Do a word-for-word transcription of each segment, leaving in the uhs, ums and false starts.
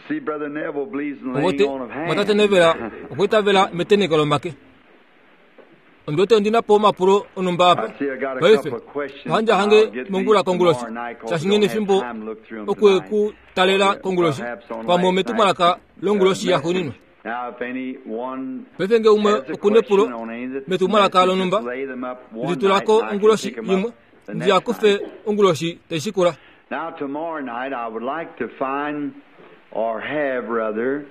See, Brother Neville believes in laying Owote on of hands. mwatate Neville okwiitavela meteneko lomake. Ondiwete ondina po omapulo onumba apa. I see I got a Paife, couple of questions. ohandi I'll hange get these mongula konguloshi. tomorrow night 'cause we Shashinge don't have nefimbo time to look through 'em okwe tonight. ku talela konguloshi. Perhaps on Pamwe last metumwalaka night's, longuloshi uh, yaxuuninwa. message. Now, if anyone Paife nge umwe has a okuna epulo question on any of the metumwalaka message, lonumba, just lay them up one litulako night and I can onguloshi pick 'em yimwe up the ndi next akufe night. onguloshi taishikula. Now, tomorrow night, I would like to find, or have rather,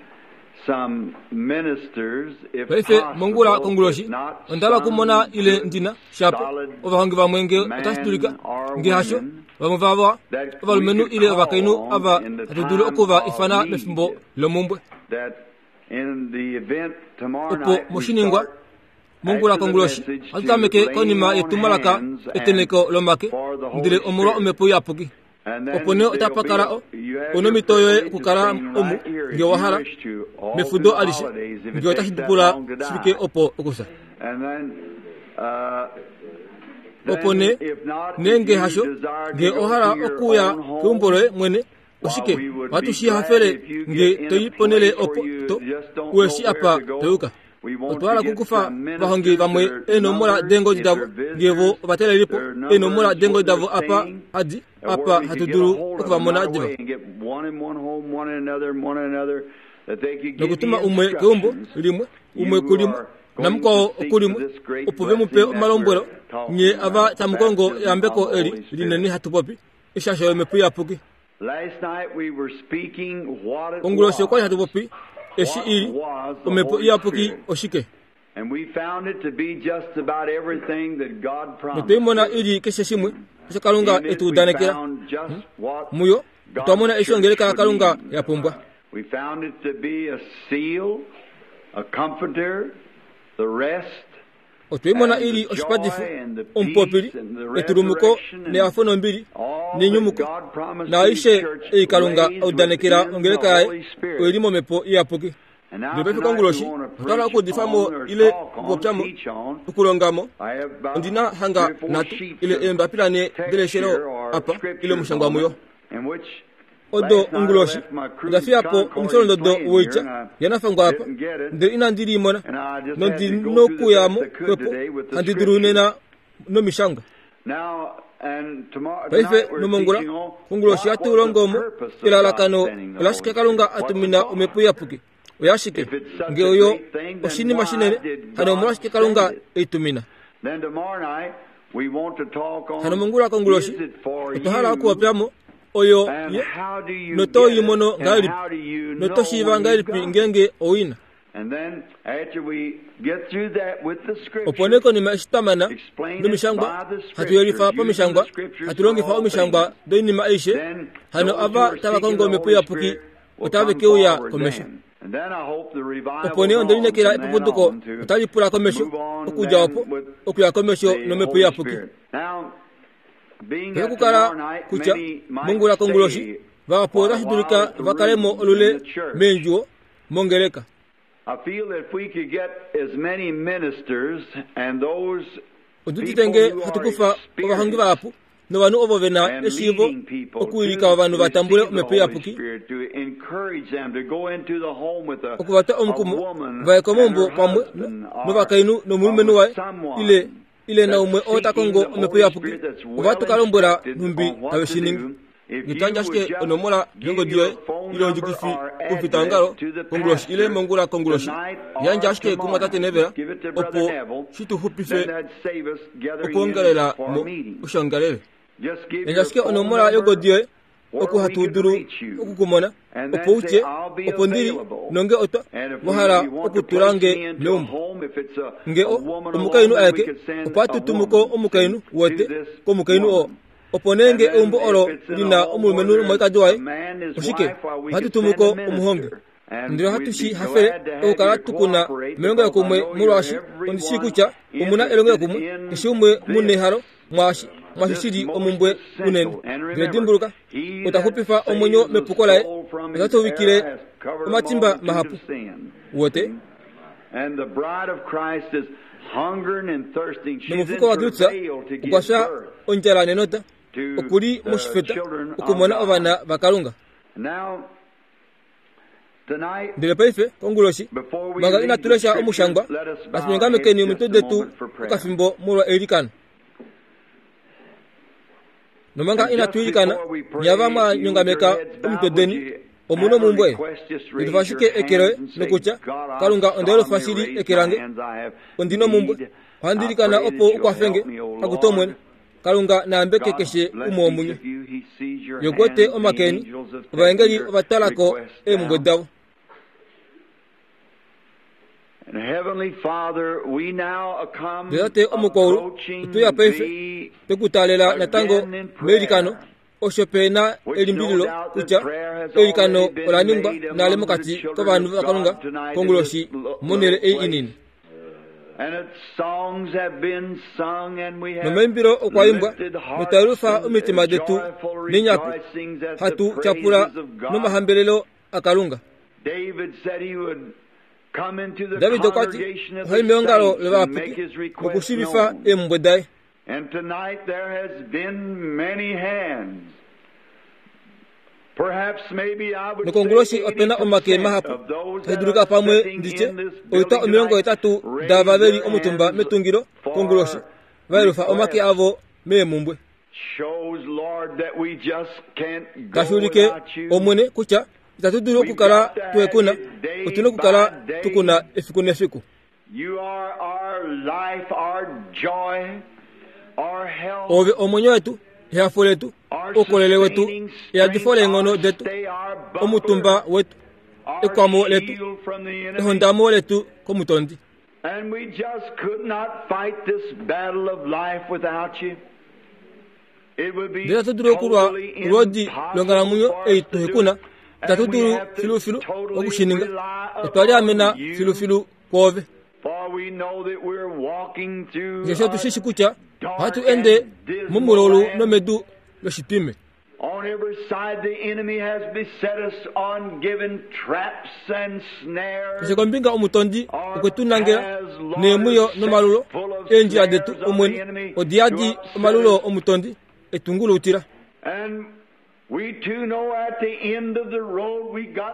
some ministers, if Paife possible, mongula konguloshi if not ondala okumona some ile good, ndina shapo solid ovahongi vamwe nge man otashi dulika or nge hasho women vamwe vava that we ovalumenhu could ile ovakainhu call on ava in the hatu dulu time okuva of ifana need. mefimbo lomumbwe that in the event tomorrow opo night we moshiningwa start mongula after the konguloshi message hatu to tameke laying konima on yetumwalaka hands and eteneko lomake for the Holy ndele omolwa Spirit. omhepo iyapuki And then opo nee there'll otapa be kala a- o- you have una your omhito yoye privilege to okukala stay omu right here if nge wa you hala wish to, all mefudo through the alishe holidays, if it nge takes otashi that pula long to die. shifike opo okusa And then, uh, opo then nee if not, if nenge you hasho desire to nge go o hala to your okuya own home, keumbo loye mwene oshike we would ohatu be shi hafele glad if you nge get in toyi a ponele place where opo you to just don't ueshi know apa where to go. toyuka We want otwa hala to get okukufa some vahongi vamwe ministers, their eenomola numbers, deengodi if davo they're nge vo visitors, ovatelelipo their eenomola numbers, deengodi what davo they're apa saying, hadi and where apa we hatu could get a dulu hold of them okuvamona right diva away and get one in one home, one in another, and one in another, that they could give nokutuma the umwe keumbo instructions. limwe You umwe who kulimwe are going namukwao to seek okulimwe for this great opo ve mupe blessing that omalombwelo we're talking nye ava about, the tamukongo baptism eyambeko of the eli Holy Spirit. linene hatu popi eshasho yomhepo iyapuki Last night we were speaking what it onguloshi okwali was. hatu popi eshi What ili was the omhepo Holy iyapuki Spirit? oshike And we found it to be just about everything that God promised. notweimona ili keshe shimwe osho kalunga In it etu we udanekela found just what muyo otwa mona God's eshi church ongeleka would yakalunga need. ya pumbwa We found it to be a seal, a comforter, the rest, otweimona and ili the oshipatifo joy and the omupopili peace and the etulumuko resurrection and nehafo nombili all that nenyumuko God promised to naaishe His church ei kalunga lays audanekela within ongeleka the yaye Holy Spirit. oili momhepo iyapuki And now ndele paife tonight we konguloshi want to otwa hala preach okuudifamo on or ile talk on, okupopyamo teach on. okulongamo I have about ondina hanga three or four nhatu sheets ile of eembapila ne text deleshelo here or apa ile scriptures omushangwa on muyo it, in which odo last night I onguloshi left my onda crude fiyapo Concord omusholondodo playing here woitya and I yanafangwa apa didn't get it. ndele inandi limona And I just had nondi to go through the nokuyamo best I could kwepo today with the handi dulu scriptures. nena nomishangwa Now, and tomorrow, paife tonight we're nomongula teaching on konguloshi what was hatu the longomo purpose of God elalakano sending the olashike Holy kalunga Spirit. What's the atumina thought? omhepo iyapuki oyashike If it's such nge a oyo great thing, then oshinima why shinene did hano God omolwashike kalunga send it? eitumina Then tomorrow night we want to talk hano on mongula konguloshi is it for otwa hala you okupopyamo oyo and ye how do you noto get it yimono and ngahelipi how do you know noto shiiva when you've ngahelipi got it? ngeenge owina And then after we get through that with the opo nee scriptures, konima eshi twamana explain it nomishangwa by the hatu yelifa scriptures, using the pamishangwa scriptures hatu for longifa all omishangwa things. doinima aishe Then hano those who ava are tava seeking kongo the omhepo Holy iyapuki Spirit will otave come keuya forward komesho then. And then I hope the opo revival's nee on ondelinekela from then epuputuko on to otali pula komesho move on okudja then opo with okuya komesho the nomhepo Holy iyapuki Spirit. Now, being that okukala tomorrow night kutya many might mongula konguloshi stay vahapu quite a otashi while dulika at the vakalemo room in olule the church. meendjuwo mongeleka I feel that if we could get as many ministers and those odudite nge people who hatu are kufa ovahongi experienced vahapu novanhu ovo vena and eshiivo leading people okuwilika to ovanhu va tambule receive the omhepo Holy iyapuki Spirit, to encourage them to go into the home with a, okuvatwa a omukumo woman vaye and komaumbo her pamwe husband or, novakainhu nomulumenhu or waye with someone ile ile naumwe that's oo ta seeking kongo the omhepo Holy iyapuki Spirit that's well ova tukalombwela instructed nhumbi on what tave to shi ningi do. If you ngetwandja would ashike just onomola give yongodi your yoye phone ile number ondjukifi or kufitangalo address to the konguloshi ile pastor mongula konguloshi tonight yandja or ashike tomorrow, kumwatate Neville just give it to Brother opo Neville, shi tu then xupife that'd save us gathering in okuongelela for mo a meeting. oshongalele Just give yandja your ashike phone onomola number yongodi yoye where oku we hatu could dulu reach you. okukumona And opo then utye say, I'll be opo ndili available. nonge otwa And if we, wahala you want to okutula place nge me into a meumbo home, if it's a, nge a o woman omukainhu alone, then we aeke could send opo a atutumuko woman omukainhu to wote this komukainhu oo woman. opo nee And nge then eumbo if olo it's in a lina home where omulumenhu there's nomukaikadi a waye man and his oshike wife, why we ohatu could send tumuko a omuhongi minister. And ndele ohatu we'd shi be hafele glad to have okukala you to tukuna cooperate melongelo because I kumwe know you're molwaashi ondishi kutya omuna everyone elongelo interested kumwe in keshe umwe muna this, ehalo mwaashi mwaashi this shili most omumbwe unene essential. And ndele remember, dimbuluka he ota that xupifa omwenyo saves the mepuko laye soul from his ota tuvikile error has covered a omatimba multitude mahapu of sin. wote See? And the bride of Christ is hungering and thirsting. She's in nomufuko wa Kristu travail to okwa give fya birth ondjala nenota Okuli moshifeta okumona ovana vaKalunga. Ndele paife konguloshi manga inatu lesha omushangwa, natu nyongamekeni omitwe detu okafimbo molwa eilikano. Nomanga inatu ilikana, nyava mwa nyongameka omitwe deni, omu nomumbwe. Yelufa ashike eke loye nokutya, Kalunga onda yelufa shili eke lange, ondi nomumbwe. Ohandi ilikana opo ukwafenge, akutu Omwene. Kalunga naambeke keshe umwe womunye. Ye okwete omake eni, ovaengeli ovatalako eemumbwe davo. Ndele Tate omukwaulu, otuya paife twekutaalela natango meilikano, osho pe na elimbililo kutya eilikano ola ningwa nale mokati kovanhu vaKalunga konguloshi monhele ei inini. Nomaimbilo okwa imbwa, notwa yelufa omitima detu nenyaku, hatu tyapula nomahambelelo aKalunga. David okwa ti ohai meongalo lovayapuki nokushiivifa eemhumbwe daye. Nokonguloshi ope na omake mahapu, tashi dulika pamwe nditye oitwa omilongo hetatu daava ve li omutumba metungilo konguloshi va yelufa omake avo meemhumbwe. Tashi ulike Omwene kutya itatu dulu okukala tuhekuna, otuna okukala tukuna efiku nefiku. Ove omwenyo wetu, ehafo letu, oukolele wetu, eyadifo leenghono detu, omutumba wetu, ekwamo letu, ehondamo letu komutondi. Ndele itatu dulu okulwa olwoodi longhalamwenyo ei tuhekuna, itatu dulu filufilu okushininga. Otwa liamena filufilu kwoove. Osheshi otu shi shi kutya ohatu ende momulaulu nomedu loshitwime. Keshe kombinga omutondi okwe tu nangela neemwiyo nomalulo. Eendjila detu Omwene odi yadi omalulo omutondi etunguluutila.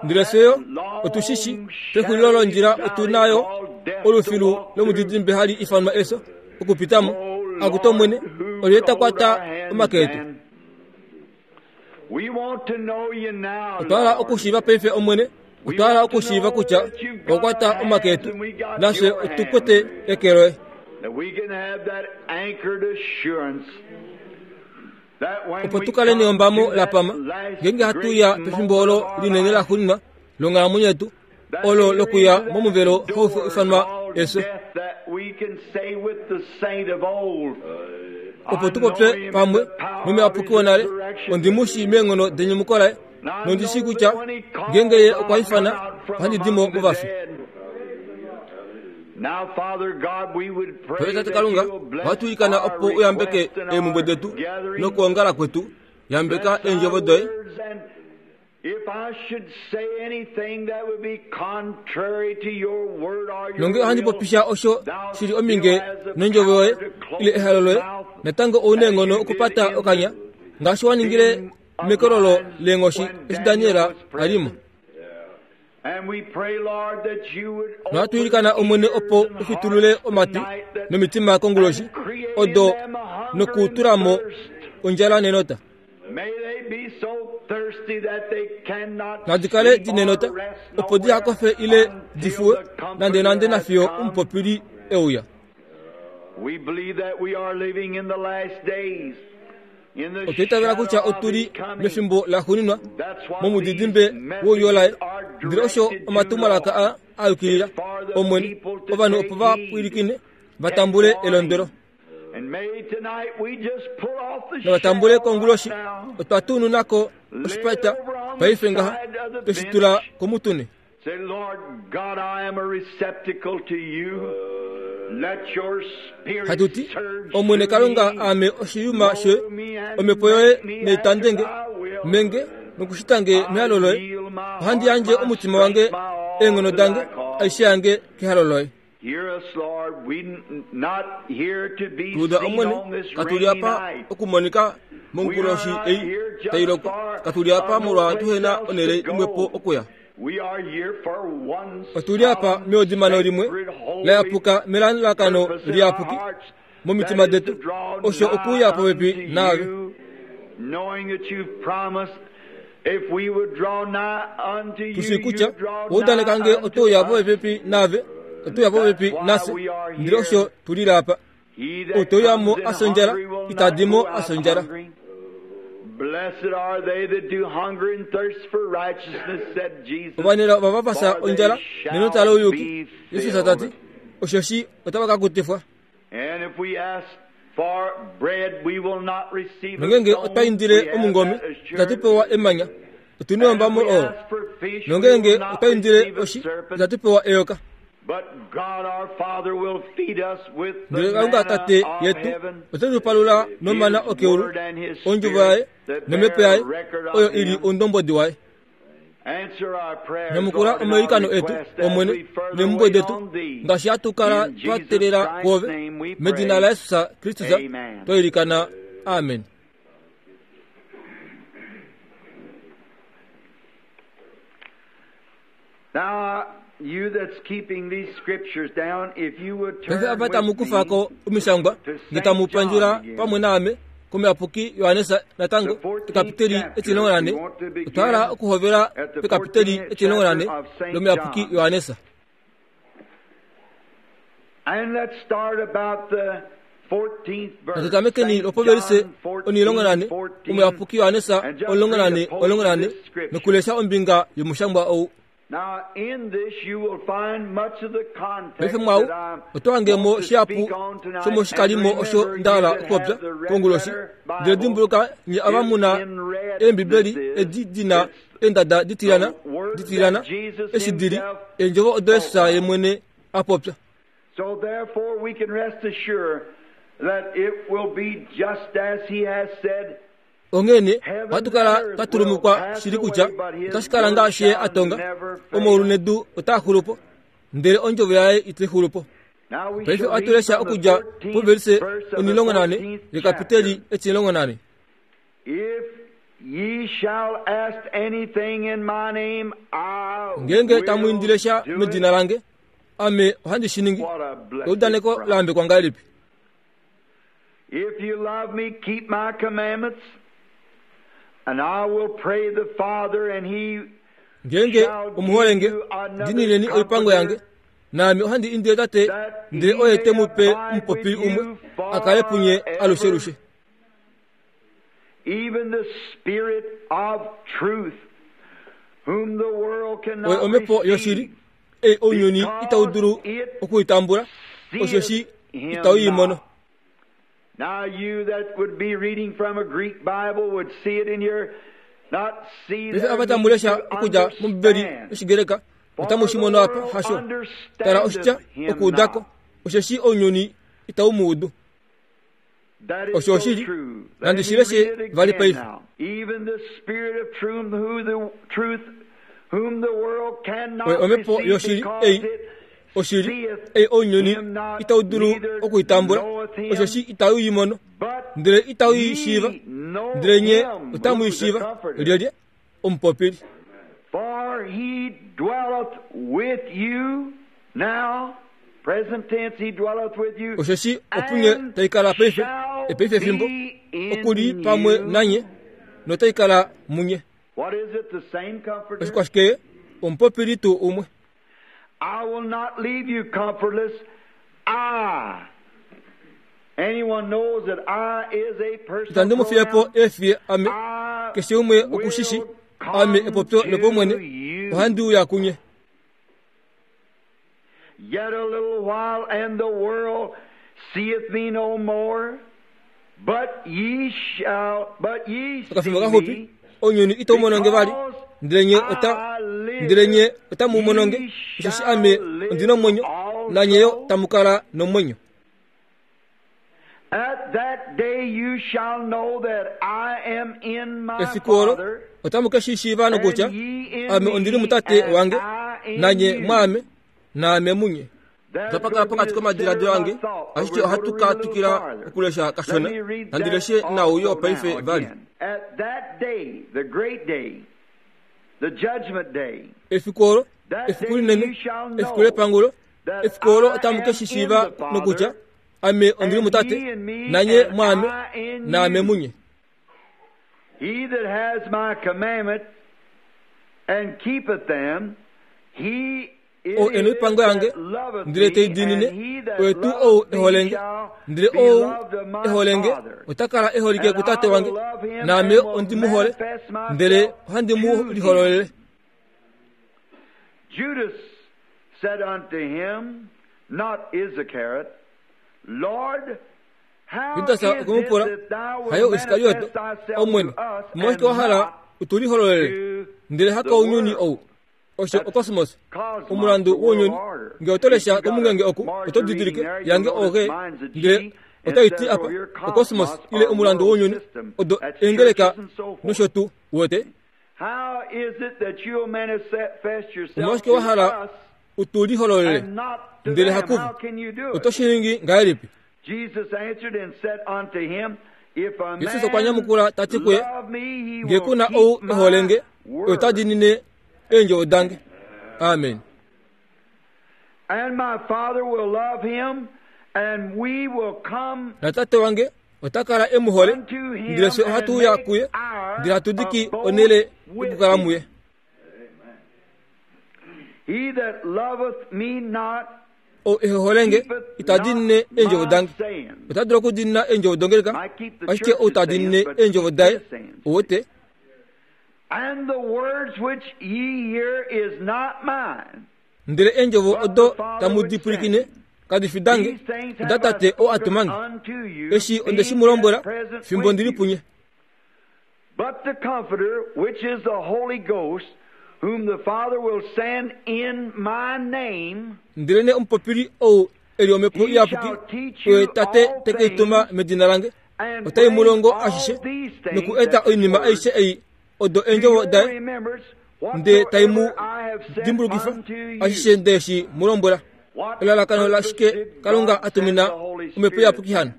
Ndele fye yo otu shi shi pexulilo londjila otu na yo olufilu lomudidimbe hali ifanwa efyo okupitamo. Akutu Omwene, olyelye ta kwata omake etu? Otwa hala okushiiva paife Omwene, otwa hala okushiiva kutya owa kwata omake etu, nafye otu kwete eke loye. Opo tu kale neyombamo la pama, ngeenge hatu ya pefimbo olo linene la xuuninwa longhalamwenyo yetu, olo lokuya momuvelo hau ifanwa efyo. Opo tu popye pamwe nomuyapuki wonale, ondi mu shii meenghono denyumuko laye, nondi shii kutya ngeenge ye okwa ifana, ohandi di mo movafi. Paife Tate Kalunga, ohatu ilikana opo uyambeke eemhumbwe detu nokwoongala kwetu. Yambeka eendjovo doye. Nonge ohandi popisha osho shili ominge nondjovo yoye ile ehalo loye, natango ou na eenghono okupata okanya ngaashi wa ningile mekololo leenghoshi eshi Daniel a li mo. Nohatu ilikana Omwene opo ufitulule omatwi nomitima konguloshi odo nokutula mo ondjala nenota. Nadi kale di nenota opo diha kofe ile di fuwe nande nande nafiyo omupopili e uya. Otwa itavela kutya otu li mefimbo laxuuninwa momudidimbe wouyo laye, ndele osho omatumwalaka a a yukilila Omwene, ovanhu opo va pwilikine va tambule elondwelo. Novatambule konguloshi, otwa tununako oshipata paife ngaha tweshi tula komutune. Hatu ti, Omwene Kalunga, aame oshiyuma shoye, omhepo yoye naitandenge menge nokushitange mehalo loye. Ohandi yandje omutima wange, eenghono dange, aishe yange kehalo loye. Tuuda Omwene, katu li apa okumonika Monguloshi ei tailoko katuli apa molwa tuhena onele imwepo okuya. Otuli apa meodimano limwe layapuka melalakano liyapuki momitima detu osho okuya popepi naave. Tushi kutya oudaneka nge otouya popepi naave, otouya popepi nafye, ndele osho tulile apa. Otouyamo asondjala itadimo asondjala. Ovanela vavapasa ondjala nenota louyuki, Jesus tati oshoshi otava ka kutifwa. Nongenge otwa indile omungome itatu pewa emanya, otuna ombamo olo. Nongenge otwa indile oshi itatu pewa eyoka. Ndele Kalunga Tate yetu ote tu palula nomana okeulu, ondjuvo yaye nomhepo yaye oyo ili oundombwedi waye. Nyamukula omailikano etu, Omwene, neemhumbwe detu ngaashi hatu kala twa teelela kwoove. Medina laJesus Kristus twa ilikana, amen. Paife apa tamu kufa ko omishangwa nge tamu pandjula pamwe naame komuyapuki Johannes natango ekapiteli etimulongo nane. Otwa hala okuhovela pekapiteli etimulongo nane lomuyapuki Johannes. Natutamekeni lopovelise onilongo nane omuyapuki Johannes omulongo nane omulongo nane nokulesha ombinga yomushangwa ou. Paife mwau oto hangemo shihapu shomoshikalimo osho ndahala okupopya konguloshi. Ndele dimbuluka nye ava muna eembibeli edi dina eendada ditilana ditilana eshi dili eendjovo odo Jesus ye mwene a popya. Onghene ohatu kala twa tulumukwa shili kutya otashi kala ngaashi ye a tonga, omaulu nedu otaa xulu po, ndele ondjovo yaye itai xulu po. Paife ohatu lesha okudja povelise onilongo nane yekapiteli etimulongo nane. Ngeenge tamu indile sha medina lange, ame ohandi shi ningi. Eudaneko la yambekwa ngahelipi? If you love me, keep my commandments, and I will pray the Father, and he Ngeenge omuholenge, dinileni oipango yange, naame ohandi indile Tate, ndele oye te mu pe omupopili umwe a kale punye alushelushe. Even the Spirit of truth, whom the world cannot Oye omhepo yoshili, ei ounyuni itau dulu okuitambula, osheshi itau i mono. Now you that would be reading from a Greek Bible would see it in your not see Paife apa tamu lesha okudja mOmbibeli yOshigreka otamu shi mono apa hasho. Tala oshitya okuudako, osheshi ounyuni itau mu udu. Osho oshili, nandi shi leshe vali paife. Oye omhepo yoshili ei oshili ei ounyuni itau dulu okuitambula, osheshi itau i mono, ndele itau i shiiva, ndele nye otamu i shiiva. Lyelye? Omupopili. For he dwelleth with you now, present tense, he dwelleth with you, Osheshi opunye taikala paife, epaife fimbo, okuli pamwe nanye, notaikala munye. What is it? The same comforter? Oshikwashike omupopili tuu umwe. I will not leave you comfortless. I. Anyone knows that I is a personal Itandi mu fiye po efiye ame, keshe umwe okushishi ame epopyo lopomwene, ohandi uya kunye. Yet a little while, and the world seeth me no more, but ye shall, but ye see Okafimbo kaxupi, me, ounyuni itau mononge vali, ndele nye ota ndele nye otamu mononge, osheshi ame ondina omwenyo, nanye yo tamu kala nomwenyo. At that day you shall know that I am in my Efiku olo Father, otamu ke shi shiiva nokutya and ye in ame ondili mutate me, wange, and I in nanye you. mwaame, naame munye. Otapa pokati komadiladilo ange, ashike ohatu ka twikila okulesha kashona. Nandi leshe nau yo paife vali. Efiku olo, efiku linene, efiku lepangulo, efiku olo otamu ke shi shiiva nokutya ame ondili mutate, nanye mwaame, naame munye. He that has my commandment and keepeth them, he O eno ipango yange, ndele tei diinine, oye tuu ou eholenge, ndele ou eholenge ota kala eholike kutate wange, naame ondi mu hole, ndele ohandi mu lihololele. Judas said unto him, not Iscariot, Lord, how Judas is it okwe mu pula, that thou wilt hayo Iskarioto, manifest thyself Omwene, to us omolwashike and wa hala not utu lihololele, to ndele hakounyuni the ou? world? Osho okosmos, Cosmos, omulandu the world wounyuni. order. Nge oto lesha If you got a komungenge oku, oto margarine didilike there, you'll yange notice oge, mine's a G, ndele and otai it ti says apa over here, okosmos cosmos ile or omulandu world wounyuni, system. odo That's engeleka churches and so forth. nosho tuu wote. How is it that you'll manifest yourself Omolwashike to wa hala us utu lihololele, and not to ndele them? hakuvo? How can you do Oto it? shi ningi ngahelipi? Jesus answered and said unto him, If a Jesus okwa man nyamukula ta ti kuye, love me, he nge will ku na keep ou my eholenge, ota word. diinine eendjovo dange. Amen. And my Father will love him, and we will come Natate wange ota kala e mu hole, unto him ndele fye and ohatu uya make kuye, our ndele hatu diki abode onhele with yokukala him. muye. He that loveth me not Ou ehe holenge keepeth ita not diinine eendjovo my dange. sayings. Ota dulu okudiinina eendjovo dongeleka, I keep the ashike ou ta church's diinine sayings, but eendjovo daye, his sayings. owote. And the words which ye hear is not mine. Ndele eendjovo But odo the Father tamu which di sent pwilikine me. kadi fi dange, These things oda have I tate oo a spoken tuma nge. unto you, Eshi onde shi being mu lombwela, yet present fimbo with ndili you. punye. But the Comforter, which is the Holy Ghost, whom the Father will send in my name, Ndele nee omupopili ou e li omhepo he iyapuki, shall teach oye you tate all te ke i tuma things medina lange, and otai mu bring longo all ashishe, these things, noku eta that's oinima words, aishe ei odo to eendjovo your daye, remembrance nde tai mu whatsoever I have said dimbulukifa unto you. ashishe nde shi mu lombwela. What Elalakano purpose lashike did Kalunga God a tumina send the Holy omhepo Spirit? iyapuki hano?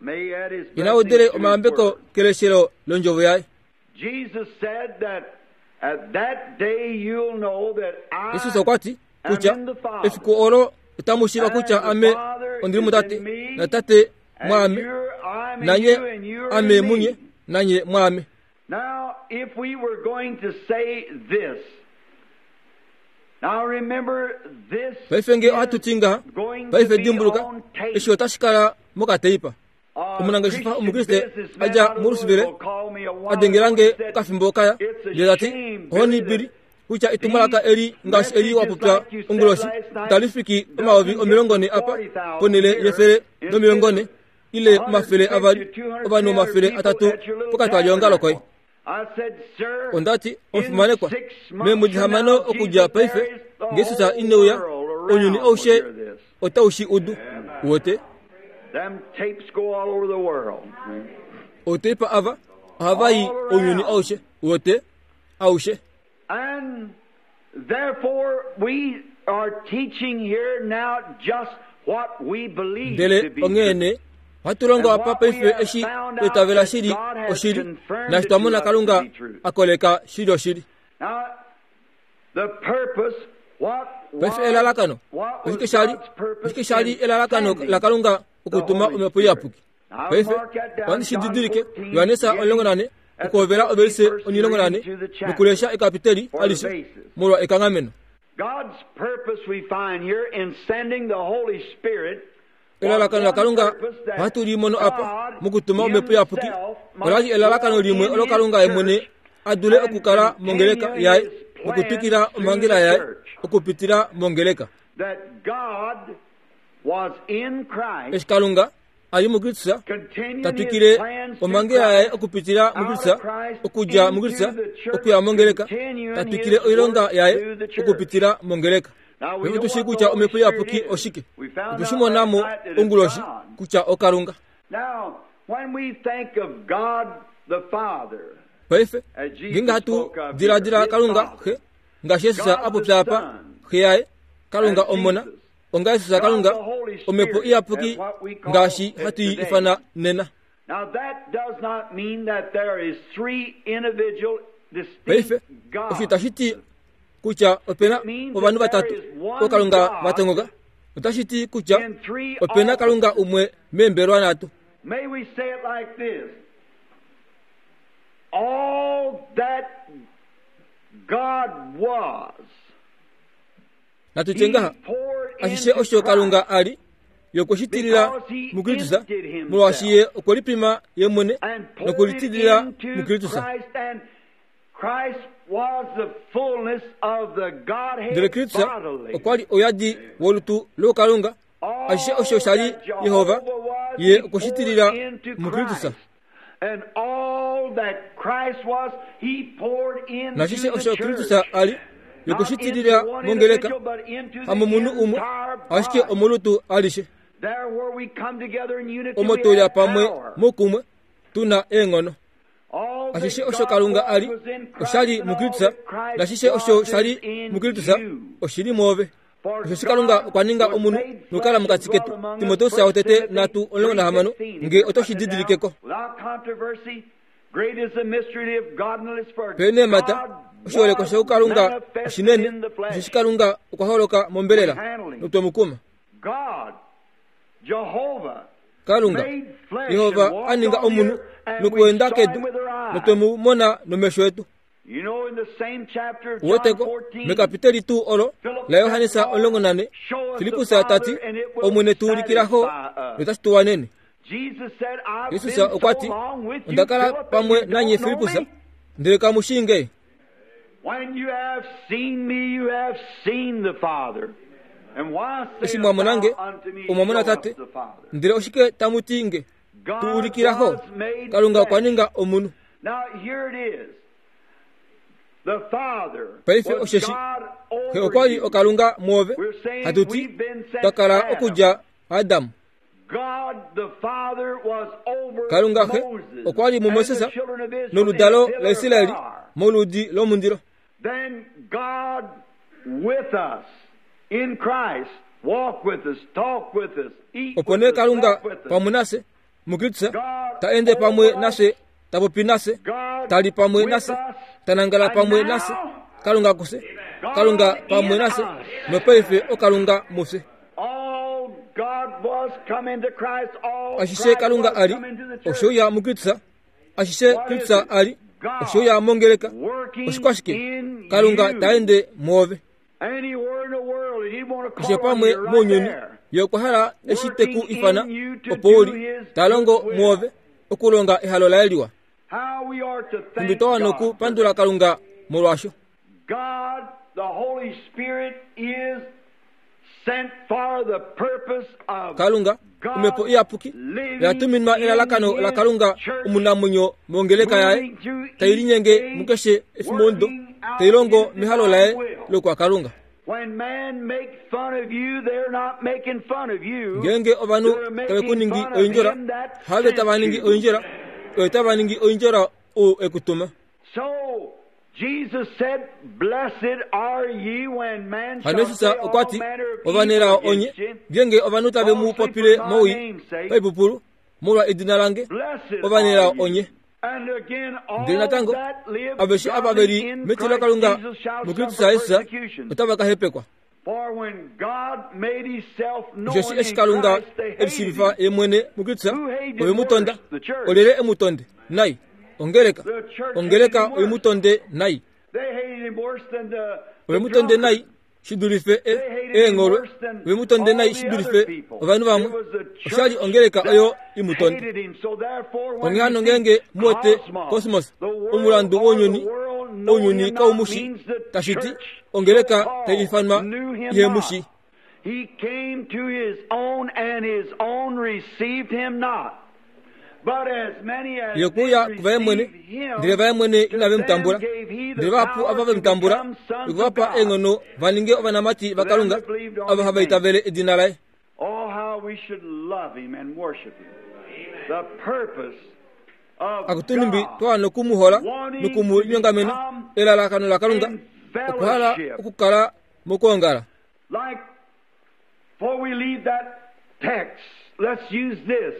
May he add his Ina udele blessing to his omayambeko word. keleshelo londjovo yaye. Jesus said that at that day you'll know that I Jesus okwa ti am kutya in the Father, efiku olo otamu shiiva kutya and ame the Father ondili is mutate, in me, na tate and mwaame, you're, I'm in nanye you, and you're ame in munye, me. nanye mwaame. Now, if we were going to say this, now remember this Paife nge ohatu is ti ngaha, going to paife be dimbuluka, on tape. eshi otashi kala mokateipa. A Omunangeshefa Christian omukriste businessman a dja out of muRusuvile, Louisville called me a while a dengela ago nge and said, okafimbo kaya, It's a ndele ta ti, shame, ohoni Billy, bili, that kutya etumwalaka these eli ngaashi eli wa messages popya like you said onguloshi, last night itali fiki omayovi doesn't get omilongo to ne apa, forty thousand ponhele here yefele in nomilongo ne, Finland. ile a hundred omafele fifty, avali, two hundred, ovanhu three hundred omafele people atatu at your little pokatwalionga lokoye. tabernacle. I said, sir, Ondati in omufimanekwa, six months meemwedi from hamano now, okudja Jesus, paife, there is the nge Jesus whole ine uya, world ounyuni around will aushe hear this. otau shi udu. Wote, Them tapes go all over the world. oteipa ava ohava i All ounyuni around. aushe. Wote, aushe. And therefore, we are teaching here now just what we believe to Ndele be onghee true. nee, ohatu longo And apa what we paife have eshi found twa out itavela that shili God has oshili, confirmed naashi it twa to mona us to Kalunga be true. a koleka shili oshili. Now, the purpose, what Paife was, elalakano, what was oshike shali, God's purpose oshike shali in elalakano sending laKalunga the okutuma Holy omhepo Spirit? iyapuki? Now, Paife mark that down, ohandi shi John didilike fourteen, Yohanesa beginning omulongo nane at the okuhovela ovelise fourteenth verse, omilongo nane reading to the chapter nokulesha ekapiteli for the alishe basis. molwa ekanghameno. God's purpose we find here in sending the Holy Spirit was Elalakano one laKalunga purpose that ohatu li mono apa God mokutuma omhepo iyapuki Himself ola li might elalakano dwell limwe in olo His Kalunga ye mwene church a dule and okukala mongeleka continue yaye His plan nokutwikila through omhangela the yaye church. okupitila mongeleka. That God was in Christ, Eshi Kalunga a li muKristus continuing ta His twikile plans through omhangela yaye Christ, okupitila out muKristus of Christ, okudja into muKristus the church, okuya mongeleka continuing ta twikile His oilonga work yaye through the church. okupitila mongeleka. Now we Paife know tushi what the kutya Holy omhepo Spirit iyapuki is. oshike. We found Otwe shi out mona last mo night that it's onguloshi God. kutya oKalunga. Now, when we think of God the Father, Paife as ngeenge Jesus hatu spoke of here, diladila His Kalunga Father, xe ngaashi Jesus God a the popya apa Son, xe yaye Kalunga Omona onga Jesus Kalunga Omhepo Iyapuki ngaashi hatu i ifana nena. Now that does not mean that there is three individual Paife distinct osho gods. itashi ti kutya opena ovanhu vatatu ookalunga va tongoka. Otashi ti kutya In three opena Kalunga umwe meembelwa nhatu. May we say it like this. All that God was, Natu He tye ngaha poured ashishe into osho Kalunga Christ a li ye okwe shi tilila muKristus molwaashi ye okwe lipima ye mwene and poured it nokulitilila into muKristus. Christ, and Christ was the fullness of the Ndele Godhead Kristus bodily. okwa li ouyadi wolutu lookalunga ashishe osho sha li All that Yehova Jehovah was, ye he okwe shi tilila poured into muKristus. Christ. And all that Christ was, he poured into Nashishe the osho church. Kristus a li ye okwe shi Not tilila into one mongeleka individual, but into the hamomunhu umwe entire ashike body. omolutu alishe. There where we come together in unity, Omo we tuli have pamwe power. moukumwe tuna eenghono. All that Ashishe osho God Kalunga was a li was in Christ, osha li and all muKristus that Christ nashishe osho was sha li is in muKristus you. oshi li mwoove. For Osheshi Kalunga God okwa ninga was omunhu made nokukala flesh mokati and ketu. dwelt among us. Timoteus First wotete Timothy nhatu omulongo nahamano three sixteen. nge oto shi Write it didilikeko. down. Without controversy, great is the mystery of godliness, for Pene mata God oshiholekwa was shoukalunga manifested oshinene in the flesh. osheshi Kalunga okwa holoka mombelela notwemukuma. God, Jehovah, Kalunga made flesh Yehova and walked a ninga on omunhu the earth, and we nokuenda saw kedu him with our eyes. notwemu mona nomesho etu. You know, in the same chapter of John Woteko fourteen, mekapiteli tuu olo la Yohannes omulongo nane Show us the Filippus Father, tati and it will Omwene tuulikilako satisfy us. notashi tu wanene. Jesus said, I've Jesus been okwa so ti long with you, onda kala Philip, and pamwe you nanye don't know Filippus me? ndele kamu shii nge. When you have seen me, you have seen the Father. And why Eshi sayest mwamona nge thou unto me, omwamona Show us Tate the Father? ndele oshike tamu ti nge God tuulikilako was made Kalunga okwa flesh. ninga omunhu. Now here it is. The Father Paife was osheshi God Xe over okwa li you. okalunga mwoove We're saying hatu ti we've been since twa kala Adam. okudja Adamu. God the Father was over Kalunga xe Moses okwa li and the muMoses children of Israel noludalo in a pillar of laIsraeli fire. moludi lomundilo. Then God with us in Christ, walk with us, talk with us, eat Opo with nee us, Kalunga sleep with us. pamwe nafye muKristus God ta ende pamwe over us, nafye ta popi nafye God ta li pamwe with nafye us, ta nangala and pamwe now nafye Kalunga kufye Kalunga God pamwe in nafye us. nopaife okalunga mufye. All God was come into Christ, all Ashishe Christ Kalunga was a li come into the church. oshe uya muKristus ashishe What is Kristus it? a li God oshe uya mongeleka working oshikwashike in Kalunga you. ta ende mwoove. Anywhere in the world, and he'd want to Keshe call on pamwe you right mounyuni there. ye okwa hala eshi te ku Working ifana in you to opo u do li his ta longo good will. mwoove okulonga ehalo laye liwa. How we are to Nhumbi thank twa wana God. okupandula Kalunga molwaasho. God, the Holy Spirit, is sent for the purpose of Kalunga God Omhepo Iyapuki living oya tuminwa in elalakano His la Kalunga church, omunamwenyo mongeleka yaye moving through tai linyenge each age, mukeshe efimondo working out tai longo His mehalo divine laye will. lokwa Kalunga. When man make fun of you, they're not making fun of you. Ngeenge ovanhu They're tave ku making ningi fun of oindjola him that have sent tava ningi you. oindjola oyo tava ningi oindjola ou ekutuma. So Jesus said, Blessed are ye when man Hano shall Jesus say all okwa ti manner of evil ovanelao onye against you. ngeenge ovanhu tave mu Falsely popile for my mowii name's sake. paipupulu molwa edina lange Blessed ovanelao are you. onye. And again, all Ndele natango that live aveshe ava ve godly li in metilo Christ laKalunga Jesus shall muKristus suffer Jesus persecution. otava ka hepekwa. For when God made himself known Osheshi eshi in Kalunga Christ, they e hated lishiivifa him. ye mwene muKristus Who hated ove mu tonda worse? The church. olyelye e mu tonde nai ongeleka The church ongeleka hated him oye mu worse. tonde nai They hated him worse than the, ove the mu tonde drunkard. nai shi dulife e- They hated him eengholwe worse than ove mu tonde all nai the shi other dulife people. ovanhu vamwe It was the oshali church ongeleka that oyo i mu tonde. hated him. So therefore, when Onghee you hano see ngeenge mu wete cosmos, cosmos the world omulandu or the wounyuni world know ounyuni him kau not mu shi means the tashi ti church ongeleka so-called tai ifanwa knew him ihe mu not. shi. He came to his own, and his own received him not. But as many as Ye okuya did kuvaye mwene receive him, ndele vaye mwene to inave mu them tambula gave he the ndele vahapu power ava ve to mu tambula become sons of okuvapa God. eenghono va ninge ovanamati vaKalunga ava hava itavele edina laye. Oh, how we should love him and worship him. The purpose of Akutu nhumbi God twa wana oku mu hola noku mu linyongamena elalakano laKalunga in okuhala fellowship. okukala mokwoongala. Like, before we leave that text, let's use this.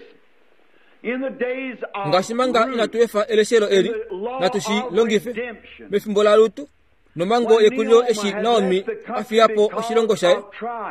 In the days of ngaashi manga Ruth, inatu efa eleshelo eli in the law natu shi of longife redemption, mefimbo laRutu nomango yekulilo eshi Naomi a fiya po oshilongo shaye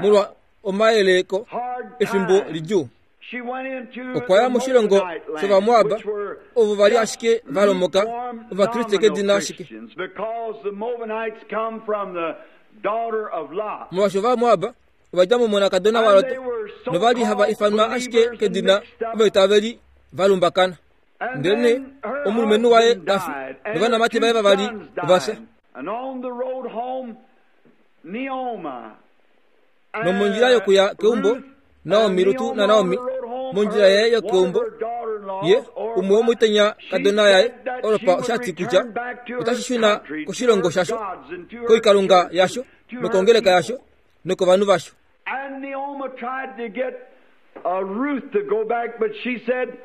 molwa omayeleko hard efimbo times, lidjuu she went into okwa ya the moshilongo Moabite land, shOvamoab which were ovo vali just ashike va lomoka lukewarm Ovakriste nominal kedina ashike Christians, because the Moabites come from the daughter of Lot. molwaashi Ovamoab ova dja momonakadona And waLot they were novali hava so-called ifanwa ashike believers and kedina mixed up. ovaitaveli va lumbakana And ndelene then her omulumenhu waye husband ta fi died, and novanamati her vaye two vavali sons ova fya died. And on the road home, Naomi, nomondjila yokuya keumbo Ruth, Naomi and Rutu Naomi na Naomi on the road home, mondjila her- yaye one of yokeumbo her daughter-in-laws, ye Orpah, umwe womutenya she kadona yaye said that she Orpa would oshati kutya return back to her otashi shuna country, to koshilongo her shasho gods and to her koikalunga church, yasho to her nokongeleka people. yasho nokovanhu vasho And Naomi tried to get uh, Ruth to go back, but she said,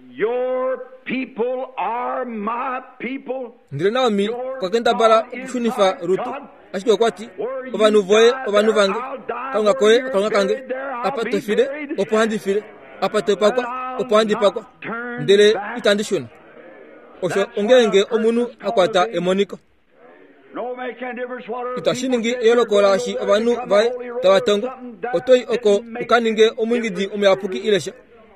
Your people are my people. ndele Naomi Your okwa kendabala God is okushunifa my Rutu God. ashike okwa ti Where you ovanhu voye die, ovanhu there vange I'll die. kalunga Where koye you're kalunga kange buried, there I'll apa be to file buried. opo handi file apa to And pakwa I'll opo handi pakwa not turn ndele back. itandi shuna osho That's ongeenge when a omunhu person's a kwata called to be. emoniko No make any difference what other itashi people ningi said, eyoloko you're going laashi over there to ovanhu become a vaye holy roller tava or tongo something. That otoyi oko didn't make ukaninge any omwingidi difference omuyapuki to Ruth. ilesha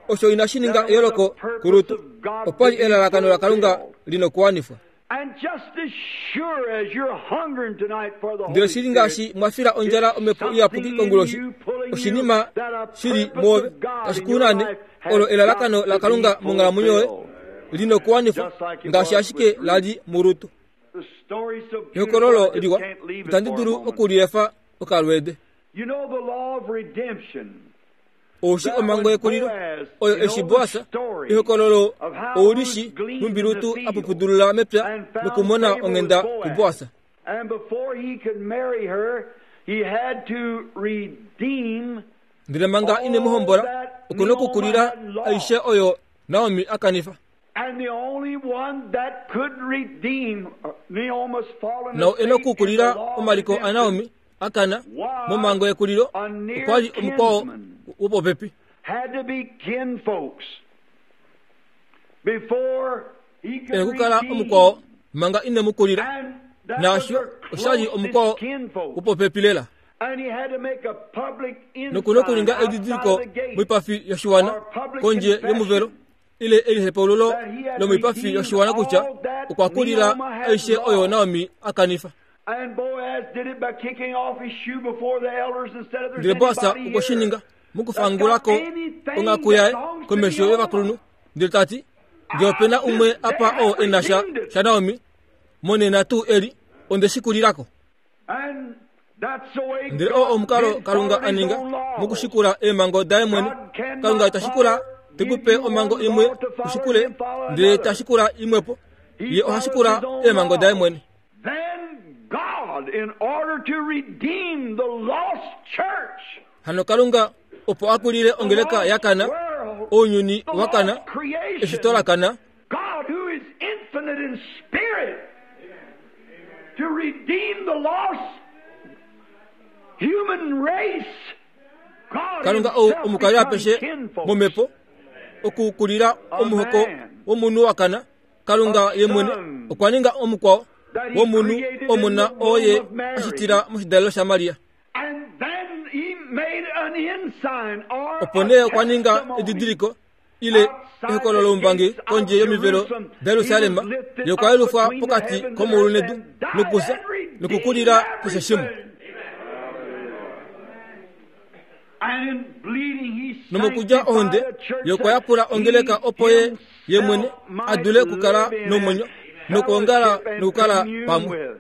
osho inashi ninga That was the eyoloko purpose kuRutu of God opwali to be elalakano laKalunga fulfilled. linokuwanifwa And just as sure as you're hungering tonight for the ndele Holy shili Spirit, ngaashi mwafila ondjala omhepo it's iyapuki something in konguloshi you pulling you oshinima that a shili purpose mwoove of God tashi in your kunane life has olo elalakano got to laKalunga be monghalamwenyo yoye fulfilled. linokuwanifwa Just like it ngaashi was ashike with Ruth. lali muRutu The story's so beautiful, ehokololo I just liwa can't leave it itandi for a dulu moment. okuliefa okalweede You know the law of redemption. oushi That omhango when yekulilo Boaz, oyo you know eshi the Boasa story ehokololo of how oulishi Ruth gleaned nhumbi in the Rutu field apupudulula mepya and found nokumona favor onghenda with Boaz. kuBoasa And before he could marry her, he had to redeem ndele manga ine mu all hombola that okuna Naomi okukulila had lost. aishe oyo Naomi akanifa And the only one that could redeem Naomi's fallen nao ena estate in the okukulila law of omaliko redemption aNaomi akana was momhango yekulilo a near okwali omukwao kinsman. wopopepi Had to be kinfolks before he ena could okukala redeem. omukwao manga ine mu kulila And that was naasho her oshali omukwao closest kinfolk. wopopepi lela And he had to make a public nokuna ensign okuninga outside edidiliko of the gate moipafi yoshiwana or public kondje yomuvelo confession ile elihepaululo that he had lomoipafi redeemed yoshiwana kutya all that okwa kulila Naomi had aishe oyo lost. Naomi akanifa And Boaz did it by kicking off his shoe before the elders and said, if there's ndele Boasa anybody okwe shi here ninga that's got mokufangulako anything onghaku that yaye belongs to komesho Naomi, yovakulunhu ndele tati ngee opena I umwe this day apa oo have ena sha redeemed it. sha Naomi monena tuu eli onde shi kulilako And that's the way ndele oo God omukalo did Kalunga follow a his ninga own laws. mokushikula eemhango daye mwene God cannot Kalunga ita shikula follow, give tekupe you omhango one imwe law to follow ushikule and follow ndele another. ta shikula imwepo He ye oha follows shikula his own eemhango daye laws. mwene Then God, in order to redeem the lost church, hano Kalunga opo akulile the ongeleka lost yakana world, ounyuni the wakana lost creation, eshito lakana God who is infinite in spirit, to redeem the lost human race, God Kalunga ou himself omukali becomes apeshe kinfolks. momhepo okukulila A omuhoko man, womunhu wakana Kalunga a ye mwene son okwa ninga omukwao that he womunhu created in omuna the oo ye womb of Mary. ashitila moshidalelo shaMaria And then he made an ensign or opo a nee okwa ninga testimony edidiliko ile outside ehokololo the loumbangi gates of kondje yomivelo Jerusalem. da He was Yerusalem lifted ye okwa up yelufwa between the pokati heavens and komaulu earth nedu and died nokusa and redeemed nokukulila keshe shimwe everything. And in bleeding he nomokudja ohonde sanctified a church ye okwa that yapula ongeleka he opo ye ye mwene himself might adule okukala live in nomwenyo and nokuongala fellowship and nokukala commune pamwe with.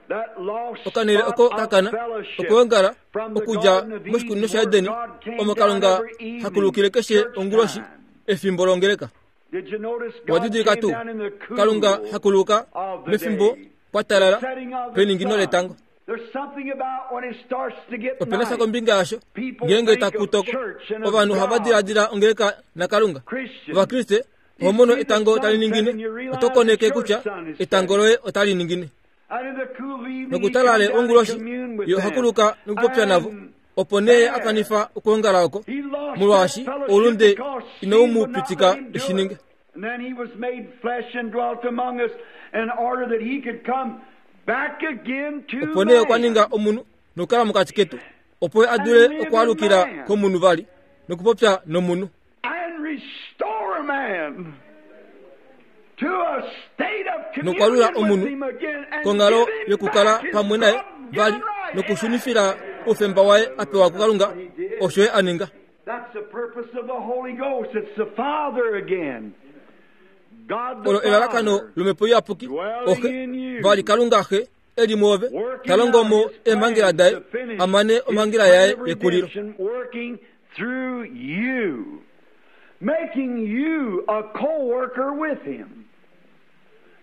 That lost okanele spot oko of kakana fellowship okuongala from the okudja Garden of Eden moshikunino where shaEdeni God came omo down Kalunga every evening, hakulukile keshe church onguloshi time. efimbo longeleka Did you notice God wadidilika came tuu down in the cool Kalunga hakuluka of the mefimbo day, kwa the talala setting of the peningino sun. letango There's something about when it starts to get opena sha night. kombinga yasho People ngeenge think taku of toko church and of ovanhu ohava God. diladila ongeleka naKalunga Christians, Ovakriste you oho mono see the etango tali sunset ningine and you realize oto that koneke your kutya sun is etango setting. loye otali ningine Nokutalale onguloshi ye ohakuluka nokupopya navo opo nee akanifa okuongala oko molwaashi oulunde inau pitika eshininge. And then he was made flesh and dwelt among us in order that he could come back again to opo nee okwa ninga omunhu nokukala mokati ketu opo adule okwaalukila komunhu vali nokupopya nomunhu and restore man to a state of nokwalula communion omunhu with him again and kongalo give him yokukala back his pamwe naye vali God-given right. nokushunifila oufemba waye apewa kuKalunga osho ye aninga. That's the purpose of the Holy Ghost. It's the Father again. God the Olo elalakano Father lomhepo iyapuki oxe vali Kalunga xe eli mwoove talongo mo eemhangela daye amane omhangela yaye yekulilo. redemption working through you, making you a co-worker with him,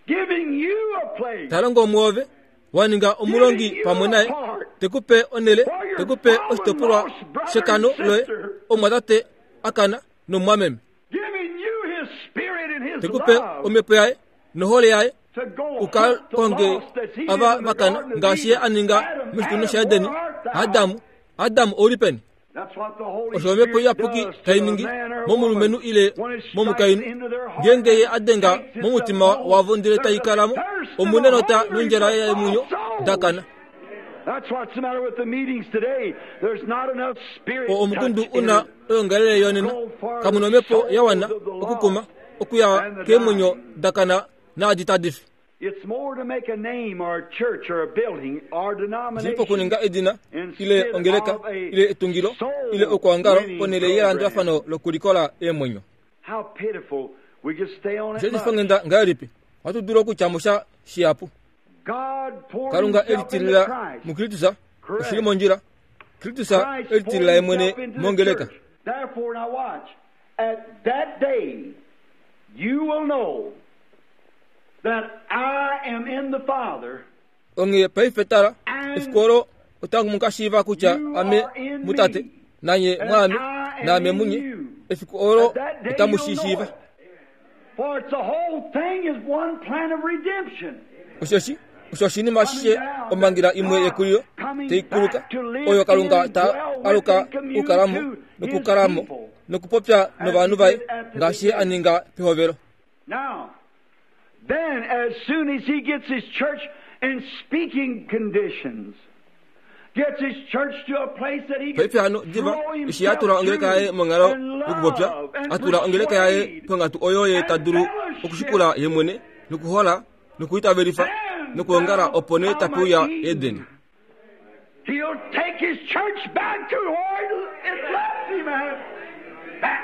giving you a place Talongo mwoove waninga omulongi pamwe naye tekupe onele tekupe oshitopolwa shekano loye omwatate akana nomwameme giving you his spirit and his tekupe love omhepo yaye nohole yaye to go uka hunt the konge lost as he did ava in the vakana Garden of ngaashi ye Eden. aninga Adam, moshikunino Adam, shaEdeni. where art thou? Adamu Adamu ouli peni? That's what the Holy Osho omhepo Spirit iyapuki does to tai a ningi man or a momulumenhu woman ile when it strikes momukainhu into their heart ngenge ye and adenga takes its momutima abode. wavo ndele There's a taikalamo thirst and a omune nota hunger nondjala for yemunyo lost souls. dakana. That's what's the matter with the meetings today. There's not enough spirit O omukundu touch in una it. oyongalele yonena kamuna omhepo ya wana okukuma okuya keemwenyo dakana naadi tadifi. It's more to make a name or a church or a building or Zilipo denomination kuninga edina ile ongeleka ile etungilo ile okuangalo ponele yelandulafano lokulikola eemwenyo. How pitiful we just stay on it Osho much. shifongenda ngahelipi ohatu dulu okutya musha shihapu. God poured Kalunga himself into elitilila Christ. muKristus oshili mondjila. Kristus Christ poured elitilila ye mwene himself into the mongeleka. church. Therefore, now watch. At that day, you will know that I am in the Father, Onghee paife tala efiku olo otango mukashiiva kutya you ame are in mutate me, nanye and mwaame I am naame in munye you. efiku olo At that day otamu you'll know shishiiva. it. For it's the whole thing is one plan of redemption. Oshoshi osho oshinima ashishe omhangela imwe yekulilo teikuluka oyo Kalunga ta aluka okukalamo nokukalamo nokupopya novanhu vaye ngaashi ye aninga pehovelo. Now, then, as soon as he gets his church in speaking conditions, gets his church to a place that he can Paife hano diva throw eshi atula himself ongeleka yaye to monghalo and yokupopya love and atula ongeleka yaye persuade ponghatu oyo ye ta dulu okushikula ye mwene nokuhola nokuitavelifa nokuongala opo nee tapuuya Edeni. He'll take his church back to where it left him at. Back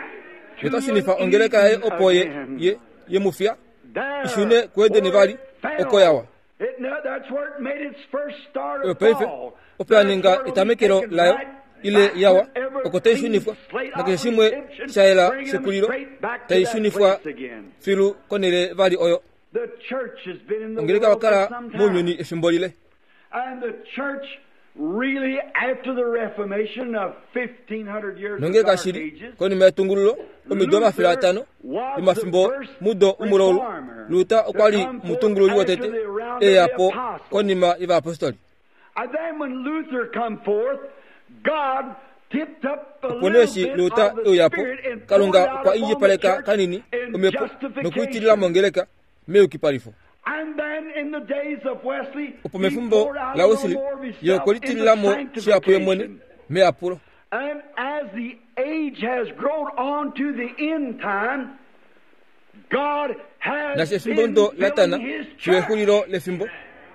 to Ye ta shunifa ongeleka yaye opo ye again. ye ye mufya There, ishune kuEdeni where vali it fell. oko yawa. It, no, that's where it made its first start Oyo of paife fall. opo ya ninga etamekelo layo ile yawa Back with every oko tai shunifwa clean slate nakeshe of shimwe redemption, sha yela bringing them shekulilo straight back to tai that shunifwa place again. filu konele vali oyo. The church has been in the Ongeleka world for wakala some time. mounyuni efimbo lile. And the church really after the Reformation of fifteen hundred years of Nongeleka dark shili ages, konima yetungululo omido omafele atano yomafimbo mudo omulaulu Luta okwa li mutungululi wotete eya po konima yovayapostoli. And then when Luther come forth, God tipped up a Opo nee little eshi bit Luta of the euya po Spirit and poured Kalunga out okwa upon the indjipaleka church kanini in omhepo nokuitilila justification. mongeleka meyukipalifo. And then in the days of Wesley, Opo he mefimbo poured out la a little Wesley more of ye himself okwe litilila mo into shihapu ye mwene sanctification. meyapulo. And as the age has grown on to the end time, God has Naashi efimbo been ndo latana filling his fiyo church. exulilo lefimbo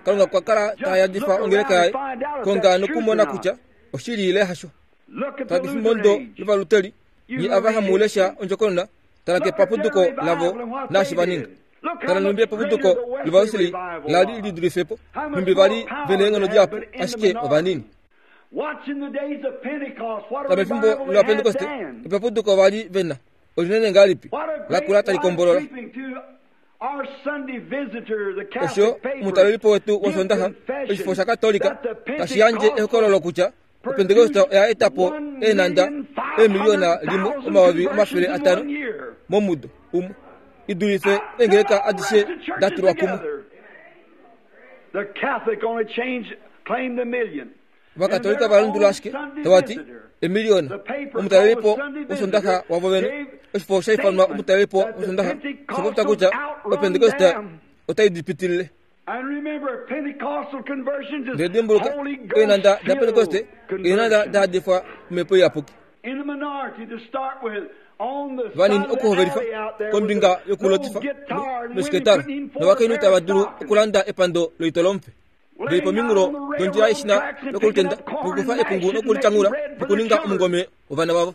Kalunga okwa kala ta yadifa ongeleka yaye konga nokumona kutya oshili ile hasho. Look at Tala the kefimbo Lutheran ndo age. lovaluteli nye ava hamulesha ondjokonona tala kepapuduko lavo naashi vaninga. Tala nhumbi epapuduko lovawesley lali lidulifepo nhumbi vali vena eenghono dihapu ashike ovanini. Watch in the days of Pentecost, what a Tala mefimbo revival they had lovapentekoste then. epapuduko vali vena olinene ngahelipi What a great lakula talikombolola. sweeping to our Sunday visitor, the Osho Catholic paper, omutalelipo wetu give wosondaha confession oshifo shakatolika that the tashi yandje ehokololo kutya opentekoste oya eta po eenanda eemiliyona limwe omayovi omafele atano momudo umwe idulife eengeleka adishe da tulwa kumwe. Vakatolika valundula ashike tavati emiliyona omutalelipo wosondaxa wavo vene. Oshifo shaifanwa omutalelipo wosondaxa shapopya kutya opentekoste otai dipitilile. Ndele dimbuluka, eenanda dapentekoste eenanda dahadifwa omhepo iyapuki. Vanini okuhovelifa kombinga yokulotifa noshiketala, novakainhu tava dulu okulanda epando loitolomfe. Veli pominghulo dondjila yeshina lokolutenda nokukufa epungu nokulityangula nokuninga omungome wovana vavo.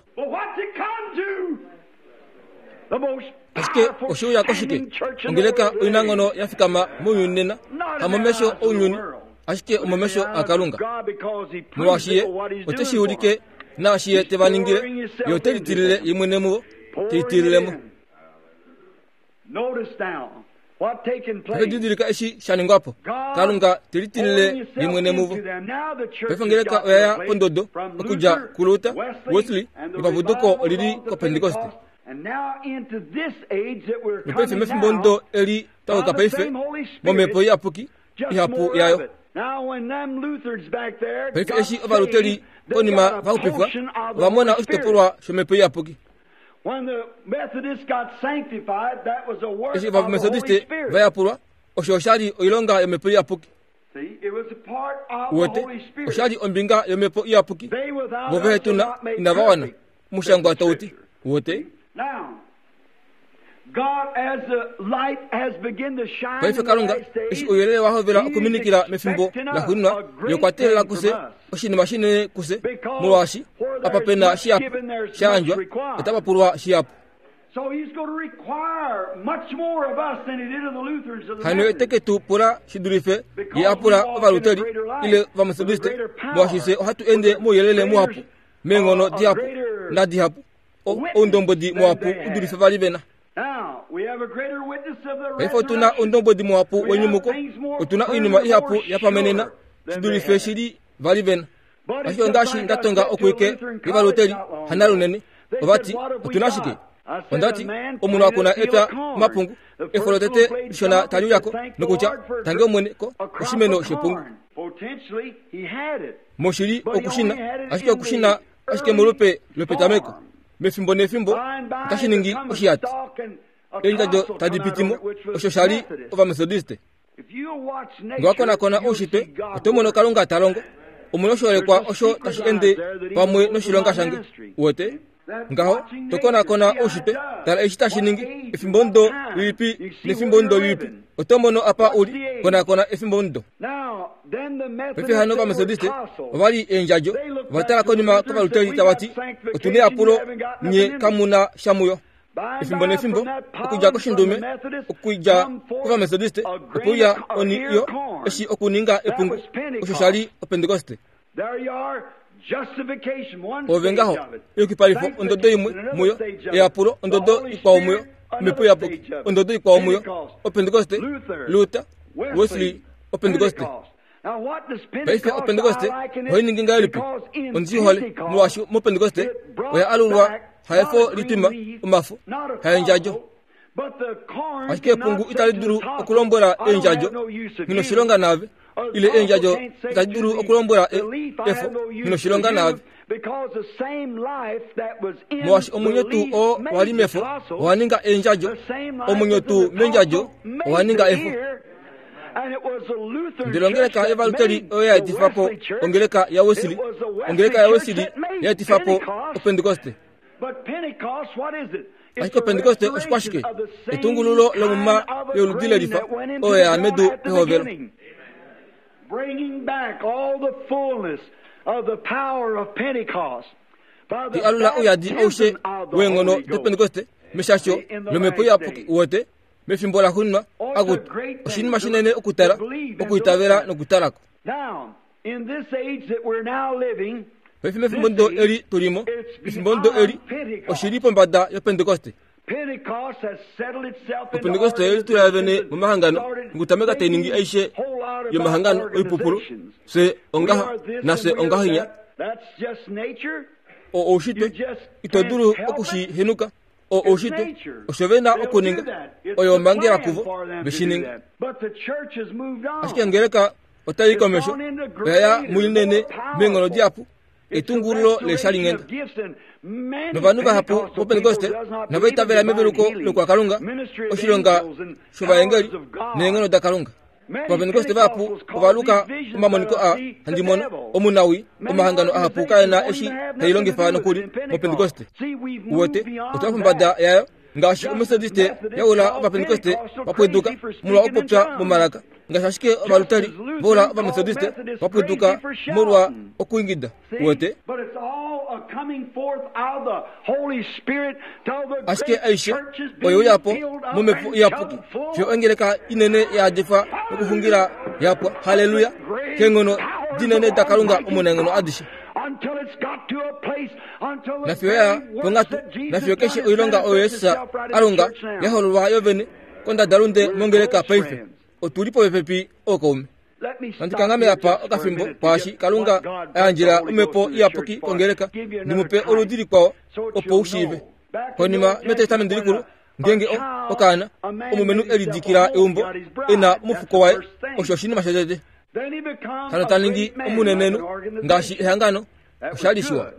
Ashike oshiuya koshike? Ongeleka oinanghono ya fikama mounyuni nena, hamomesho ounyuni, ashike omomesho aKalunga. Molwaashi ye ote shi ulike naashi ye te va ningile, ye ote litilile ye mwene muvo, te litilile mo. Didilika eshi sha ningwa po. Kalunga te litilile ye mwene muvo. Paife ongeleka oya ya pondodo okudja kuLuther, Wesley nepapuduko olili koPentekoste. Nopaife mefimbo ndo eli twa paife momhepo iyapuki ihapu yayo. Paife eshi ovaluteli konima vaxupifwa ova mona oshitopolwa shomhepo iyapuki. Eshi ovametodiste vayapulwa, osho oshali oilonga yomhepo iyapuki. Uwete, oshali ombinga yomhepo iyapuki. Vo vehe tuna inava wana, omushangwa tauti. Uwete? Paife Kalunga eshi ouyelele wa hovela okuminikila mefimbo laxuuninwa, ye okwa teelela kufye oshinima shinene kufye, molwaashi apa pena shihapu sha yandjwa, otapa pulwa shihapu. Hano ete ke tu pula shi dulife ye a pula ovaluteli ile ovametodiste, molwaashi fye ohatu ende mouyelele muhapu, meenghono dihapu nadihapu, oundombwedi muhapu u dulife vali vena. Paife otuna oundombwedi muhapu wenyumuko, otuna oinima ihapu yapamenena shi dulife shili vali vena. Ashike ongaashi ndatonga okuike yovaluteli hanalunene, ovati otuna shike? Ondati omunhu akuna epya omapungu, efo lotete lishona tali uyako nokutya tange omwene ko oshimeno shepungu. Moshili okushina, ashike okushina ashike molupe lopetameko. Mefimbo nefimbo otashi ningi oshiyati. Eendjadjo tadi pitimo, osho shali ovametodiste. Ngee wakonakona oushitwe, oto mono Kalunga ta longo. Omuna oshiholekwa osho tashi ende pamwe noshilonga shange. Uwete? Ngaho, tokonakona oushitwe, tala eshi tashi ningi, efimbo ndo lilipi nefimbo ndo lilipi. Oto mono apa uli, konakona efimbo ndo. Paife hano ovametodiste ovali eendjadjo, ova tala konima kovaluteli tavati, otuna eyapulo nye kamuna sha muyo. Efimbo nefimbo, okudja koshindume, okudja kovametodiste, opo uya oni yo eshi okuninga epungu, osho shali opentekoste. Ove ngaho, eyukipalifo ondodo imwe muyo, eyapulo ondodo ikwao muyo, omhepo iyapuki ondodo ikwao muyo, opentekoste, Luther, Wesley, opentekoste. Paife opentekoste ohai ningi ngahelipi? Ondi hole molwaashi mopentekoste oya alulwa haefo litwima omafo, haendjadjo. Ashike epungu itali dulu okulombwela eendjadjo nghi naave, ile eendjadjo itadi dulu okulombwela efo nghi naave. Molwaashi omwenyo tuu oo wali mefo owa ninga eendjadjo, omwenyo tuu meendjadjo owa ninga efo. Ndele ongeleka yovaluteli oyo ya etifa po ongeleka yaWesley, ongeleka yaWesley ya etifa po opentekoste. Ashike opentekoste oshikwashike? Etungululo lomuma yoludi lelifa oyo ya medu pehovelo. Ti alula ouyadi aushe weenghono dopentekoste meshasho lomhepo iyapuki uwete mefimbo laxuuninwa akutu oshinima shinene okutala, okuitavela nokutalako. Paife mefimbo ndo eli tulimo, efimbo ndo eli oshili pombada yopentekoste. Opentekoste oye litula vene momahangano nokutameka tai ningi aishe yomahangano oipupulu, fye ongaha nafye ongahinya. Oushitwe ito dulu okushihenuka, O oushitwe osho ve na okuninga oyo omhangela kuvo veshininga. Ashike ongeleka otai komesho oya ya muinene meenghono dihapu etungululo leeshalinghenda. Novanhu vahapu voPentekoste nova itavela meveluko lokwakalunga, oshilonga shovaengeli neenghono daKalunga. Ovapentekoste vahapu ovaluka omamoniko a handi mono omunawi omahangano ahapu kaena eshi tailongifa nokuli moPentekoste. Uwete otwa pombada yayo ngaashi oMethodiste yaula ovapentekoste vapweduka molwa okupopya momalaka, ngaashi ashike ovalutali vaula ovamethodiste vapweduka molwa okuingida. Uwete ashike aishe oyo yapo momhepo iyapuki fiyo ongeleka inene yaadifwa nokuxungila yapwa. Haleluya! Keenghono dinene daKalunga omunaenghono adishe. Nafiyo ya ponghatu, nafiyo keshe oilonga oyo Jesus a longa yahololwa yovene kondadalunde mongeleka paife. Otuli popepi ookaume. Nandi kanghame apa okafimbo kwaashi Kalunga a yandjela omhepo iyapuki kongeleka ndimupe oludi likwao opo u shiive. Konima mEtestamenti likulu, ngeenge okaana omulumenhu e lidikila eumbo e na omufuko waye, osho oshinima shotete. Hano ta ningi omunenenhu ngaashi ehangano, osha li shiwa.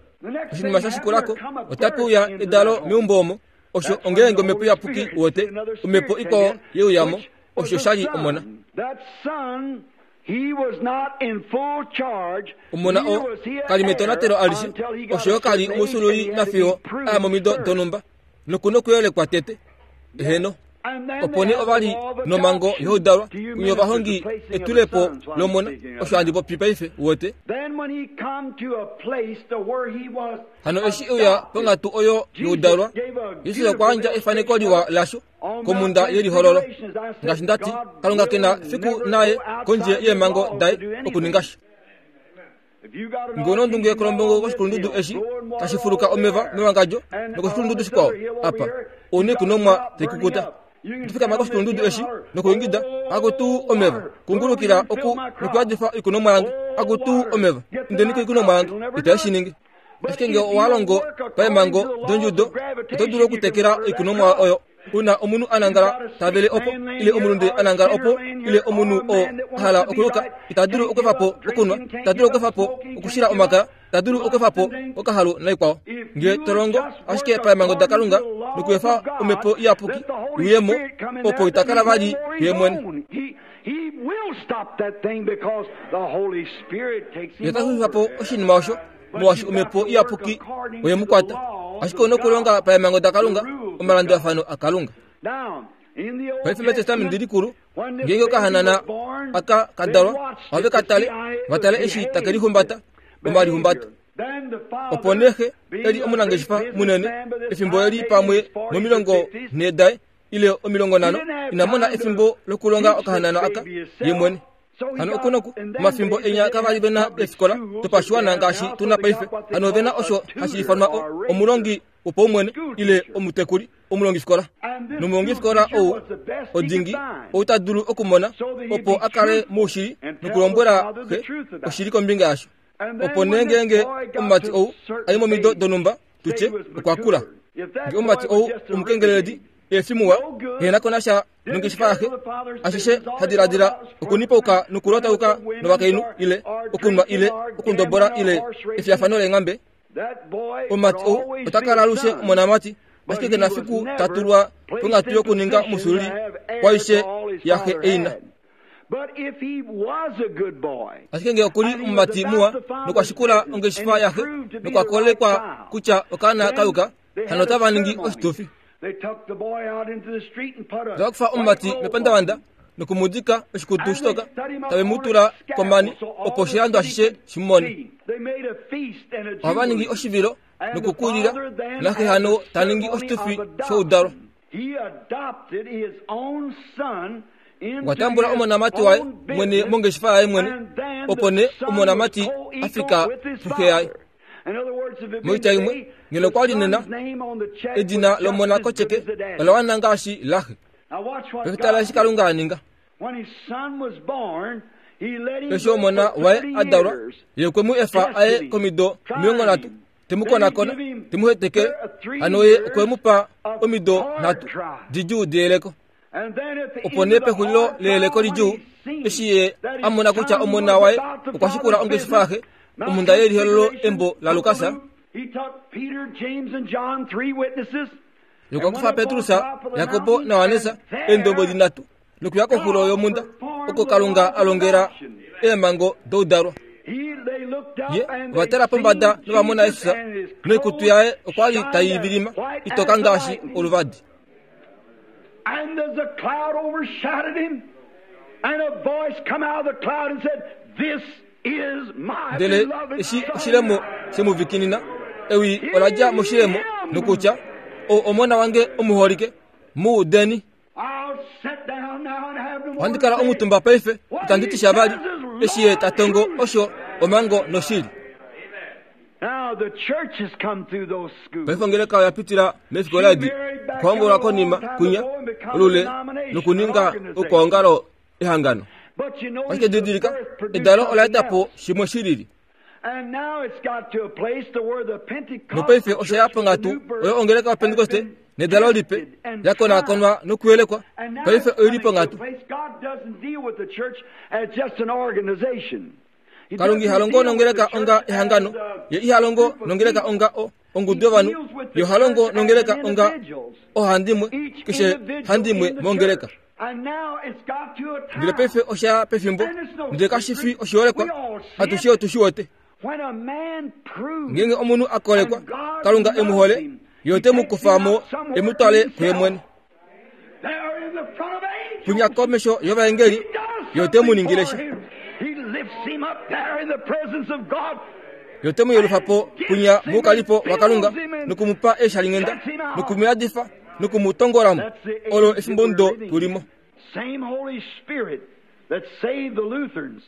Oshinima sha shikulako otape uya edalo meumbo omo, osho ongeenge omhepo iyapuki wote, omhepo ikwao yeuyamo, osho sha li omona. Omona oo kali metonatelo alishe, osho yo kali omusululi nafiyo aya momido donhumba, nokuna okuyelekwa tete. Eheno. Opo nee ova li nomhango youdalwa kunye ovahongi etulepo lomona, osho handi popi paife wote. Hano eshi euya ponghatu oyo youdalwa, Jesus okwa yandja efaneko liwa lasho komhunda yelihololo. Ngaashi ndati, Kalunga kena fiku naye kondje yeemhango daye okuninga sha. Ngee nondunge kolombongo koshikulundudu eshi tashi fuluka omeva mewangadjo nokoshikulundudu shikwao apa ouna oikunomwa taikukuta. Otofikama koshikulundudu eshi nokuingida akutu omeva, kungulukila oku nokuyadifa oikunomwa yange, akutu omeva, indeni koikunomwa yange, itashi shi ningi. Ashike ngee owa longo paemhango dondjudo, oto dulu okutekela oikunomwa oyo. Una omunhu a nangala tavele opo, ile omulunde a nangala opo, ile omunhu oo a hala okuluka, ita dulu okweefa po okunwa, ita dulu okweefa po okushila omakaya, ita dulu okweefa po okahalu naikwao. Ngee to longo ashike paemhango daKalunga nokweefa omhepo iyapuki iuye mo, opo ita kala vali kuye mwene. Ye ota xulifa po oshinima osho molwaashi omhepo iyapuki oye mu kwata. Ashike ouna okulonga paemhango daKalunga, omalandulafano aKalunga. Paife mEtestamenti likulu, ngeenge okahanana aka ka dalwa, ohave ka tale, va tale eshi take lihumbata, omalihumbato. Opo nee xe e li omunangeshefa munene, efimbo eli pamwe momilongo nhee daye ile omilongo nhano, ina mona efimbo lokulonga okahanana aka ye mwene. Hano okunoku omafimbo enya kavali ve na eefikola dopashiwana ngaashi tuna paife. Hano ove na osho hashi ifanwa omulongi wopaumwene ile omutekuli omulongifikola. Nomulongifikola ou odingi ou ta dulu okumona opo a kale moushili nokulombwela xe oshili kombinga yasho. Opo nee ngeenge omumati ou a i momido donhumba, tutye okwa kula. Ngee omumati ou omukengeleledi eefimuwa, ehena ko nasha nongeshefa yaxe, ashishe ha diladila okunipauka nokulotauka novakainhu ile okunwa ile okundobola ile efiyafano leenghambe, omumati ou ota kala alushe omonamati, ashike kena fiku ta tulwa ponghatu yokuninga omusululi kwaishe yaxe eina. Ashike ngee okuli omumati muwa nokwa shikula ongeshefa yaxe nokwa kolekwa kutya okaana kayuka, hano otava ningi oshitufi. Otava kufa omumati mepandavanda nokumudika oshikutu shitoka, tave mu tula komani opo oshilando ashishe shi mu mone. Ohava ningi oshivilo nokukulila, naxe hano ta ningi oshitufi shoudalwa. Okwa tambula omonamati waye mwene mongeshefa yaye mwene, opo nee omonamati a fika puxe yaye. Moitya imwe, ngeno okwa li nena edina lomona kotyeke ola wana ngaashi laxe. Pefitala eshi Kalunga a ninga. Eshi omona waye a dalwa, ye okwe mu efa aye komido omilongo nhatu, Te mu konakona, te mu heteke, hano ye okwe mu pa omido nhatu didjuu deyeleko. Opo nee pexulilo leyeleko lidjuu, eshi ye a mona kutya omona waye okwa shikula ongeshefa yaxe, omhunda yelihololo embo laLukas, okwa kufa Petrus, Jakobo naJohannes eendombwedi nhatu nokuya koxulo yomhunda oko Kalunga a longela eemhango doudalwa. Ye ova tala pombada nova mona Jesus noikutu yaye okwa li tai vilima itoka ngaashi oluvadi. And as a cloud overshadowed him, and a voice come out of the cloud and said, "This is my Ndele beloved eshi son." oshilemo shemuvikinina, ewi ola dja moshilemo nokutya, "O omona wange omuholike, mu udeni." I'll sit down now and have no more Ohandi kala to say. omutumba paife, itandi ti sha vali, eshi ye ta tongo osho omhango noshili. Now the church has come through those schools. Paife ongeleka oya pitila mefikola edi, okuhombolwa konima kunya olule nokuninga okwaongalo ehangano. But you notice Ashike the didilika, birth produced edalo ola something eta po else. shimwe shilili. And now it's got to a place to where the Pentecostal Nopaife osha ya church with the ponghatu new birth oyo ongeleka yaPentekoste has been nedalo lipe tested and yakonakonwa tried. nokuyelekwa. And now Paife it's oili coming to a ponghatu. place God doesn't deal with the church as just an organization. He Kalunga doesn't iha longo deal with nongeleka the church onga ehangano, as a ye iha longo group of nongeleka people. onga o ongudu He yovanhu, deals with ye the oha longo church as nongeleka an onga individuals. ohandimwe, Each keshe individual handimwe in the mongeleka. church. And now it's got to a Ndele time paife osha ya pefimbo, ndele kashi fi oshiholekwa, atushe otu shi wete. when a man proves Ngeenge omunhu a kolekwa, Kalunga e mu hole, ye ote mu kufa mo e mu twale kuye mwene. there in the front of angels, Punya komesho yovaengeli, he does ye ote mu something ningile for sha. him. He lifts him up there in the presence of God. Ye ote mu yelufa po punya moukalipo waKalunga nokumupa eeshalinghenda nokumuyadifa nokumutongolamo. That's the age Olo that efimbo we're ndo living in. tulimo. Same Holy Spirit that saved the Lutherans,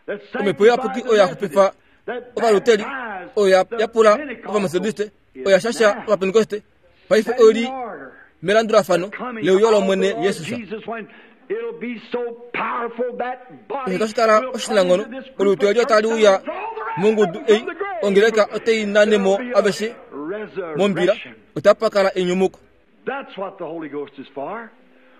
that Omhepo iyapuki sanctified the oyo ya xupifa Methodists, that ovaluteli, baptized oyo ya- the yapula Pentecostals ovamethodiste, is oyo ya shasha now ovapentekoste, paife standing oili order melandulafano coming leuyo of the lOmwene Lord Jesus. Jesus when it'll be so powerful that body Osho tashi kala will come oshinanghono, into this group olutu of eli otali church uya and draw the rest mongudu of them ei, from the grave. ongeleka otei nanemo There'll be a aveshe mombila, resurrection. otapa kala enyumuko. That's what the Holy Ghost is for.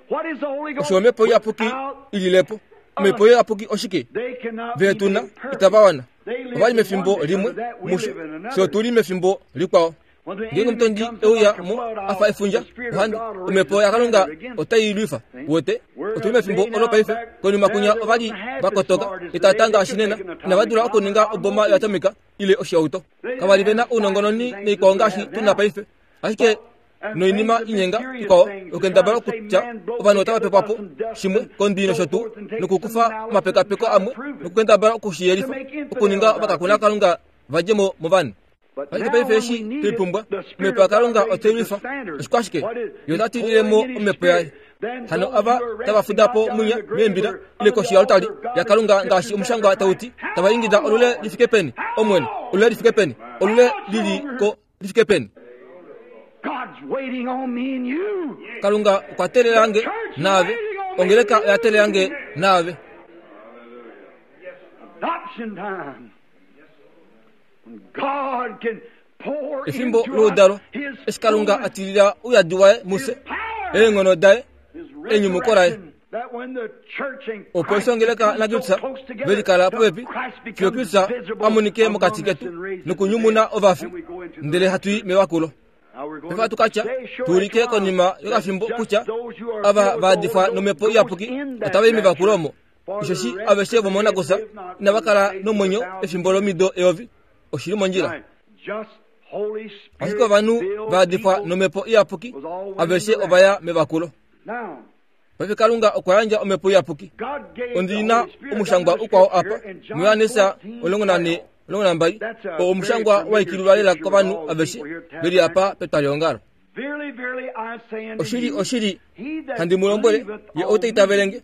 What is the Holy Ghost? Osho omhepo iyapuki Without ililepo. Omhepo iyapuki oshike? they cannot be Veetuna made perfect. itava wana. They live Ovali in mefimbo one limwe because of that we musho, live in fye another. otuli mefimbo likwao. When the Ngeenge enemy omutondi comes euya like a mo flood, afa I'll- efundja, the Spirit of ohandi God will raise omhepo a yaKalunga standard against otai lwifa. Wote We're in otuli a mefimbo day olo now paife back konima there kunya they ovali wasn't half as vakotoka smart as itava today. ngaashi They nena could make an inava dula atomic okuninga bomb. oboma yoatomika ile oshihauto. Kavali vena ounongononi noikwao ngaashi tuna paife, ashike noinima inyenga ikwao okendabala okutya ovanhu otava pepwa po shimwe kondwi nosho tuu nokukufa omapekapeko amwe nokukendabala okushiyelifa okuninga ovakakuna Kalunga vadje mo movanhu. But Ashike now paife when eshi we need twei it, pumbwa, the Spirit omhepo of God yaKalunga raises otei the lwifa. standard. Oshikwashike? What is- Ye ota He's tilile mo pouring in his omhepo yaye. Spirit. Then Hano those ava who are tava resting fuda po not down munya in the grave meembila are ile under koshi the yoaltari altar of God yaKalunga and ngaashi scripture omushangwa says tau ti, How tava ingida olule lifike peni, Omwene, olule lifike peni, olule lili ko lifike peni. God's waiting on me and you. Kalunga okwa teelela nge naave, ongeleka oya teelela nge naave. Adoption time. When God can pour Efimbo into us loudalo, His eshi Kalunga fullness, a tilila ouyadi waye mufye, His power, eenghono daye, His enyumuko laye. resurrection, that when the church and Opo Christ eshi ongeleka become so naKristus close together, velikala till popepi, Christ fiyo becomes Kristus visible a monike mokati among us ketu and raises nokunyumuna the dead, ovafi, and we go into the ndele hatu i mewakulo. Now we're going Paife to hatu katya say, sure, tuulike that's wrong, konima that yokafimbo just kutya those who are ava filled with the vaadifwa Holy nomhepo Ghost iyapuki goes in that otava i mevakulo omo. rapture. For Osheshi the rest aveshe of the vomonakusa dead live not inava for kala the space nomwenyo of a thousand efimbo lomido eyovi. Oshili mondjila. Right. Just Holy Spirit Ashike ovanhu filled vaadifwa people. nomhepo iyapuki aveshe ovaya mevakulo. Now, Paife Kalunga okwa yandja omhepo iyapuki. God gave the Ondina Holy Spirit. omushangwa Another ukwao scripture apa in John muYohannes fourteen omulongo nane twelve. omulongo nambali oo omushangwa waikililwa lela kovanhu aveshe veli apa petwalyeongalo. Verily, verily, I say unto Oshili you, oshili he that handi mu lombwele believeth ye on ou ta itavele nge. me.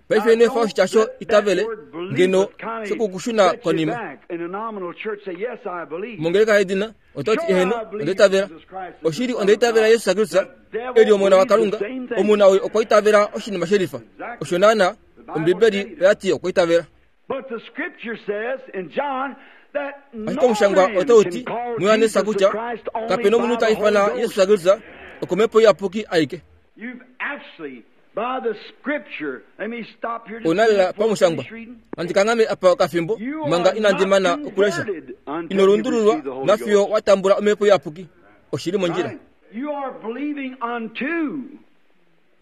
Paife ino efa oshitya sho Let that itavele word believeth ngeno kinda shokukushuna set you konima. back. In a nominal church, say, yes, I believe. Mongeleka yedina ototi Sure, eheno I believe onda itavela. Jesus Christ is the Oshili Son onda of itavela God. Jesus Kristus The devil eli omona believes the waKalunga. same thing. Omuna oyo okwa itavela oshinima shelifa. Osho naana The Bible Ombibeli said it. oya ti okwa itavela. Ashike omushangwa otau ti muYohanesa kutya kapena omunhu ta ifana Jesus Kristus okomhepo iyapuki aike. Onalela pamushangwa nandi kanghame apa okafimbo manga inandi mana okulesha. Ino lundululwa nafiyo wa tambula omhepo iyapuki. Oshili mondjila.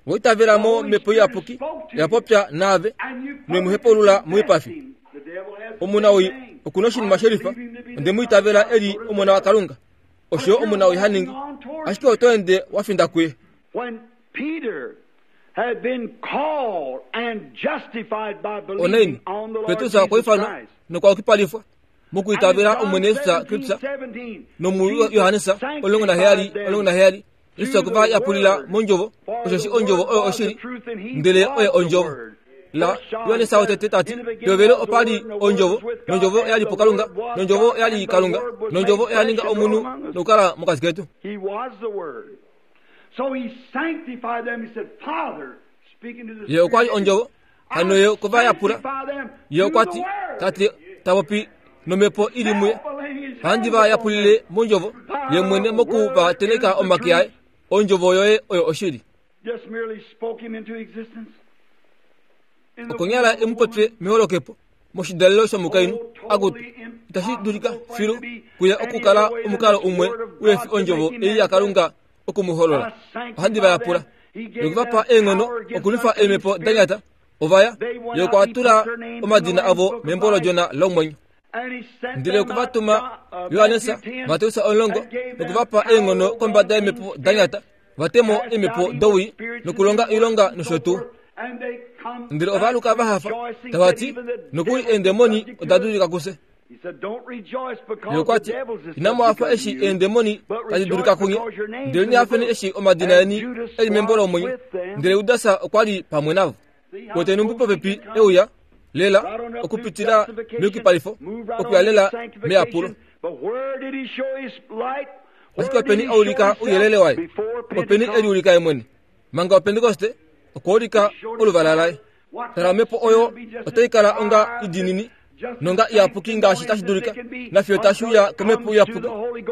Woitavela mo mhepo iyapuki yapopya naave noimuhepaulula moipafi. Omuna oi okuna oshinima shelifa, onde mu itavela eli omona waKalunga. Osho omuna oi haningi, ashike oto ende wa finda kuye. Onaini Petrus okwa ifanwa nokwa yukipalifwa mokuitavela Omwene Jesus Kristus nomu Yohanesa omulongo naheyali omulongo naheyali Jesus okwe va yapulila mondjovo, osheshi ondjovo oyo oshili, ndele oye ondjovo. La Yohanesa wotete tati pehovelo opa li ondjovo, nondjovo oya li puKalunga, nondjovo oya li Kalunga, nondjovo oya ninga omunhu nokukala mokati ketu. Ye okwa li ondjovo, hano ye okwe va yapula. Ye okwa ti, Tate ta popi nomhepo ili muye, ohandi va yapulile mondjovo, ye mwene moku va tenheka omake aye. Ondjovo yoye oyo oshili. Okonyala e mu popye meholokepo moshidalelo shomukainhu, akutu, itashi dulika filu kuye okukala omukalo umwe uhefi ondjovo ei yaKalunga oku mu holola. Ohandi va yapula nokuvapa eenghono okulwifa eemhepo da nyata. Ovaya ye okwa tula omadina avo membo lOdjona lomwenyo. Ndele okwe va tuma Johannes, Mateus omulongo, nokuvapa eenghono kombada yeemhepo da nyata, va te mo eemhepo dowii nokulonga oilonga nosho tuu. Ndele ova aluka va hafa, tava ti, nokuli eendemoni oda dulika kufye. Ye okwa ti, inamu hafa eshi eendemoni tadi dulika kunye, ndele hafeni eshi omadina eni eli membo lomwenyo. Ndele Judas okwa li pamwe navo. Wete numbi popepi euya lela okupitila meyukipalifo, okuya lela meyapulo. Ashike openi a ulika ouyelele waye? Openi e liulika ye mwene? Manga oPentekoste okwa ulika oluvala laye. Tala, omhepo oyo otai kala onga idinini nonga iyapuki ngaashi tashi dulika, nafiyo tashi uya komhepo iyapuki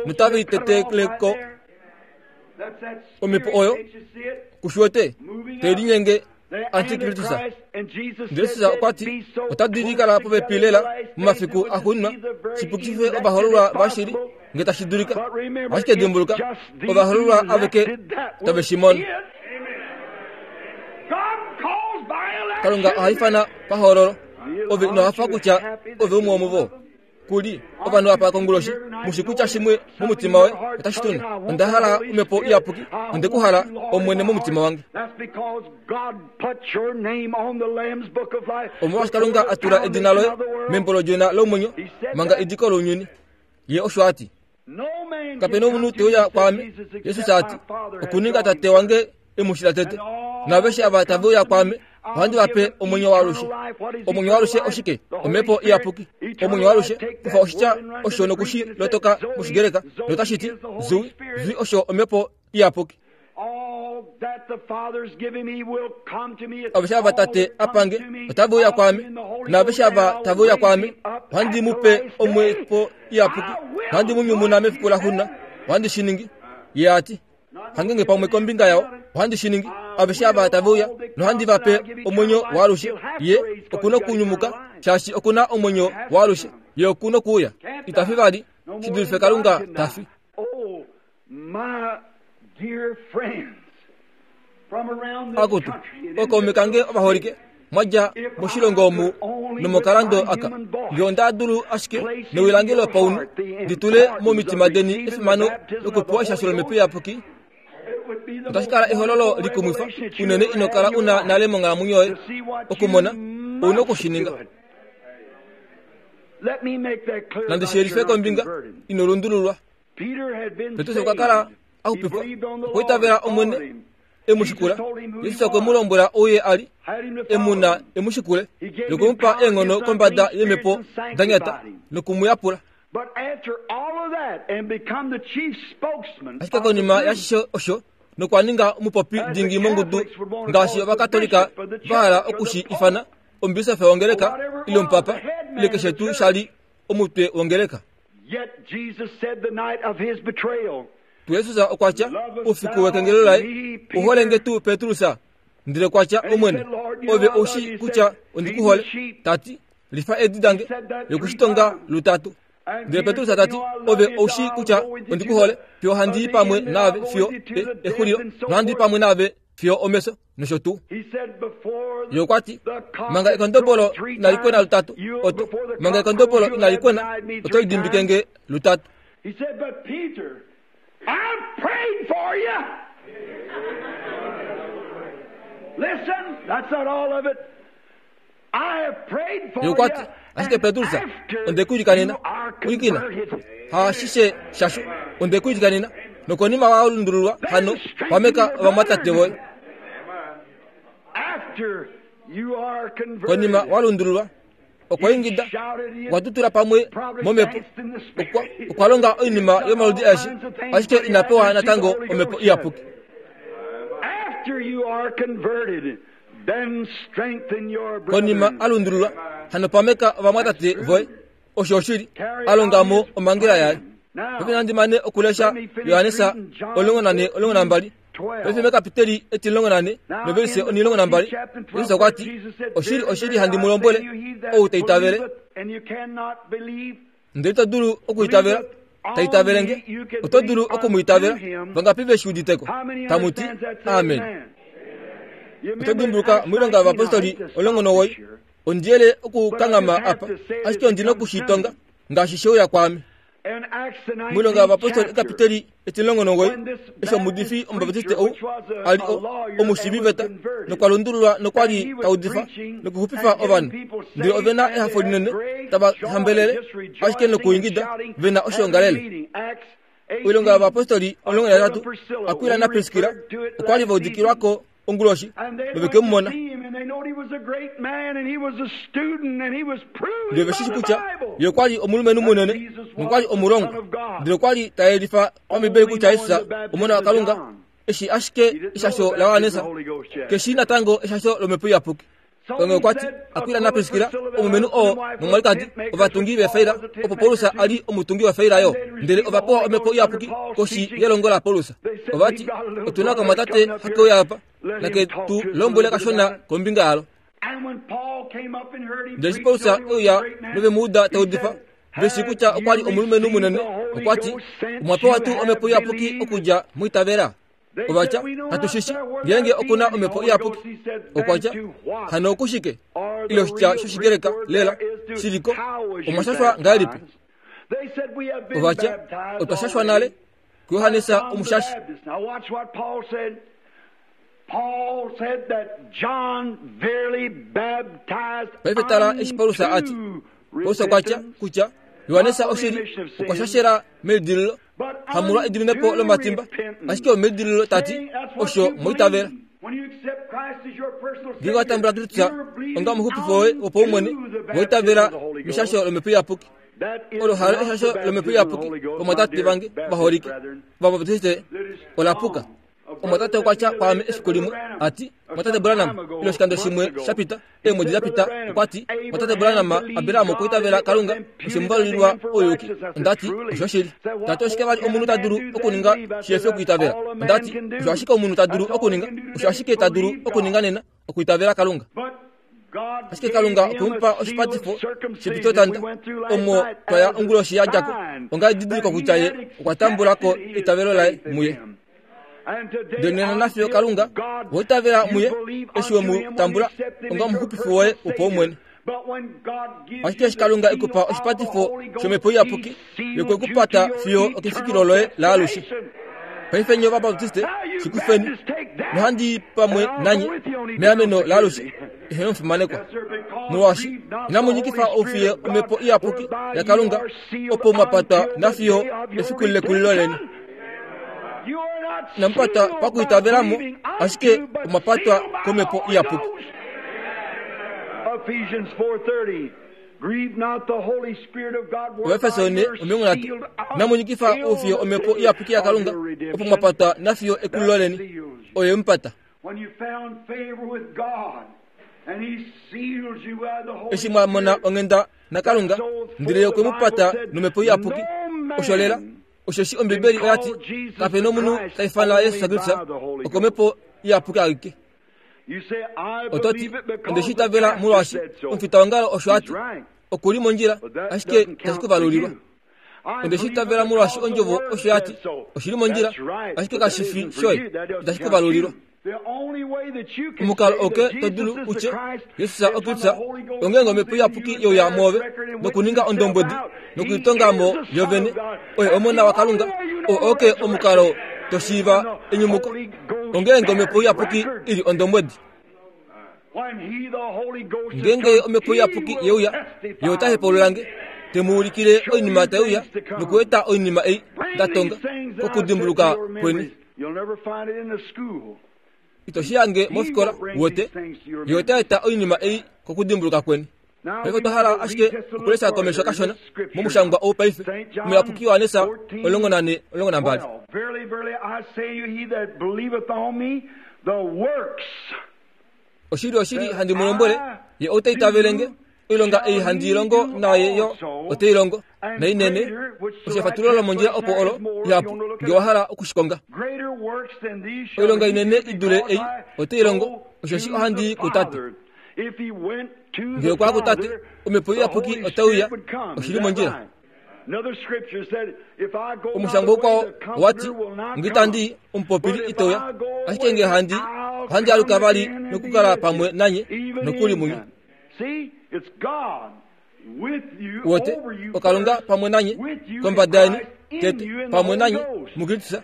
notave liteteleko omhepo oyo kushiwete tai linyenge antikristus. Ndele Jesus okwa ti otadi kala popepi lela momafiku axuuninwa, shipukife ovahoololwa vashili nge tashi dulika. Ashike dimbuluka, ovahoololwa aveke tave shi mono. Kalunga oha ifana pahoololo. Ove ino hafa kutya ove umwe womuvo. Kuli ovanhu apa konguloshi mushi kutya shimwe momutima woye otashi tunu. Onda hala omhepo iyapuki, onde ku hala Omwene momutima wange. Omolwaashi Kalunga a tula edina loye membo lOdjona lomwenyo manga ediko lounyuni. Ye osho a ti. Kapena omunhu te uya kwaame, Jesus a ti, okuninga Tate wange e mu shila tete. Naaveshe ava tave uya kwaame, ohandi va pe omwenyo waalushe. Omwenyo waalushe oshike? Omhepo iyapuki. Omwenyo waalushe, kufa oshitya osho nokushi lotoka mOshigreka, notashi ti Zoe. Zoe osho omhepo iyapuki. Aveshe ava Tate a pange otave uya kwaame, naaveshe ava tave uya kwaame, ohandi mu pe omhepo iyapuki, nohandi mu nyumuna mefiku laxuuninwa. Ohandi shi ningi. Ye a ti, hangenge pamwe kombinga yao, ohandi shi ningi. Aveshe ava tave uya, nohandi va pe omwenyo waalushe. Ye okuna okunyumuka, shaashi okuna omwenyo waalushe. Ye okuna okuuya. Ita fi vali, shi dulife Kalunga ta fi. Akutu, ookaume kange ovaholike, mwadja moshilongo omu nomokalando aka, nge onda dulu ashike newi lange lopaunhu ndi tule momitima deni efimano lokupewa eshasho lomhepo iyapuki, otashi kala ehololo likumwifa unene ino kala una nale monghalamwenyo yoye okumona. Ouna okushininga. Nandi shiyelife kombinga ino lundululwa. Petrus okwa kala a xupifwa, okwa itavela Omwene e mu shikula. Jesus okwe mu lombwela ou ye a li e mu na e mu shikule, nokwe mu pa eenghono kombada yeemhepo da nyata noku mu yapula. Ashike konima yaashishe osho, nokwa ninga omupopi dingi mongudu ngaashi Ovakatolika va hala oku shi ifana Omubisofi wongeleka ile omupapa ile keshe tuu shali omutwe wongeleka. Yet Jesus said the night of his betrayal, Tu Jesus okwa tya ufiku wekengelo laye uholenge tuu Petrus ndele kwatya omwene ove oushi kutya ondikuhole tati lifa edi dange yokushitonga lutatu. Ndele Petrus tati ove oushi kutya ondikuhole fiyo handi pamwe naave fiyo exulilo nohandi pamwe naave fiyo omeso nosho tuu. Ye kwati manga ekondobolo inalikwena lutatu oto manga ekondobolo inalikwena oto lidimbikenge lutatu. He said, but Peter, I've prayed for you. Listen, that's not all of it. I have prayed for Ye kwati you. ashike Petrus ondekuilikanena ulikina haashishe shasho ondekuilikanena nokonima walundululwa hano pameka vamwatate voye. After you are converted, Konima walundululwa okwaingida okwatutula pamwe momhepo okwalonga oinima yomaludi aeshe ashike inapewa natango omhepo iyapuki. After you are converted, then strengthen your Konima brethren. alundululwa hano pameka ovamwatate voye osho oshili alongamo omangela yaye. Paife nandi mane okulesha Yohanesa omulongo nane omulongo nambali. Paife mekapiteli etimulongo nane novelise onilongo nambali Jesus okwati oshili oshili handi mu lombwele ou ta itavele ndele ito dulu okuitavela ta itavelenge oto dulu okumuitavela vangapi veshi uditeko tamuti amen. Oto dimbuluka moilonga yovapostoli omulongo nowoi ondiyele okukangama apa ashike ondina okushitonga ngaashi sheuya kwaame. Moilonga yovapostoli ekapiteli etimulongo nowoi eshi omuudifi omubaptiste ou ali omushiiviveta nokwalundululwa nokwali taudifa nokuxupifa ovanhu ndele ovena ehafo linene tava hambelele ashike nokuingida vena oshoongalele. Oilonga yovapostoli omulongo naitatu Akwila naPriskila okwali vaudikilwako onguloshi noveke mu mona. Ndele veshishi kutya ye okwali omulumenhu munene nokwali omulongwa ndele okwali tayelifa pambibeli kutya Jesus omona waKalunga eshi ashike eshasho laJohannes keshi natango eshasho lomhepo iyapuki. Onge okwati Akwila naPriskila omulumenhu oo nomwalikadi ovatungi vefaila opo Paulus ali omutungi wefaila yo ndele ovapewa omhepo iyapuki koshi yelongo laPaulus. Ovati otuna okamwatate hakeuya apa nake tu lombwele kashona kombinga yalo. Ndele eshi Paulus euya novemuuda taudifa veshi kutya okwali omulumenhu munene okwati omwapewa tuu omhepo iyapuki okudja muitavela. Ovatya hatushishi ngeenge okuna omhepo iyapuki. Okwatya hano okushike ile oshitya shoshigreka lela shiliko omwashashwa ngahelipi? Ovatya otwashashwa nale kuJohannes omushashi. Now watch what Paul said. Paul said that John verily baptized Paife tala eshi Paulus ati Paulus okwatya kutya Johannes oshili okwashashela melidililo hamulwa ediminepo lomatimba ashike omelidililo tati osho moitavela. Ngeenge watambula Kristus onga omuxupifi woye wopaumwene woitavela meshasho lomhepo iyapuki. Olo halo eshasho lomhepo iyapuki vamwatate vange vaholike vabaptiste olapuka. Omwatate okwatya kwaame efiku limwe ati mwatate Branham ile oshikando shimwe shapita eemwedi dapita okwati mwatate Branham Abraham okwiitavela Kalunga oshemuvalulilwa ouyuki. Ondati osho oshili. Tati oshike vali omunhu ta dulu okuninga shihefi okwiitavela? Ondati osho ashike omunhu ta dulu okuninga osho ashike ta dulu okuninga nena okwiitavela Kalunga. Ashike Kalunga okwemupa oshipatifo shepitotanda omo twaya onguloshi yadjako onga edidiliko kutya ye okwa tambulako eitavelo laye muye. Ndele nena nafiyo Kalunga woitavela muye eshi wemu tambula onga omuxupifi woye wopaumwene. Ashike eshi Kalunga ekupa oshipatifo shomhepo iyapuki yokwekupata fiyo okefikilo loye laalushe. Paife nye Ovabaptiste shikufeni nohandi pamwe nanye meameno laalushe eheno mufimanekwa. Molwaashi inamu nyikifa oufiye omhepo iyapuki yaKalunga opo mwapatwa nafiyo efiku lekulilo leni. Inamupatwa pakuitavelamo ashike omwapatwa komhepo iyapuki. Ephesians four thirty. Grieve not the Holy Spirit of God, whereby Ovaefeso you are omilongo nhatu sealed inamu nyikifa oufiye omhepo iyapuki yaKalunga opo mwapatwa nafiyo ekulilo leni oye mupata. When you found favor with God, Eshi mwa mona onghenda naKalunga, ndele ye okwe mu pata nomhepo iyapuki. Osho lela. Osheshi Ombibeli oya ti, kape nomunhu ta ifana Jesus Kristus okomhepo iyapuki aike. Oto ti, onde shi itavela molwaashi omufitaongalo osho a ti, oku li mondjila, ashike itashi ku valulilwa. Onde shi itavela molwaashi ondjovo osho ya ti, oshi li mondjila, ashike kashi fi shoye, itashi ku valulilwa. Omukalo oke to dulu utye Jesus oKristus ongeenge omhepo iyapuki youya mwoove nokuninga ondombwedi nokulitonga mo yovene oye omona waKalunga. Oo oke omukalo to shiiva enyumuko, ongeenge omhepo iyapuki ili ondombwedi. Ngeenge omhepo iyapuki yeuya, ye ota hepaululange, te mu ulikile oinima taiuya nokueta oinima ei nda tonga kokudimbuluka kweni. Ito shi yange mofikola wote, ye ota eta oinima ei kokudimbuluka kweni. Paife otwa hala ashike okulesha komesho kashona momushangwa ou paife, omuyapuki Johannes omulongo nane omulongo nambali. Oshili oshili handi mu lombwele, ye ou ta itavele nge, oilonga ei handi longo naye yo ote i longo, nainene. Osho efatululo lomondjila opo olo ihapu, nge wa hala okushikonga. Oilonga inene i dule ei ote i longo, osheshi ohandi i kuTate. Nge okwa kuTate, omhepo iyapuki otauya, oshili mondjila. Omushangwa ukwao owati, nge itandi i, omupopili iteuya, ashike nge handi, ohandi aluka vali nokukala pamwe nanye nokuli munye. Wote, oKalunga pamwe nanye, kombada yeni, tete, pamwe nanye, muKristus,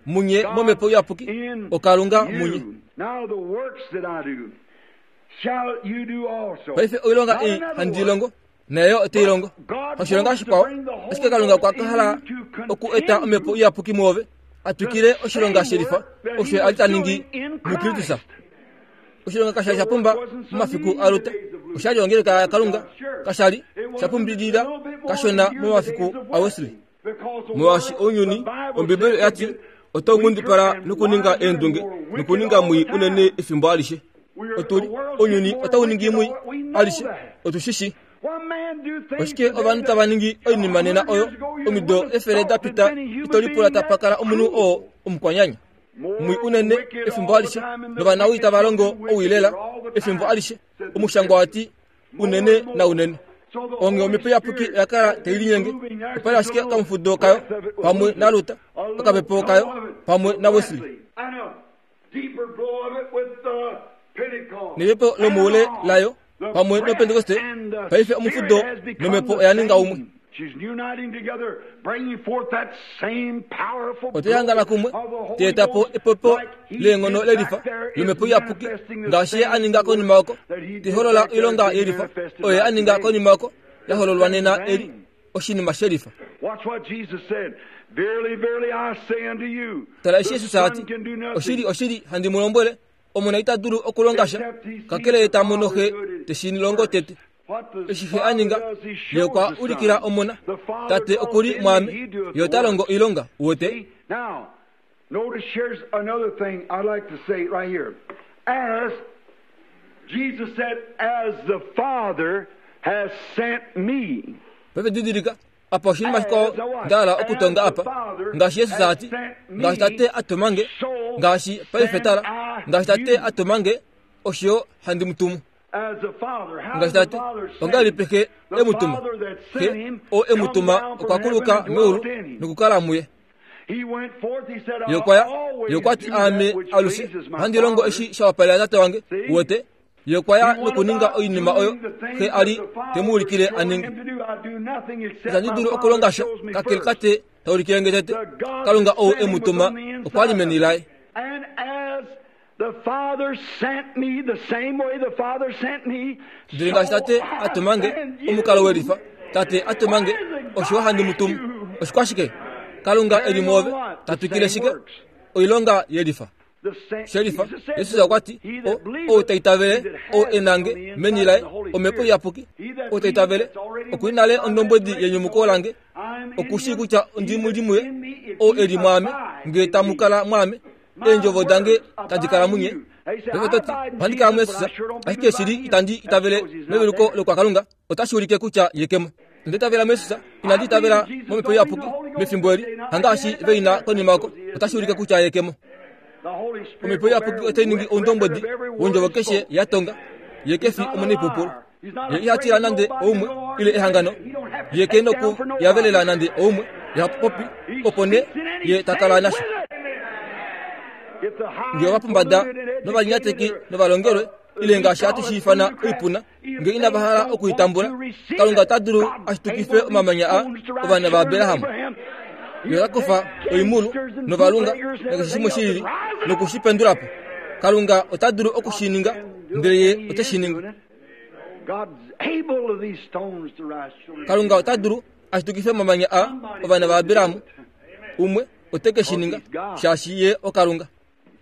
munye momhepo iyapuki, oKalunga munye. Paife oilonga ei handi longo, nayo ote i longo. Oshilonga shikwao, ashike Kalunga okwa hala oku eta omhepo iyapuki mwoove, a twikile oshilonga shelifa, osho a li ta ningi muKristus. Oshilonga kasha li sha pumba momafiku aLuta, osha li ongeleka yaKalunga, kasha li sha pumbilila kashona momafiku aWesley. Molwaashi ounyuni, Ombibeli oya ti, otau ngundipala nokuninga eendunge nokuninga mwii unene efimbo alishe. Otuli, ounyuni otau ningi mwii alishe, otu shi shi. Oshike ovanhu tava ningi oinima nena oyo omido efele da pita ito lipula tapa kala omunhu oo omukwanyanya. Mwii unene efimbo alishe, novanawii tava longo owilela efimbo alishe. Omushangwa wati unene na unene. Onge omhepo iyapuki oya kala tai linyenge, opa li ashike okamufudo kayo pamwe naLuta, okapepo kayo pamwe naWesley. Nepepo lomoule layo pamwe noPentekoste. Paife omufudo nomhepo oya ninga umwe. Ote hangana kumwe, te eta po epopo leenghono lelifa lomhepo iyapuki, ngaashi ye a ninga konima oko, te holola oilonga yelifa oyo ye a ninga konima oko, ya hololwa nena eli oshinima shelifa. Tala eshi Jesus a ti, oshili oshili handi mu lombwele, omona ita dulu okulonga sha, kakele ye ta mono xe te shi longo tete. Eshi xe a ninga, ye okwa ulikila omona, Tate oku li mwaame, ye ota longo oilonga. Uwete? Notice here's another thing I'd like to say right here. As Jesus said, as the Father has sent me. Paife didilika, apa oshinima shikwao nda hala okutonga apa. Ngaashi Jesus a ti, ngaashi Tate a tuma nge, ngaashi paife tala, ngaashi Tate a tuma nge, osho handi mu tumu. Ngaashi Tate, ongahelipi Xe e mu tuma? Xe oo e mu tuma okwa kuluka meulu nokukala muye. Ye okwa ya, ye okwa ti aame alushe ohandi longo eshi sha wapalela Tate wange. Uwete? Ye okwa ya nokuninga oinima oyo Xe a li te mu ulikile a ninge. Itandi dulu okulonga sha kakele Tate ta ulikile nge tete. Kalunga ou e mu tuma okwa li meni laye. Ndele ngaashi Tate a tuma nge, omukalo welifa, Tate a tuma nge, osho handi mu tumu. Oshikwashike? Kalunga e li mwoove, ta twikile shike? Oilonga yelifa. Shelifa, Jesus okwa ti, ou ta itavele, ou e na nge meni laye, omhepo iyapuki, ou ta itavele, oku li nale ondombwedi yenyumuko lange, oku shii kutya ondi mu li muye, ou e li mwaame, nge tamu kala mwaame, eendjovo dange tadi kala munye. Paife ohandi kala muYesus, ashike shili itandi itavele meveluko lokwakalunga, otashi ulike kutya ye ke mo. Onda itavela muYesus, inandi itavela momhepo iyapuki mefimbo eli, hangaashi veina konima oko, otashi ulike kutya ye ke mo. Omhepo iyapuki otai ningi oundombwedi wondjovo keshe ya tonga, ye ke fi omunaipupulu. Ye iha tila nande oumwe ile ehangano, ye ke noku yavelela nande oumwe, ye ha popi, opo nee ye ta kala nasho. Nge ovapombada novalinyateki novalongelwe ile ngaashi hatu shi ifana oipuna, nge inava hala okuitambula, Kalunga ota dulu ashitukife omamanya a ovana vaAbraham. Ye ota kufa oimulu novalunga nakeshe shimwe shilili noku shi pendula po. Kalunga ota dulu oku shi ninga, ndele ye ote shi ningi. Kalunga ota dulu ashitukife omamanya a ovana vaAbraham, umwe ote ke shi ninga, shaashi ye oKalunga.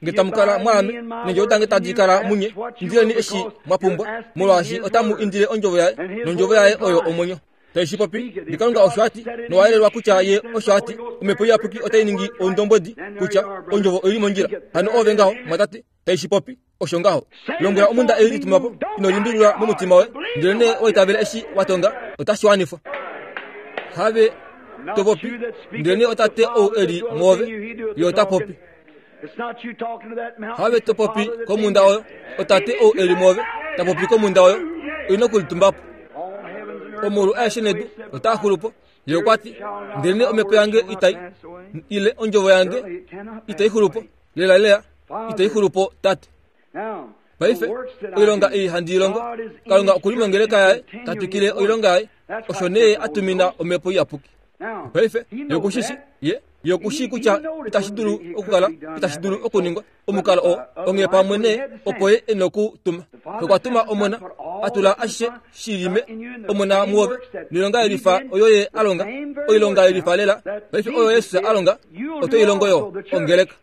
Nge tamu kala mwaame, neendjovo dange tadi kala munye, indileni eshi mwa pumbwa, molwaashi otamu indile ondjovo yaye, nondjovo yaye oyo omwenyo. Tai shi popi, nge Kalunga osho a ti, nowayelelwa kutya ye osho a ti, omhepo iyapuki otai ningi oundombwedi kutya ondjovo oili mondjila. Hano oove ngaho, mwatate, tai shi popi, osho ngaho. Lombwela omhunda ei lituma po, ino limbililwa momutima woye, ndelenee oitavele eshi wa tonga, otashi wanifwa. Have to popi, ndelenee otate ou e li mwoove, ye ota popi. Have to popi komhunda oyo, otate ou e li mwoove, ta popi komhunda oyo, oi nokulitumba po. Omaulu aeshe nedu otaa xulu po, ye okwa ti, ndelenee omhepo yange itai, ile ondjovo yange itai xulu po, lelalela itai xulu po, Tate. Paife, oilonga ei handi i longo, Kalunga okuli mongeleka yaye, ta twikile oilonga yaye, osho nee a tumina omhepo iyapuki. Paife, ye okushishi, ye, ye okushii kutya itashi dulu okukala, itashi dulu okuningwa, omukalo oo, onghee pamwe nee, opo ye e nokutuma. Okwa tuma omona, a tula ashishe shilime, omona muove, noilonga yelifa oyo ye a longa, oilonga yelifa lela, paife oyo Yesus a longa, oto i longo yo, ongeleka.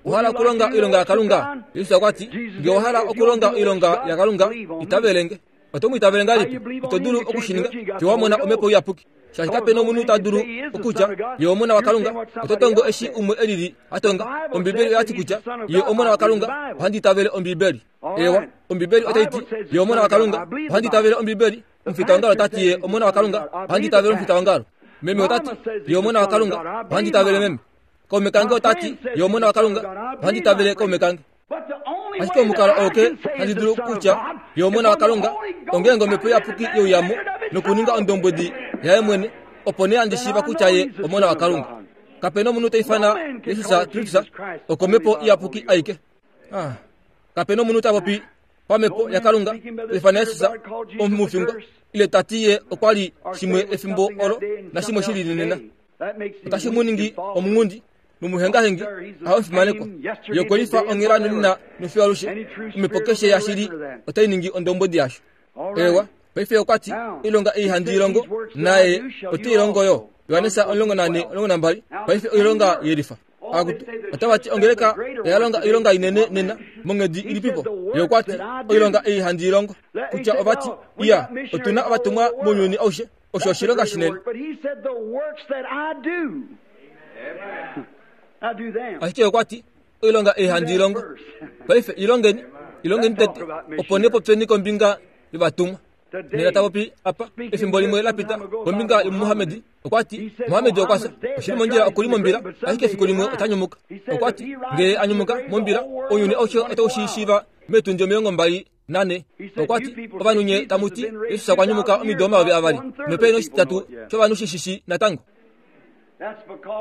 Ohala okulonga oilonga yaKalunga? Jesus okwa ti, nge owa hala okulonga oilonga yaKalunga, itavelenge. Oto mu itavele ngahelipi? Ito dulu oku shi ninga fiyo wa mona omhepo iyapuki. Shaashi kape nomunhu ta dulu okutya ye omona waKalunga, oto tongo eshi umwe elili a tonga. Ombibeli oya ti kutya ye omona waKalunga, ohandi itavele Ombibeli. Ewa, Ombibeli otai ti ye omona waKalunga, ohandi itavele Ombibeli. Omufitaongalo ota ti ye omona waKalunga, ohandi itavele omufitaongalo. Meme ota ti ye omona waKalunga, ohandi itavele meme. Kaume kange ota ti ye omona waKalunga, ohandi itavele kaume kange. Ashike omukalo oo ke handi dulu kutya ye omona waKalunga, ongeenge omhepo iyapuki youyamo nokuninga ondombwedi yaye mwene, opo nee handi shiiva kutya ye omona waKalunga. Kape nomunhu ta ifana Jesus Kristus okomhepo iyapuki aike. Ah, kape nomunhu ta popi pamhepo yaKalunga ta ifana Jesus omufingwa, ile ta ti ye okwa li shimwe efimbo olo nashimwe shi lili nena. Otashi mu ningi omunghundi nomuhengahengi ahafimanekwa. Ye okwe lifa onghela nonena nofiyo alushe. Omhepo keshe yashili otai ningi ondombwedi yasho. Ewa, paife okwa ti, oilonga ei handi i longo, naye ote i longo yo. Johannes omulongo nane omulongo nambali, paife oilonga yelifa. Akutu, otava ti ongeleka oya longa oilonga inene nena, monghedi ilipipo? Ye okwa ti, oilonga ei handi i longo. Kutya ova ti, iya, otuna ovatumwa mounyuni aushe, osho oshilonga shinene. Ashike okwa ti, oilonga ei handi i longo. Paife ilongeni, ilongeni tete, opo nee popyeni kombinga yovatumwa. Nena ta popi apa, efimbo limwe la pita, kombinga yomuMuhammad, okwa ti, Muhammad okwa fya, oshili mondjila okuli mombila, ashike efiku limwe ota nyumuka. Okwa ti, nge a nyumuka mombila, ounyuni aushe otau shi shiiva meetundi omilongo mbali nane. Okwa ti, ovanhu nye tamu ti, Jesus okwa nyumuka omido omayovi avali, nope noshitatu shovanhu shi shishi natango.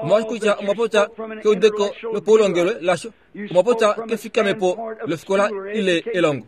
Omolwaashi kutya omwa popya keudeko lopaulongelwe lasho, omwa popya kefikamepo lofikola ile elongo.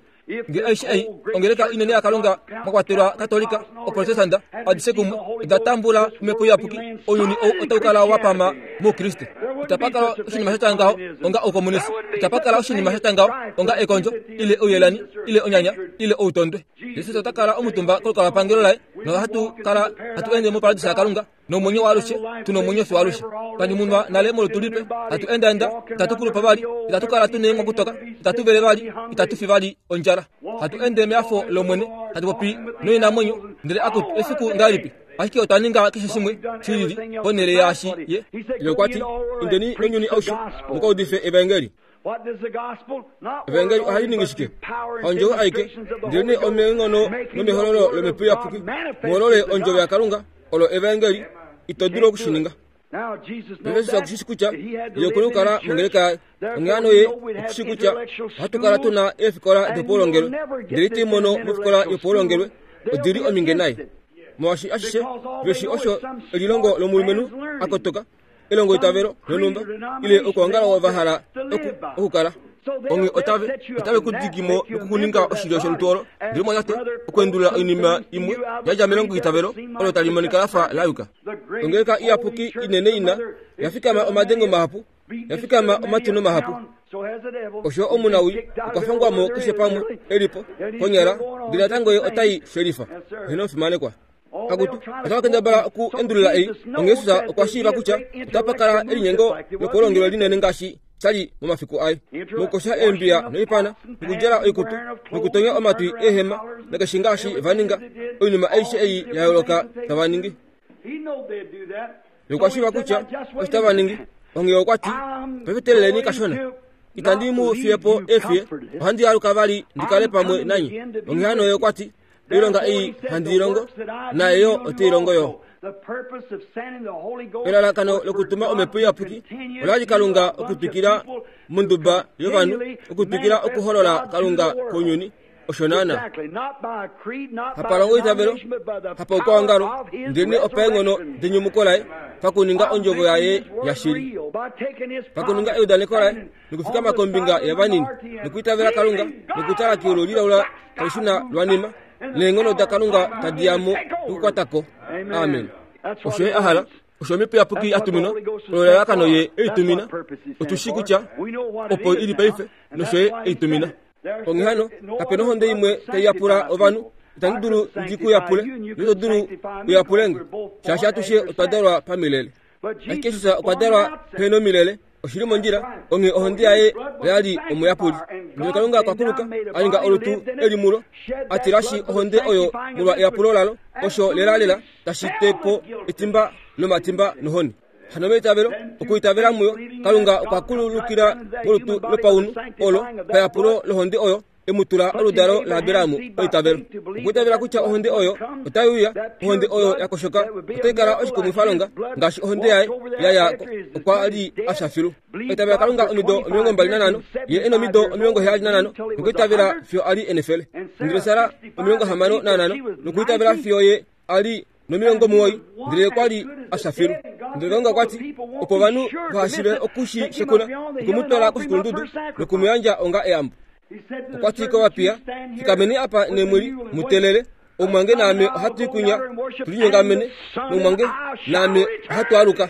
Nge aishe ei, ongeleka inene yaKalunga mwa kwatelwa Katolika, Oprotestanta, adishe kumwe, oda tambula omhepo iyapuki, ounyuni ou otau kala wa pama moukriste. Itapa kala oshinima sha tya ngaho onga oukomunisi, itapa kala oshinima sha tya ngaho onga ekondjo, ile ouyelani, ile onyanya, ile outondwe. Jesus ota kala omutumba kolukalwapangelo laye, nohatu kala hatu ende moparadisa yaKalunga, nomwenyo waalushe, tuna omwenyo fiyo alushe. Twa nyumunwa nale molutu lipe, hatu endaenda, itatu kulupa vali, itatu kala tuna eenghwakutoka, itatu vele vali, itatu fi vali ondjala. Hatu ende meafo lOmwene, hatu popi noinamwenyo, ndele akutu efiku ngahelipi? Ashike otwa ninga keshe shimwe shilili ponhele yaashi ye. Ye okwa ti, indeni nounyuni aushe muka udife evaengeli. Evangeli ohali ningi shike? Haondjovo aike, ndelenee omeenghono nomehololo lOmhepo Iyapuki, muholole ondjovo yaKalunga, olo evangeli, ito dulu okushininga. Jesus okushi kutya ye okuna okukala mongeleka yaye. Onghee hano ye okushi kutya ohatu kala tuna eefikola dopaulongelwe, ndele ito i mono mofikola yopaulongelwe, odili ominge naye. Molwaashi ashishe veshi osho elilongo lomulumenhu a kotoka, elongo itavelo lonhumba, ile okwoongala ova hala okukala. Onghee otave otave ku dikimo nokukuninga oshilyo sholutu olo, ndele mwatate okuendulula oinima imwe yadja melongo itavelo olo tali monika lafa la yuka. Ongeleka iyapuki inene ina yafikama omadengo mahapu, yafikama omatino mahapu. Osho omunawi okwa fangwamo keshe pamwe elipo konyala, ndele natango ye otai shelifa. Heno fimanekwa. Akutu otava kendabala oku endulula ei. Onghee Jesus okwa shiiva kutya otapa kala elinyengo lopaulongelwe linene ngaashi shali momafiku aye, mokukosha eembiya noipana, nokudjala oikutu, nokutonya omatwi eehema, nakeshe ngaashi va ninga, oinima aishe ei ya yooloka tava ningi. Okwa shiiva kutya osho tava ningi. Onghee okwa ti, paife teeleleni kashona, itandi mu fiye po eefiye, ohandi aluka vali ndi kale pamwe nanye. Onghee hano ye okwa ti, oilonga ei handi i longo, naye yo ote i longo yo. Elalakano lokutuma Omhepo Iyapuki olali Kalunga okutwikila monduba yovanhu, okutwikila okuholola Kalunga kounyuni. Osho naana. Hapalongo itavelo, hapa okwaongalo, ndelenee opaenghono denyumuko laye, pakuninga ondjovo yaye yashili, pakuninga eudaneko laye, nokufikama kombinga yavanini, nokuitavela Kalunga, nokutala keulu lilaula tali shuna lwanima, neenghono daKalunga tadi ya mo nokukwatako. Amen. Osho ye a hala, osho Omhepo Iyapuki a tuminwa, olo elalakano ye ei tumina. Otu shii kutya opo ili paife, nosho ye ei tumina. Onghee hano, kape nohonde imwe tai yapula ovanhu, itandi dulu ndi ku yapule, noito dulu u yapule nge, shaashi atushe otwa dalwa pamilele. Ashike Jesus okwa dalwa pehena omilele, oshili mondjila, onghee ohonde yaye oyali omuyapuli. Ndele Kalunga okwa kuluka, a ninga olutu eli mulo, a tilashi ohonde oyo molwa eyapulo lalo, osho lelalela tashi te po etimba lomatimba nohoni. Hano meitavelo, okuitavela muyo, Kalunga okwa kululukila molutu lopaunhu olo payapulo lohonde oyo e mu tula oludalo laAbraham paitavelo. Okuitavela kutya ohonde oyo otai uya, ohonde oyo ya koshoka otai kala oshikumwifalonga ngaashi ohonde yaye ya ya okwa li a fya filu. Oitavela Kalunga omido omilongo mbali nanhano, ye e nomido omilongo heyali nanhano, nokuitavela fiyo a li enefele. Ndele Sara omilongo hamano nanhano, nokuitavela fiyo ye a li nomilongo muwoi, ndele okwa li a fya filu. Ndele Kalunga okwa ti, opo ovanhu vahashive okushi shekuna, okwe mu twala koshikulundudu noku mu yandja onga eyambo. Okwa ti kovapiya, fikameni apa nemwili mu teelele, omumwange naame ohatu i kunya tu linyongamene, nomumwange naame ohatu aluka.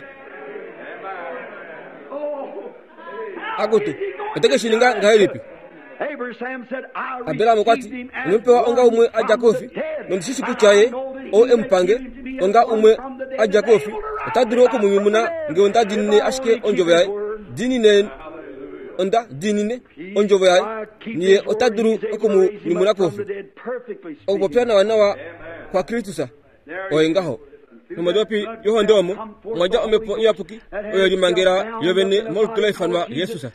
Akutu, ote ke shi ninga ngahelipi? Abraham okwa ti, onde mu pewa onga umwe a dja koufi, nondi shi shi kutya ye ou e mu pange onga umwe a dja koufi, ota dulu oku mu nyumuna nge onda diinine ashike ondjovo yaye. Diinine onda diinine ondjovo yaye, niye ota dulu oku mu nyumuna koufi. Okupopya nawanawa kwaKristus oye ngaho. Nomodopi yohonde omo omwa dja Omhepo Iyapuki oyo limangela yovene molutu la ifanwa Jesus.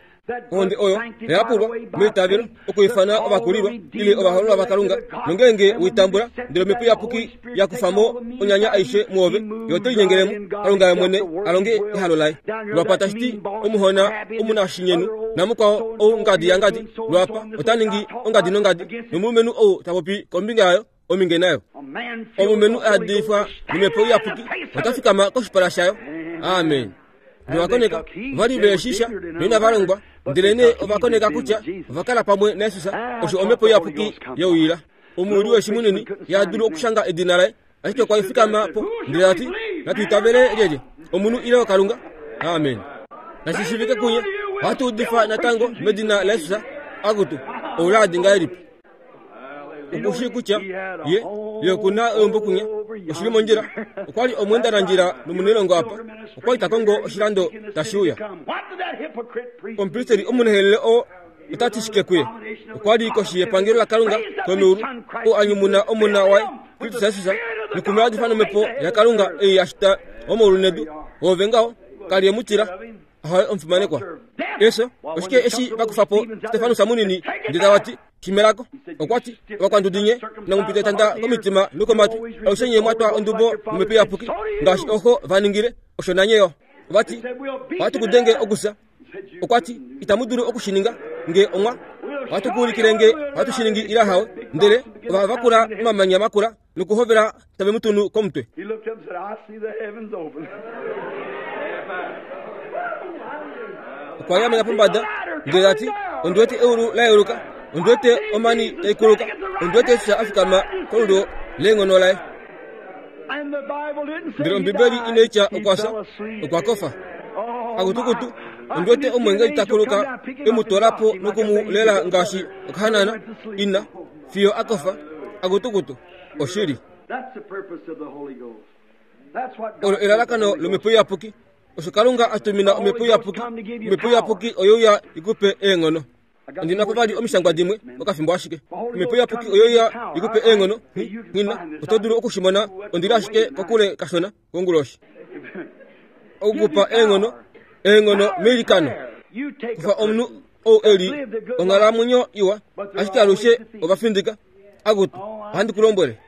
Ohonde oyo oyapulwa meitavelo okuifana ovakulilwa ile ovahololwa vaKalunga, nongeenge weitambula ndele Omhepo Iyapuki ya kufa mo onyanya aishe muove, ye ote linyengelemo Kalunga ye mwene a longe ehalo laye. Lwapa tashi ti omuhona omunashinyenu namukwao ou ngadi yangadi, lwapa ota ningi ongadi nongadi, nomulumenhu ou ta popi kombinga yayo ominge nayo. Omulumenhu a yadifwa nOmhepo Iyapuki ota fikama koshipala shayo. Amen. Novakoneka ova li ve shisha noinava longwa, ndelenee ova koneka kutya ova kala pamwe naJesus, osho Omhepo Iyapuki yeuyila. Omuwili weshi munini ya dulu okushanga edina laye, ashike okwa fikama po ndele ta ti, natu itavele lyelye, omunhu ile oKalunga? Amen. Nashi shiivike kunye, ohatu udifa natango medina laJesus. Akutu, ouladi ngahelipi! Okushii kutya ye ye oku na eumbo kunya, oshili mondjila. Okwa li omweendanandjila nomunailongo apa, okwa li ta kongo oshilando tashi uya. Omupristeli omunehelele oo ota ti shike kuye? Okwa li koshi yepangelo laKalunga komeulu, ou a nyumuna omona waye Kristus Jesus, noku mu yadifa nomhepo yaKalunga ei ya shita omaulu nedu. Oove ngaho, ka li e mu tila. Ahowe omufimanekwa. Eso, oshike eshi vakufapo Stefanus munini ndele tavati shimelako. Okwati ovakwandudinye namupita etanda komitima nokomatwi alushe nye mwatwa ondubo nomhepo iyapuki ngaashi oho vaningile osho nanyeyo. Vati ohatu kudenge okusa. Okwati itamu dulu okushininga nge omwa ohatu kuulikile nge ohatu shiningi ila hawe. Ndele ova vakula omamanya makula nokuhovela tave mutunu komutwe. He looked up and said, I see the heavens open. Okwa yamena pombada ndele tati ondi wete eulu la yeuluka, ondi wete omani taikuluka, ondi wete Jesus afikama kolulyo leenghono laye. And the Bible didn't say Ndele he Ombibeli died. inaitya He okwafya, fell asleep. okwa kofa. Oh, Akutukutu, my. I ondi wete can see omwengeli an angel takuluka come down, pick him up and emutwalapo drop him like a baby nokumulela to the ngaashi mother. okahanana He went to sleep. ina fiyo akofa. Akutukutu, oshili. That's the purpose of the Holy Ghost. That's what God Olo sent the elalakano Holy Ghost. lomhepo iyapuki. Osho Kalunga atumina omhepo iyapuki. Omhepo iyapuki oyouya ikupe eenghono. Ondina po vali omishangwa dimwe okafimbo ashike. Omhepo iyapuki oyouya ikupe eenghono. Ngina oto dulu okushimona ondili ashike kokule kashona konguloshi. Okukupa eenghono, eenghono meilikano. You take Kufa a omunhu ou eli onghalamwenyo iwa ashike alushe ovafindika. Akutu, ohandi ku lombwele.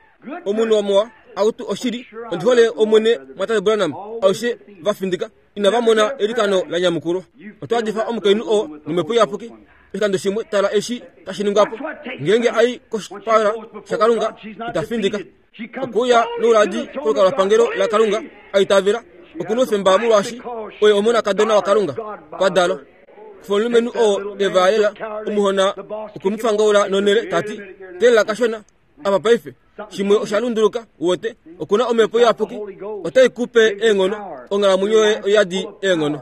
Omunhu wamuwa akutu oshili ondi hole omwene mwatate Branham alushe vafindika inava mona elikano la nyamukulwa. Oto hadifa omukainhu oo nomhepo iyapuki oshikando shimwe tala eshi tashi ningwapo. Ngeenge ai koshipala shaKalunga itafindika. Okuuya nouladi kolukalwapangelo laKalunga aitavela okuna oufemba molwaashi oye omonakadona waKalunga kwa dalwa. Kufa omulumenhu oo evaalela omuhona okumufangaula nonhele tati teelela kashona apa paife shimwe osha lunduluka uwete okuna omhepo iyapuki otai kupe eenghono onghalamwenyo yoye oyadi eenghono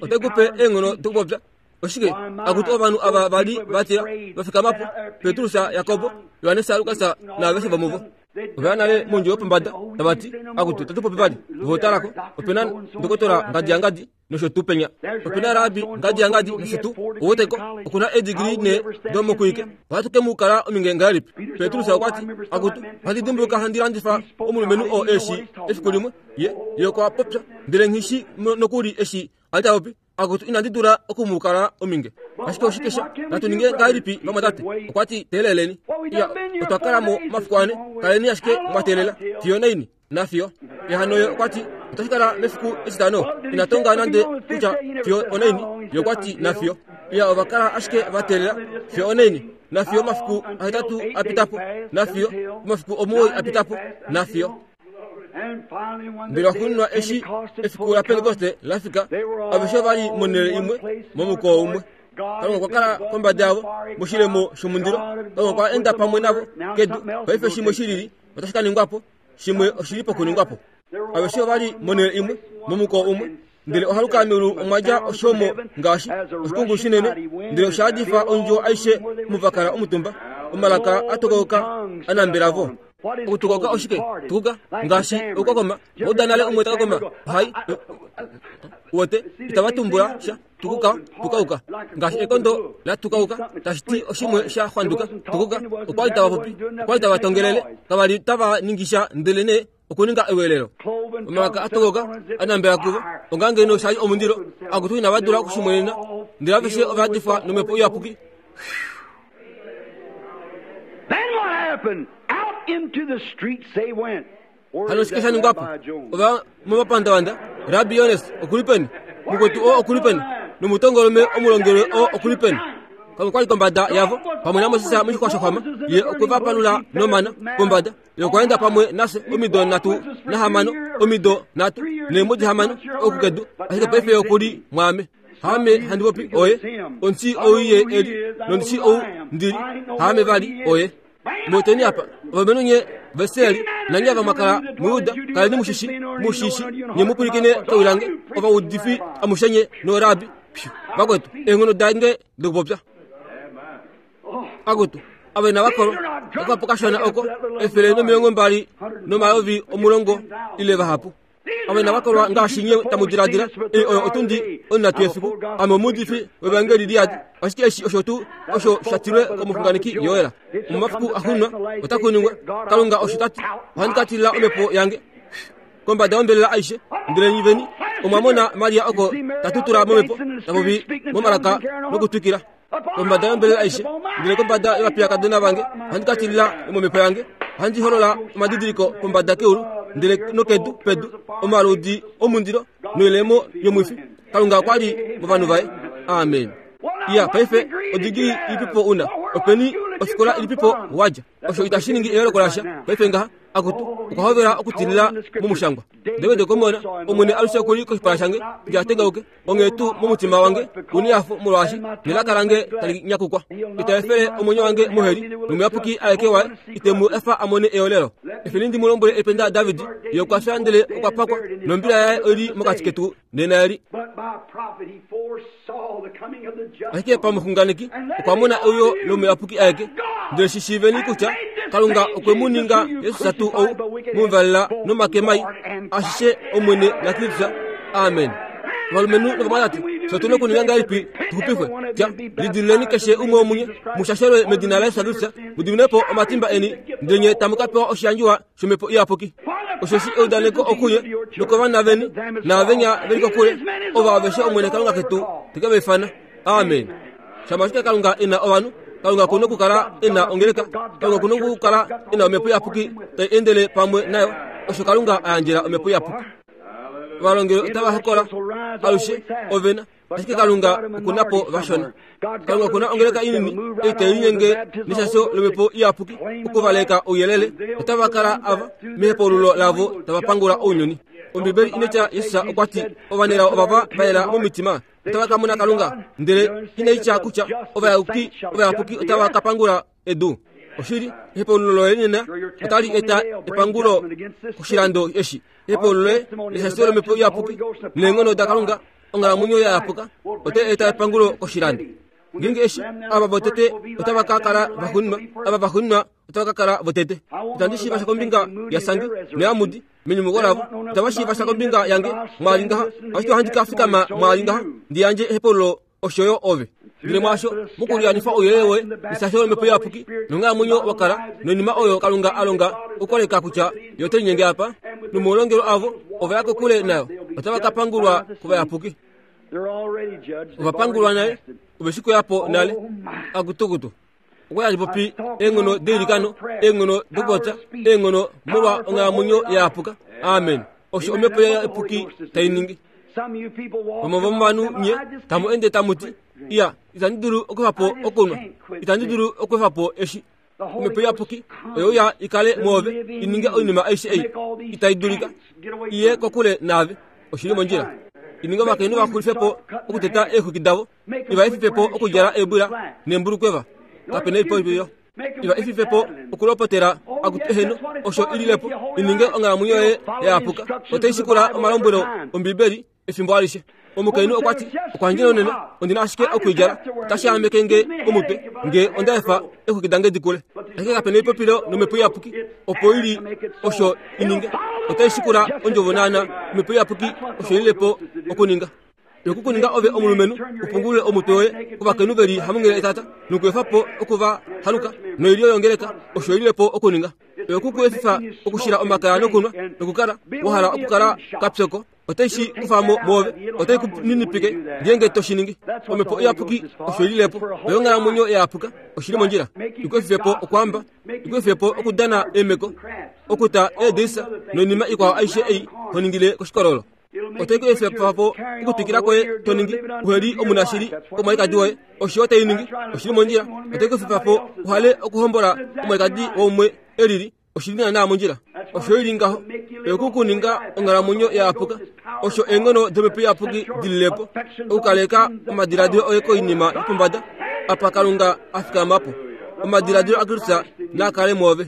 otai kupe eenghono dokupopya. Oshike akuti ovanhu ava vali vatila vafikamapo Petrus, Jakobo, Johannes, Lukas naaveshe vomuvo ovaya nale mondjo yopombada tavati akutu tatupopi vali votalako opena ndokotola ngadi yangadi nosho tuu penya opena raabi ngadi yangadi nosho tuu oweteko okuna edigiri ne domokuike ohatu ke mu kala ominge ngahelipi. Petrus okwati akutu ohandi dimbuluka handi landifa omulumenhu oo eshi efiku limwe ye ye okwa popya ndele nghishi nokuli eshi ali tapopi akutu inandi dula okumukala ominge. Ashike oshike sha natu ninge ngahelipi vamwatate? Okwati teeleleni. Iya otwa kala mo mafiku ane kaleni ashike mwateelela fiyo naini nafiyo. Ehano ye okwati otashi kala mefiku etitano inatonga nande kutya fiyo onaini ye okwati nafiyo. Iya ovakala ashike vateelela fiyo onaini nafiyo mafiku ahetatu apitapo nafiyo mafiku omuwoi apitapo nafiyo. And finally, when Ndele the day waxuuninwa of eshi Pentecost had efiku fully la come, Pentekoste lafika they were all aveshe vali in monhele one imwe place, momukoo one umwe. accord. God Kalunga okwa had kala been kombada yavo above them in moshilemo fiery shomundilo. cloud. God had Kalunga okwa walked enda with them pamwe on navo earth. Now kedu. something else Paife will shimwe take shilili otashi ka ningwapo, shimwe oshili pokuningwapo. Aveshe ovali monhele imwe momukoo umwe. Ndele ohaluka meulu omwa dja oshomo ngaashi oshikungu shinene ndele osha hadifa ondjuwo aishe muvakala omutumba. Omalaka atokauka anambelavo. Okutukauka oshike? Tukuka ngaashi okukokoma. Ouda nale umwe takakoma ohai uwete itava tumbula sha tukuka tukauka ngaashi ekondo la tukauka tashi ti oshimwe sha xwanduka tukuka. Okwali tava popi okwali tava tongelele kavali tava ningisha ndele nee okuninga ewelelo. Cloven Omalaka tongues atokauka fell on as if anambela kuvo onga ngeno shali omundilo akutu inava dula okushimwenena ndele aveshe ova hadifwa nomhepo iyapuki. Then what happened? Out into the streets they went. Where Hano is oshike that sha ningwapo? Rabbi Jones? Ova momapandavanda Rabbi Jones okuli peni? Mukwetu oo okuli peni? Nomutongolume omulongelwe oo okuli peni? Kalunga okwali kombada yavo pamwe naMoses moshixwa shoxwama ye okwe va palula nomana pombada ye okwa enda pamwe nafye omido nhatu nahamano omido nhatu neemwedi hamano okukedu ashike paife ye okuli mwaame. Haame handi popi oye ondishi ou ye eli nondishi ou ndili haame vali oye. Mweteni apa ovalumenhu nye veseli nanye ava mwakala muYuda kaleni mushishi mushishi nye mupwilikine kewi lange ovaudifi amushe nye noorabi vakwetu eenghono dange dokupopya. Akutu ava inava kolwa okapo kashona oko efele nomilongo mbali nomayovi omulongo ile vahapu. Ava inava kolwa ngaashi nye tamu diladila ei oyo otundi onhatu yefiku. Ame omuudifi wevangeli liyadi ashike eshi osho tuu osho sha tilwe komuxunganeki Joel. Momafiku axuuninwa otaku ningwa Kalunga osho tati ohandi ka tilila omhepo yange kombada yombelela aishe ndele nyiveni Omwamona Maria oko tatutula momhepo tapopi momalaka nokutwikila kombada yombelela aishe ndele kombada yovapiyakadona vange ohandi ka tilila momhepo yange ohandi holola omadidiliko pombada keulu ndele nokedu pedu omaludi omundilo noilemo yomwifi. Kalunga okwa li movanhu vaye. Amen. Iya paife odigili ilipipo una openi ofikola ilipipo wadja osho itashi ningi eyooloko lasha paife ngaha akutu okwa hovela okutilila momushangwa. David okomona Omwene alushe okuli koshipala shange ndiatengauke onghee tuu momutima wange unehafo molwaashi nelaka lange tali nyakukwa. Ita efele omwenyo wange moheli nomuyapuki aeke waye ite mu efa amone eolelo. Efeni ndi mu lombwele ependa David ye okwa fya ndele okwa pakwa nombila yaye oili mokati ketu nena eli. Ashike pamuxunganeki okwa mona euyo lomuyapuki aeke ndele shishiiveni kutya Kalunga okwe mu ninga Jesus tuu ou muvalela nomake mai ashishe Omwene naKristus. Amen. Ovalumenhu novamwatate, fye otu na okuninga ngahelipi tuxupifwe? Tya, lidiluleni keshe umwe womunye mushashelwe medina laJesus Kristus, mu diminwe po omatimba eni, ndele nye tamu ka pewa oshiyandjiwa shomhepo iyapuki. Osheshi eudaneko okuye nokovana veni naavenya veli kokule, ovo aveshe Omwene Kalunga ketu te ke va ifana. Amen. Shama ashike Kalunga e na ovanhu, Kalunga okuna okukala e na ongeleka, Kalunga okuna okukala e na omhepo iyapuki tai endele pamwe nayo. Osho Kalunga a yandjela omhepo iyapuki. Ovalongeli otava hokola alushe ovena, ashike Kalunga okuna po vashona. Kalunga okuna ongeleka inini ei tai linyenge neshasho lomhepo iyapuki okuvaleka ouyelele, otava kala ava mehepaululo lavo tava pangula ounyuni. Ombibeli inetya Jesus okwa ti ovanelao ovava va yela momitima otava ka mona Kalunga, ndele inai tya kutya ovayapuki ovayapuki otava ka pangula edu. Oshili, ehepaululo loye nena otali eta epangulo koshilando eshi. Ehepaululo loye leshasho lomhepo iyapuki neenghono daKalunga onghalamwenyo ya yapuka otai eta epangulo koshilando. Ngeenge eshi ava votete otava ka kala vaxuuninwa, ava vaxuuninwa otava ka kala votete. Itandi shiiva sha kombinga yaSangi noyaMudi menyumuko lavo, itava shiiva sha kombinga yange mwaali ngaha, ashike ohandi ka fikama mwaali ngaha ndi yandje ehepaululo osho yo ove. Ndele mwaasho mokuliyanifa ouyelele woye neshasho lomhepo iyapuki nonghalamwenyo wa kala noinima oyo Kalunga a longa okukoleka kutya yo ote linyenge apa, nomaulongelo avo ova ya kokule nayo, otava ka pangulwa kovayapuki. Ova pangulwa nale, ove shi kuyapo nale. Akutukutu okwa yali popi eenghono deilikano, eenghono dokupopya, eenghono molwa onghalamwenyo ya yapuka. Amen. Osho omhepo iyapuki tai ningi. Vamwe vomovanhu nye tamu ende tamu ti, iya, itandi dulu okweefa po okunwa, itandi dulu okweefa po eshi. Omhepo iyapuki oyo ya ikale mwoove i ninge oinima aishe ei itai dulika iye kokule naave. Oshili mondjila. Ininge ovakainhu va xulife po okuteta eexwiki davo, iva efife po okudjala eebwila neembulukweva. Kape na oipopilo. Iva efife po okulopotela akutu eheno osho ililepo ininge onghalamwenyo yoye ya yapuka. Otai shikula omalombwelo Ombibeli efimbo alishe. Omukainhu okwa ti, okwa ndjela unene, ondina ashike okwiidjala, otashi ameke nge omutwe nge onda efa eexwiki dange dikule. Ashike kape na oipopilo nomhepo iyapuki opo ili osho ininge. Otai shikula ondjovo naana omhepo iyapuki osho ililepo okuninga. Yokukuninga ove omulumenhu upungulule omutwe woye kovakainhu veli hamungele etata nokuefa po okuva haluka noilyo yongeleka osho ililepo okuninga. Yokukuefifa okushila omakaya nokunwa nokukala wahala okukala kapyoko otai shi kufa mo mwoove, otai ku ninipike ngeenge to shi ningi. Omhepo iyapuki osho ililepo oyo onghalamwenyo ya yapuka oshili mondjila. Ikuefife po okwaamba, ikuefife po okudana eemeko, okuta eedisa noinima ikwao aishe ei ho ningile koshikololo. Otai ku efifa po okutwikila kwoye to ningi uheli omunashili komwalikadi woye, osho otai ningi oshili mondjila. Otai ku efifa po uhale okuhombola omwalikadi woumwe elili, oshili naanaa mondjila. Osho ili ngaho oyokukuninga onghalamwenyo ya yapuka. Osho eenghono domhepo iyapuki dililepo okukaleka omadiladilo oye koinima yopombada apa Kalunga a fikama po. Omadiladilo aKristus naa kale mwoove.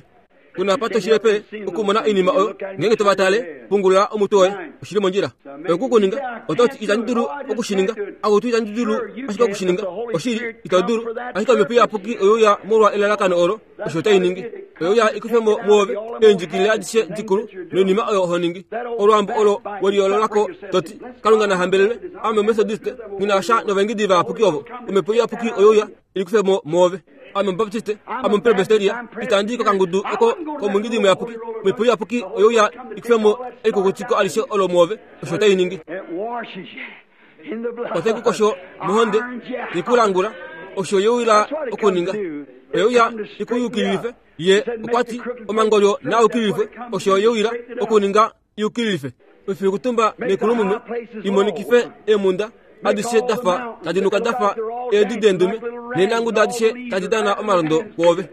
Kuna pa toshilepe okumona oinima oyo ngeenge tova tale, pungulula omutwe woye. Oshili mondjila. Oyokukuninga oto ti itandi dulu okushininga, akutu itandi dulu ashike okushininga. Oshili ito dulu, ashike omhepo iyapuki oyo ya molwa elalakano olo osho tai ningi. Oyo ya ikufe mo mwoove eendjikilile adishe dikulu noinima oyo ho ningi. Olwaambo olo weliyoololako to ti Kalunga na hambelelwe, ame Omethodiste nghi na sha novaengedi vayapuki ovo. Omhepo iyapuki oyo ya ikufe mo mwoove. Ame Omubaptiste, ame Omupresbyteria, itandi kokangudu oko komungidi muyapuki. Omhepo iyapuki oyeuya ikufemo elikukutiko alishe olo muove, osho tai ningi. Otai kukosho mohonde, ikulangula, osho yeuyila okuninga. Oyeuya ikuyukililife, ye okwati omangolyo naa yukililifwe, osho yeuyila okuninga yukililife. Oifikutumba nekulumume imonikife eemunda adishe dafa tadi nuka dafa eedi deendume, neenanguda adishe tadi dana omalondo kwoove.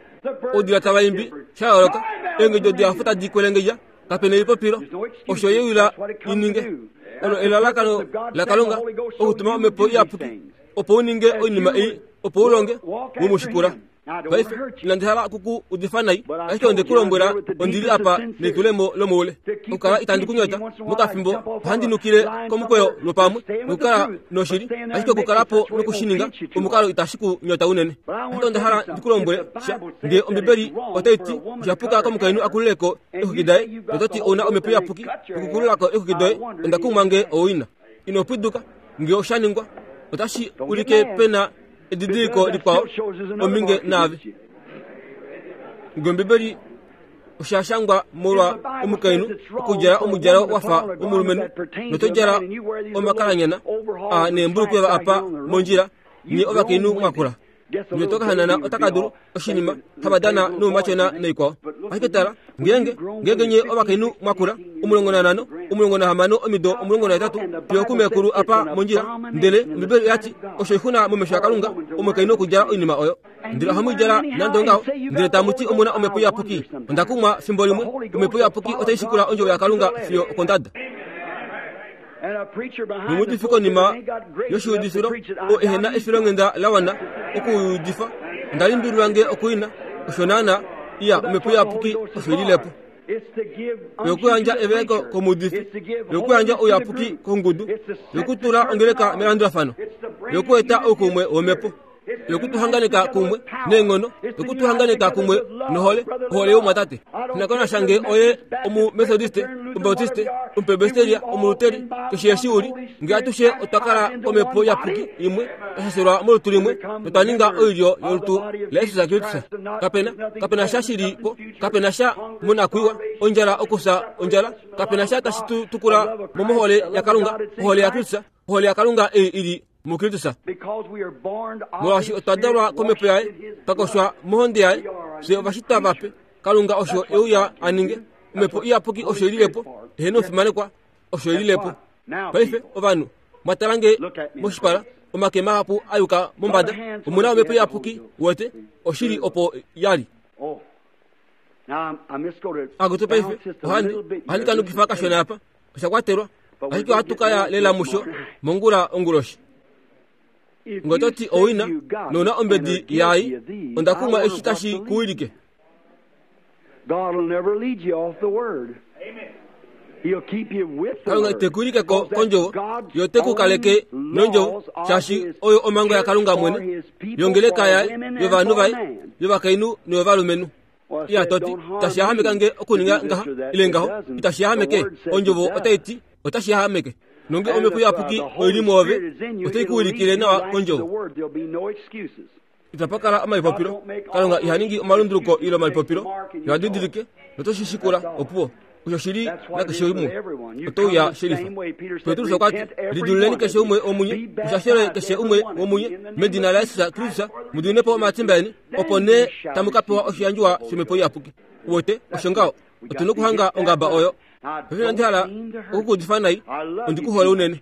Oudila tava imbi sha yooloka, eengedjo dihafu tadi kwelengedja, kapena elipopilo, osho yeuyila ininge. Olo elalakano laKalunga okutuma omhepo iyapuki opo uninge oinima ei, opo ulonge womushikula. Paife inandi hala okuku udifa nai, ashike onde ku lombwela ondili apa nelitulemo lomoule. Okukala itandi kunyota mokafimbo ohandi nukile komukweyo lwopamwe nokukala noshili, ashike okukalapo nokushininga omukalo itashi ku nyota unene. Ashike onda hala ndi ku lombwele sha, ngee Ombibeli otai ti oshapuka komukainhu akululeko eexwiki daye, nototi ouna omhepo iyapuki nokukululako eexwiki doye, onda kumwa ngee owina. Ino pwiduka, ngee osha ningwa, otashi ulike pena edidiliko likwao ominge naave. Ngee Ombibeli osha shangwa molwa omukainhu okudjala omudjalo wafa womulumenhu, notodjala omakalanyana a neembulukwewa apa mondjila, nye ovakainhu mwakula. Ndele tokahanana otaka dulu oshinima hava dana noumatyona noikwao. Ashike tala, ngeenge ngeenge nye ovakainhu mwakula omulongo nanhano, omulongo nahamano omido omulongo nahetatu fiyo okumekulu apa mondjila, ndele Ombibeli oyati osho oixuna momesho aKalunga omukainhu okudjala oinima oyo. Ndele ohamu idjala nande ongaho, ndele tamu ti omuna omhepo iyapuki. Onda kumwa fimbo limwe, omhepo iyapuki otai shikula ondjovo yaKalunga fiyo okondada. Nomuudifi konima yoshiudifilo oo ehena efilonghenda la wana okuudifa, onda limbililwa ngee okuina, osho naana iya omhepo iyapuki osho ililepo. Yokuyandja eveleko komuudifi, yokuyandja ouyapuki kongudu, yokutula ongeleka melandulafano, yokueta oukumwe womhepo, yokutuhanganeka kumwe neenghono, yokutuhanganeka kumwe nohole, ohole youmwatate. Nakonasha ngee oye Omumethodiste, Omubaptiste, Omupresbyteria, Omuluteri, keshe eshi uli, ngee atushe otwa kala komhepo iyapuki imwe, twa shashelwa molutu limwe, notwa ninga oilyo yolutu laJesus Kristus. Kapena, kapena sha shili po, kapena sha monakwiiwa, ondjala okufya ondjala, kapena sha tashi tu tukula mo mohole yaKalunga, ohole yaKristus, ohole yaKalunga ei ili muKristus. Molwaashi otwa dalwa komhepo yaye, twa koshwa mohonde yaye, fye ovashitwa vape. Kalunga osho euya aninge, omhepo iyapuki osho ililepo, eheno omufimanekwa osho ililepo. Paife ovanhu mwatala nge moshipala, omake mahapu a yuka mombada, omuna omhepo iyapuki wete, oshili opo yali. Akutu paife ohandi ohandi kanukifa kashona apa, osha kwatelwa, ashike ohatu kaya lela musho mongula onguloshi. Ngee ototi owina nouna ombedi yaai, onda kumwa eshi tashi kuwilike. Kalunga ite ku wilike ko kondjovo, ye ote ku kaleke nondjovo, shaashi oyo omhango yaKalunga mwene, yongeleka yaye, yovanhu vaye, yovakainhu noyovalumenhu. Iya toti, itashi yahameka nge okuninga ngaha ile ngaho, itashi yahameke, ondjovo otai ti otashi yahameke. Nonge omhepo iyapuki oili mwoove, otai ku wilikile nawa kondjovo. Itapa kala omalipopilo. Kalunga iha ningi omalunduluko ile omalipopilo, yo didilike noto shi shikula opuwo. Osho shili nakeshe umwe, oto uya shelifa. Petrus okwa ti, lidululeni keshe umwe womunye, mushashele keshe umwe womunye medina laJesus Kristus, mu dimine po omatimba eni, opo nee tamu ka pewa oshiyandjiwa shomhepo iyapuki. Uwete, osho ngaho, otu nokuhanga ongaba oyo. Paife inandi hala okukuudifa nai, ondi ku hole unene.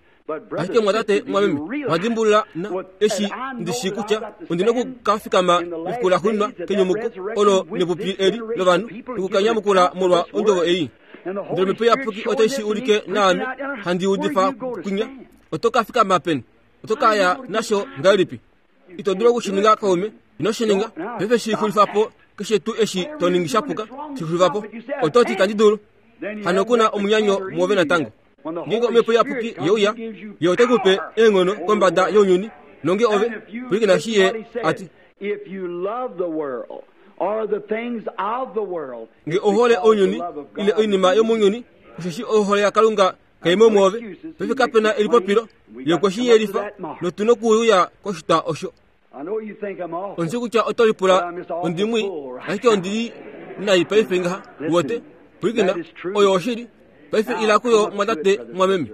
Ashike mwatate mwameme, mwa dimbulula na eshi ndi shii kutya ondi nokukafikama mefiku laxuuninwa kenyumuko olo nepupi eli lovanhu nokukanyamukula molwa ondjovo ei. Ndele omhepo iyapuki otai shi ulike naame handi udifa kwinya. Oto ka fikama peni? Oto ka ya nasho ngahelipi? Ito dulu okushininga kaume, ino shi ninga. Paife shi xulifa po keshe tuu eshi to ningi shapuka, shi xulifa po. Oto ti itandi dulu. Hano kuna omunyanyo mwoove natango. Ngeenge omhepo iyapuki yeuya, ye ote ku pe eenghono kombada younyuni, nonge ove pwilikina eshi ye a ti. Nge ohole ounyuni ile oinima yomounyuni, osheshi ohole yaKalunga kai mo mwoove. Paife kapena elipopilo, ye okwe shi yelifa, notu nokuuya koshitwa osho. Onzi kutya oto lipula ondimwi ashike ondili nai paife ngaha wote pwilikina oyo oshili paife ila kuyo mwatate mwameme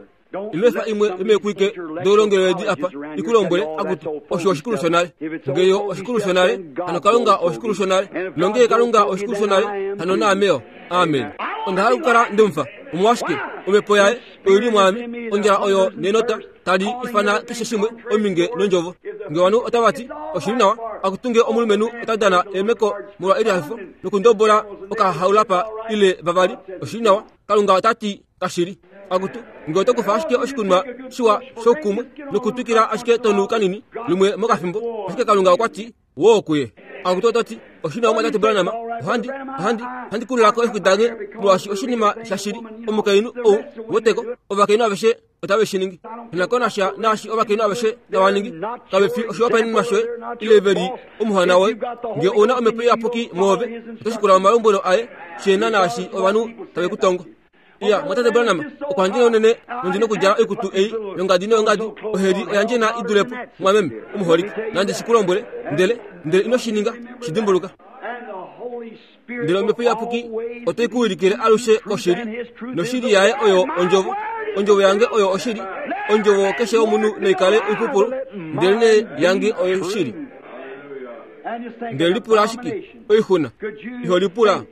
ino efa imwe yomeekwike doulongelwedi apa ikulombwele akuti osho oshikulu shonale ngeyo oshikulu shonale hano kalunga oshikulu shonale nongee kalunga oshikulu shonale hano naameyo amen onda hala okukala ndemufa omolwashike omhepo yaye oili mwaame ondjala oyo nenota tali ifana keshe shimwe ominge nondjovo nge ovanhu otava ti oshili nawa akutunge omulumenhu ota dana eemeko molwa elihafifo nokundobola okahaulapa ile vavali oshili nawa kalunga otati kashili akutu nge oto kufa ashike oshikunwa shiwa shoukumwe nokutwikila ashike tonu kanini lumwe mokafimbo ashike kalunga okwati woo kuye akutu ototi oshili nawa mwatate Branham ohandi ohandi ohandi kululako efiku dange molwaashi oshinima shashili omukainhu ou woteko ovakainhu aveshe otave shi ningi nakonasha naashi ovakainhu aveshe tava ningi kave fi oshihopaenenwa shoye ile veli omuhona woye nge ouna omhepo iyapuki mwoove oto shikula omalombwelo aye shena naashi ovanhu tave ku tongo iya mwatate Branham okwa unene nondina okudjala oikutu ei yongadi noyongadi oheli oyandjena idulepo mwameme omuholike nande shikulombwele ndele ndele ino shi ninga shidimbuluka ndele omhepo iyapuki otai kuwilikile alushe koshili noshili yaye oyo ondjovo ondjovo yange oyo oshili ondjovo keshe omunhu naikale oipupulu ndele nee yange oyo oshili ndele lipula ashike oixuna iho lipula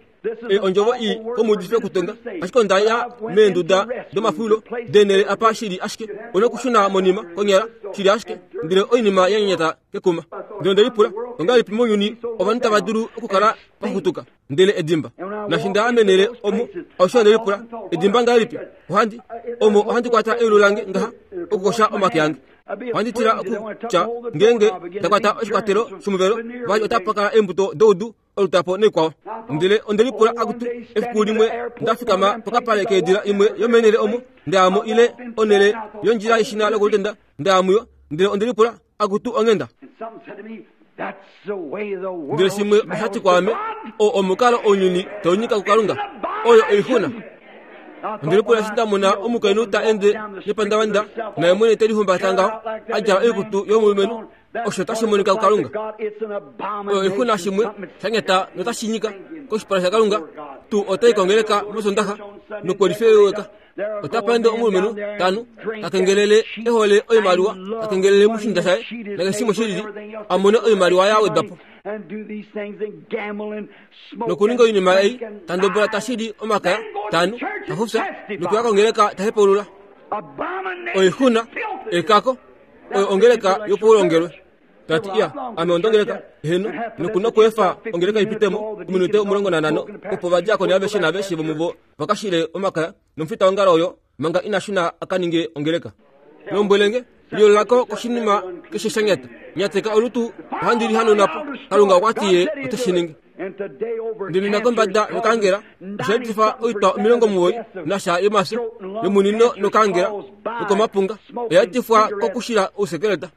e ondjovo i komuudifi okutonga ashike onda ya meenduda domafulilo denele apa shili ashike ona okushuna monima konyala shili ashike ndele oinima ya nyanyata kekuma ndele onde lipula ongahelipi mounyuni ovanhu tava dulu okukala vakutuka ndele edimba nashi nda amenele omo osho onde lipula edimba ngahelipi ohandi omo ohandi kwata eulu lange ngaha okukosha omake ange ohandi tila okutya ngeenge ndakwata oshikwatelo shomuvelo vali otapa kala eembuto doudu olutapo neikwao ndele onde lipula akutu efiku limwe ndafikama pokapale keedila imwe yomenele omo ndayamo ile onele yondjila yeshina lokulutenda ndayamuyo ndele onde lipula akutu onghenda ndele shimwe oshati kwaame o omukalo ounyuni taunyika kukalunga oyo oixuna onde lipula eshi ndamona omukainhu ta ende nepandavanda naye mwene te lihumbata ngaho a djala oikutu yomulumenhu osho tashi monika kukalunga oyo oixuna shimwe shanyata notashi nyika koshipala shakalunga tuu otai kongeleka mosondaxa nokwelifeweka otapa ende omulumenhu tanu takengelele ehole oimaliwa takengelele mushinda shaye nakeshimwe shilili amone oimaliwa ya wedwapo nokuninga oinima ei tandobola tashili omakaya tanu tafufya nokuya kongeleka tahepaulula oixuna ekako oyo ongeleka yopaulongelwe tati iya ame ondongeleka heno nokuna okuefa ongeleka ipitemo ominute omulongo nanhano opo vadiakoni aveshe naveshe vomuvo vakashile omakaya nomufita wongalo oyo manga ina shuna akaninge ongeleka lombwelenge liololako koshinima keshe shanyata nyateka olutu ohandi lihanonapo kalunga okwati ye ote shi ningi ndele nakombada nokangela oshaetifa oitwa omilongo muwoi nasha yomafyo yomunino nokangela nokomapunga oyaetifwa kokushila ousekeleta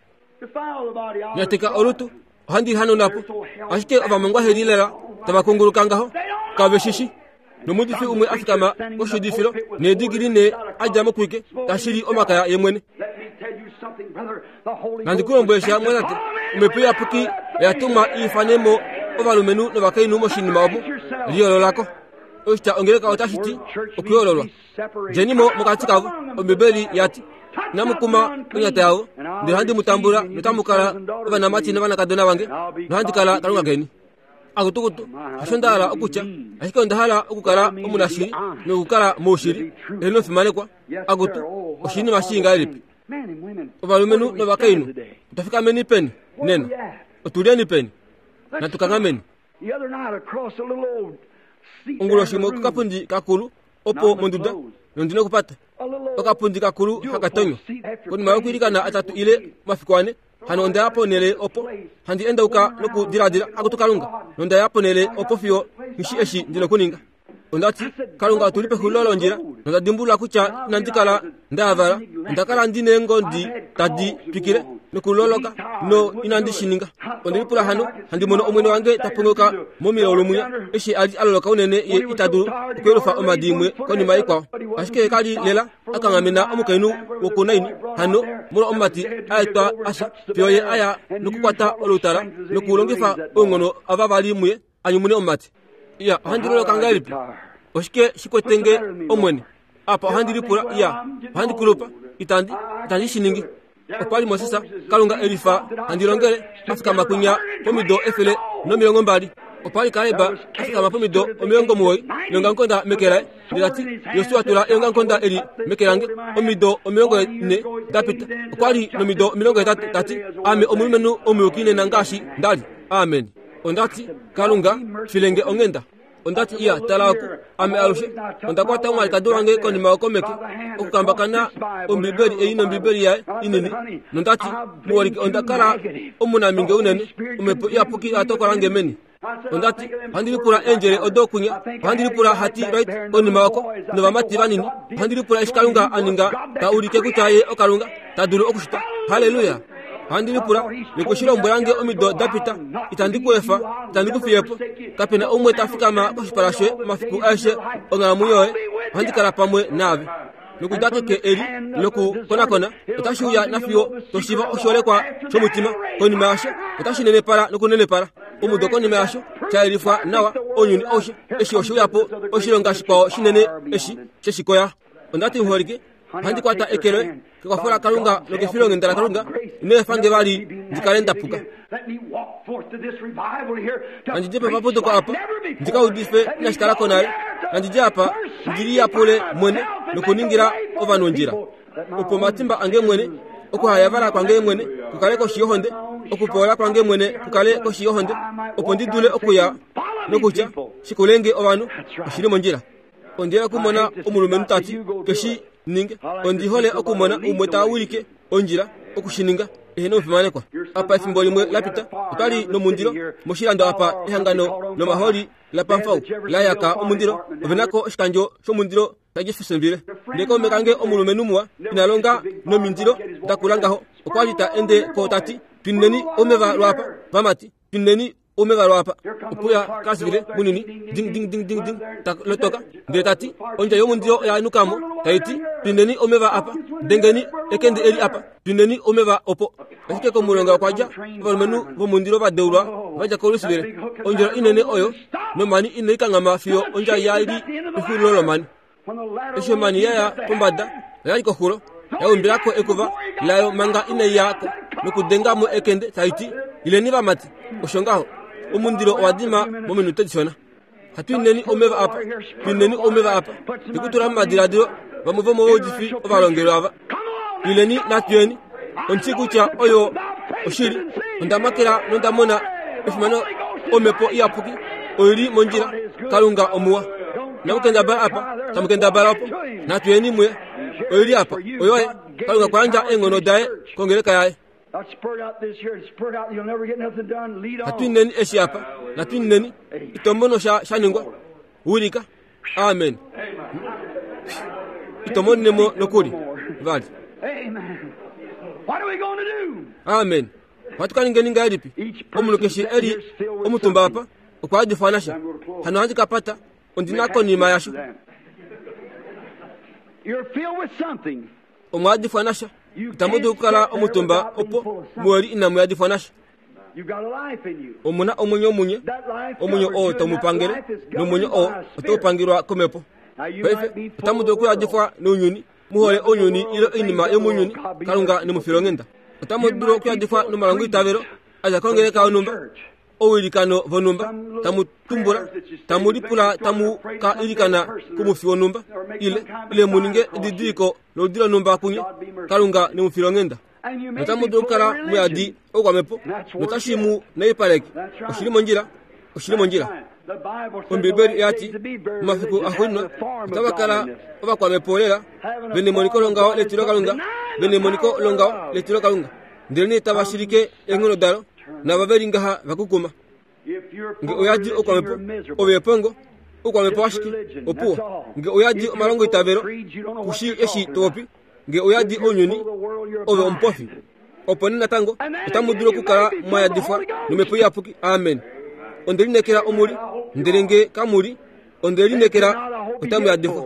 nyateka olutu ohandi lihanonapo ashike ovamongwa lela tava kunguluka ngaho kave shishi nomuudifi umwe afikama koshiudifilo needigili ne adja mokwike tashili omakaya ye mwene nandi kulombwele mwatate omhepo iyapuki oya tumwa iifanemo ovalumenhu novakainhu moshinima omo liyoololako oshitya ongeleka otashi ti okuyoololwa djenimo mokati kavo ombibeli yati inamukuma onyata yavo ndele handi mu tambula notamu kala ovanamati novanakadona vange nohandi kala kalunga keni akutukutu hasho nda hala okutya ashike onda hala okukala omunashili nokukala moushili eheno fimanekwa akutu oshinima shii ngahelipi ovalumenhu novakainhu otwafikameni peni nena otulyeni peni natukanghameni onguloshi imwe kokapundi kakulu opo monduda nondina okupata okapundi kakulu hakatonywa konima yokwiilikana atatu ile omafiku ane hano onda ya ponele opo handi endauka nokudiladila akutu kalunga nonda ya ponele opo fiyo ngishi eshi ndina okuninga ondati kalunga otuli pexulilo londjila nonda dimbulula kutya inandi kala ndayavala onda kala ndi neengondi tadi twikile Nokuloloka no inandi shininga. Ondelipula hano handi mono omwene wange tapongoka momilaulu mwinya eshi a li aloloka unene ye ita dulu okuyelufa omhadi imwe konima ikwao. Ashike kali lela akanghamena omukainhu wokunaini hano molwa omumati a etwa afya fiyo ye aya nokukwata olutala nokulongifa ounghono ava vali muye anyumune omumati. Iya, ohandi loloka ngahelipi? Oshike shikwetenge omwene? Apa ohandi lipula, iya, ohandi kulupa, itandi, itandi shiningi. Okwa li Moses, Kalunga elifa handi longele, a fikama kwinya pomido efele nomilongo mbali. Okwa li Kaleb a fikama pomido omilongo muwoi neongamukonda meke laye. Ndele ta ti, Josua tula eongamukonda eli meke lange. Omido omilongo ne da pita. Okwa li nomido omilongo hetatu ta ti, ame omulumenhu omuyuki nena ngaashi nda li. Amen. Onda ti, Kalunga, filenge onghenda. Onda ti, iya, tala oku, ame alushe onda kwata omwalikadi wange konima yokomeke okukambakana Ombibeli ei nOmbibeli yaye inini. Nonda ti, muholike, onda kala omunaminge unene, omhepo iyapuki oya tokola nge meni. Onda ti, ohandi lipula eendjele odo kwinya, ohandi lipula hati right konima oko novamati vanini, ohandi lipula eshi Kalunga a ninga ta ulike kutya ye oKalunga ta dulu okushita. Haleluya! Ohandi lipula nokushilombwela nge omido da pita, itandi ku efa, itandi ku fiye po. Kapena umwe ta fikama koshipala shoye omafiku aeshe onghalamwenyo yoye, ohandi kala pamwe naave. Nokuda keke eli lokukonakona otashi uya nafiyo toshiiva oshiholekwa shomutima. Konima yasho otashi nenepala nokunenepala. Omudo konima yasho sha yelifwa nawa ounyuni aushe. Eshi oshe uya po oshilonga shikwao shinene eshi sheshikoya. Onda ti, muholike, ohandi kwata eke loye kekwafo laKalunga nokefilonghenda laKalunga, ino efa nge vali ndi kale nda puka. Nandi dje pomaputuko apa ndi ka udife inashi kala ko nale. Nandi dje apa ndi liyapule mwene nokuningila ovanhu ondjila, opo omatimba ange mwene, okuhayavala kwange mwene kukale koshi yohonde, okupoola kwange mwene kukale koshi yohonde, opo ndi dule okuya nokutya shikulenge ovanhu oshili mondjila. Ondi hole okumona omulumenhu ta ti keshi ninge. Ondi hole okumona umwe ta wilike ondjila okushininga ehe nomufimanekwa. Apa efimbo limwe la pita otwa li nomundilo moshilando apa ehangano lomaholi laPamfau la yaka omundilo. Ove nako oshikandjo shomundilo shaJeffersonville. Ndele kaume kange omulumenhu muwa ina longa nomindilo da kula ngaho, okwa li ta ende ko ta ti, twineni omeva lwaapa vamati, twineni omeva lwaapa. Opuya Kasvile munini ding ding ding ding ding ta lotoka ndele ta ti, ondja yomundilo oya nukamo tai ti, twineni omeva apa, dengeni ekende eli apa, twineni omeva opo. Ashike komulonga okwa dja ovalumenhu vomundilo va deulwa va dja koLouisville. Ondjila inene oyo nomani inai kanghama fiyo ondja ya li pexulilo lomani. Eshi omani ya ya pombada oya li koxulo, ya umbilako ekuva layo manga inai ya ko nokudenga mo ekende tai ti, ileni vamati. Osho ngaho omundilo owa dima mominute dishona. Hatu ineni omeva apa, twineni omeva apa. Ndikutula momadiladilo vamwe vomovaudifi ovalongelwa ava. Ileni natuyeni. Ondi kutya oyo oshili. Onda makela nonda mona efimano omhepo iyapuki oili mondjila. Kalunga omuwa. Namukendabala apa, tamukendabala opo. Natuyeni muye. Oili apa, oyoye. Kalunga kwa yandja eenghono daye kongeleka yaye. Hatwineni eshi apa, natwineni. Ito mono sha sha ningwa. Wilika. Amen. Ito monene mo nokuli vali. Amen. Ohatu ka ningeni ngahelipi? Omunhu keshe e li omutumba apa okwa yadifwa nasha. Hano ohandi ka pata ondina konima yasho. Omwa yadifwa nasha. Itamu dulu okukala omutumba opo muweli inamu yadifwa nasha. Omuna omwenyo munye, omwenyo oo tau mu pangele, nomwenyo oo otau pangelwa komhepo. Paife otamu dulu okuyadifwa nounyuni, mu hole ounyuni ile oinima yomounyuni, Kalunga nemufilonghenda. Otamu dulu okuyadifwa nomalongoitavelo a dja kongeleka yonhumba, owilikano vonhumba, tamu tumbula, tamu lipula tamu ka ilikana komufi wonhumba, ile, ile mu ninge edidiliko loludi lonhumba kunye, Kalunga nemufilonghenda. Notamu dulu okukala muyadi oukwamhepo, notashi mu naipaleke. Oshili mondjila, oshili mondjila. Ombibeli oya ti, momafiku axuuninwa otava kala ovakwamhepo lela, ve nemoniko longaho letilokalunga, ve nemoniko longaho letilokalunga, ndelenee tava shilike eenghono dalo, nava ve li ngaha va kukuma. Nge oyadi oukwamhepo, ove epongo, oukwamhepo ashike, opuwo. Nge oyadi omalongoitavelo, kushi eshi to popi. Nge oyadi ounyuni, ove omupofi. Opo nee natango otamu dulu okukala mwayadifwa nomhepo iyapuki. Amen. Onde lineekela omuli, ndele nge kamuli, onde lineekela otamu yadifwa.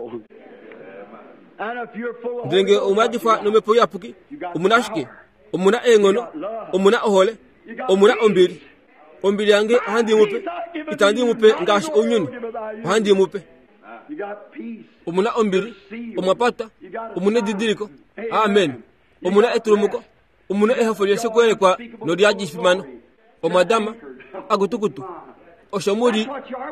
Ndele nge omwayadifwa nomhepo iyapuki, omuna ashike, omuna eenghono, omuna ohole, omuna ombili. Ombili yange ohandi mupe, itandi mupe ngaashi ounyuni, ohandi mupe. Omuna ombili, omwapata, omuna edidiliko. Amen. Omuna etulumuko, omuna ehafo lyesekuelekwa nolyadifimano. Omwadama akutukutu osho muli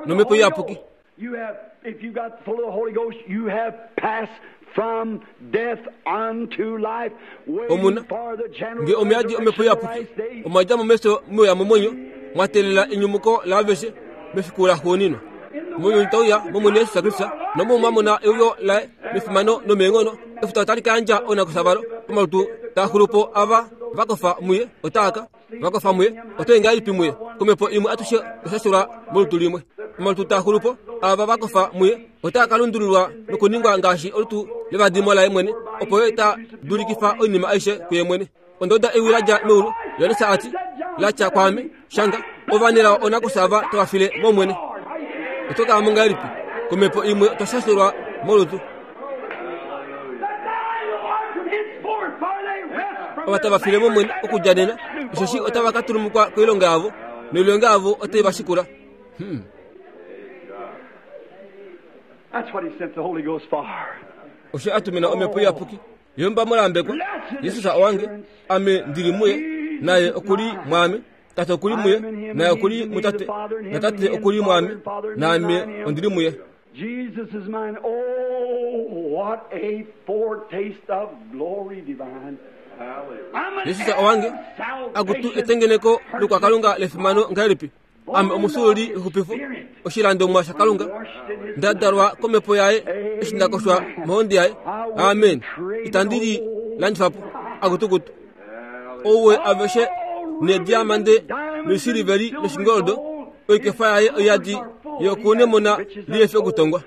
nomhepo iyapuki. You have, if you got full of the Holy Ghost, you have passed from death unto life, waiting Omuna for the general nge omuyadi omhepo iyapuki omwadja momeso mweya momwenyo mwatelela enyumuko laaveshe mefiku laxuuninwa. Mounyuni tauya momwene Yesus Kristus nomo mwamona euyo laye mefimano nomeenghono. Efuta otali ka yandja oonakufya omalutu taaxulupo ava vakofa muye otaaka vakofa muye otoyi ngahelipi muye komhepo imwe atushe oshashulwa molutu limwe. Omalutu taaxulupo ava vakofa muye otaa ka lundululwa nokuningwa ngaashi olutu levadimo laye mwene, opo ye ta dulikifa oinima aishe kuye mwene. Ondoda ewi ladja meulu Johannes ati latya kwaame, shanga ovanelao oonakufya ava tava file momwene. Oto kala mo ngahelipi komhepo imwe otwa molutu. Ova tava file momwene okudja nena, osheshi otava ka tulumukwa koilonga yavo, noilonga yavo otai va shikula. Hmm. That's what he sent the Holy Ghost for. Osho atumina omhepo iyapuki yomba molambekwa Yesus owange, ame ndili muye, naye okuli mwaame. Tate okuli muye, naye okuli mutate, natate okuli mwaame, naame ondili muye. Jesus is mine. Oh, what a foretaste of glory divine. Yesus owange, akutu etengeneko lukwakalunga lefimano ngahelipi. Ame omusuuli wexupifo, oshilandomwa shakalunga, ndadalwa komhepo yaye eshi ndakoshwa mohondi yaye. Amen. Itandi li landifapo akutukutu. Ouwe aveshe nediamande noisiliveli noshingoldo, oikefa yaye oyadi yokunemona liyefi okutongwa.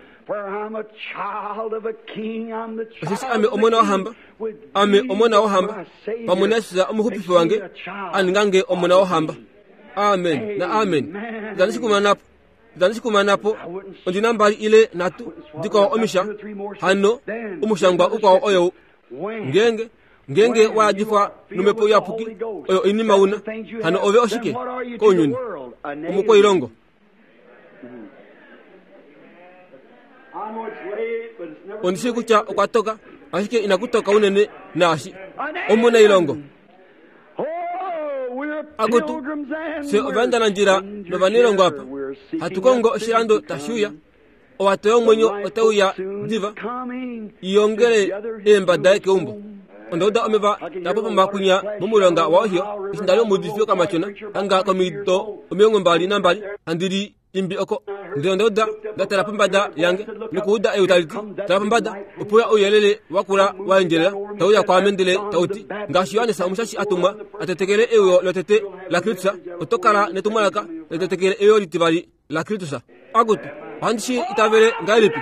Osheshi ame omona wohamba, ame omona wohamba, pamwe naYesus omuxupifi wange aningange omona wohamba. Amen na amen. Itandi shikumanapo, itandi shikumanapo, ondina mbali ile nhatu dikwao omisha, hano omushangwa ukwao oyo ngenge ngenge wayadifwa nomhepo iyapuki oyo oinima una, hano ove oshike kounyuni omukwailongo. Ondishi kutya okwa toka, ashike inakutoka unene naashi omunailongo. Akutu se ovaendanandjila novanilongo apa hatu kongo oshilando tashiuya, owato yomwenyo otauya diva iyongele eemba daye keumbo. Ondauda omeva tapopoma kunya momulonga wa Ohio, eshi ndali omuudifi wokamatyona hanga komido omilongo mbali nambali handili imbi oko. Ndele ondauda ndatala pombada yange nokuuda ewi tali ti, tala pombada, opuya ouyelele wakula waendjelela tauya kwaame ndele tauti, ngaashi Johannes omushashi atumwa atetekele euyo lotete laKristus, oto kala netumwalaka litetekele euyo litivali laKristus. Akutu ohandi shi itavele ngahelipi?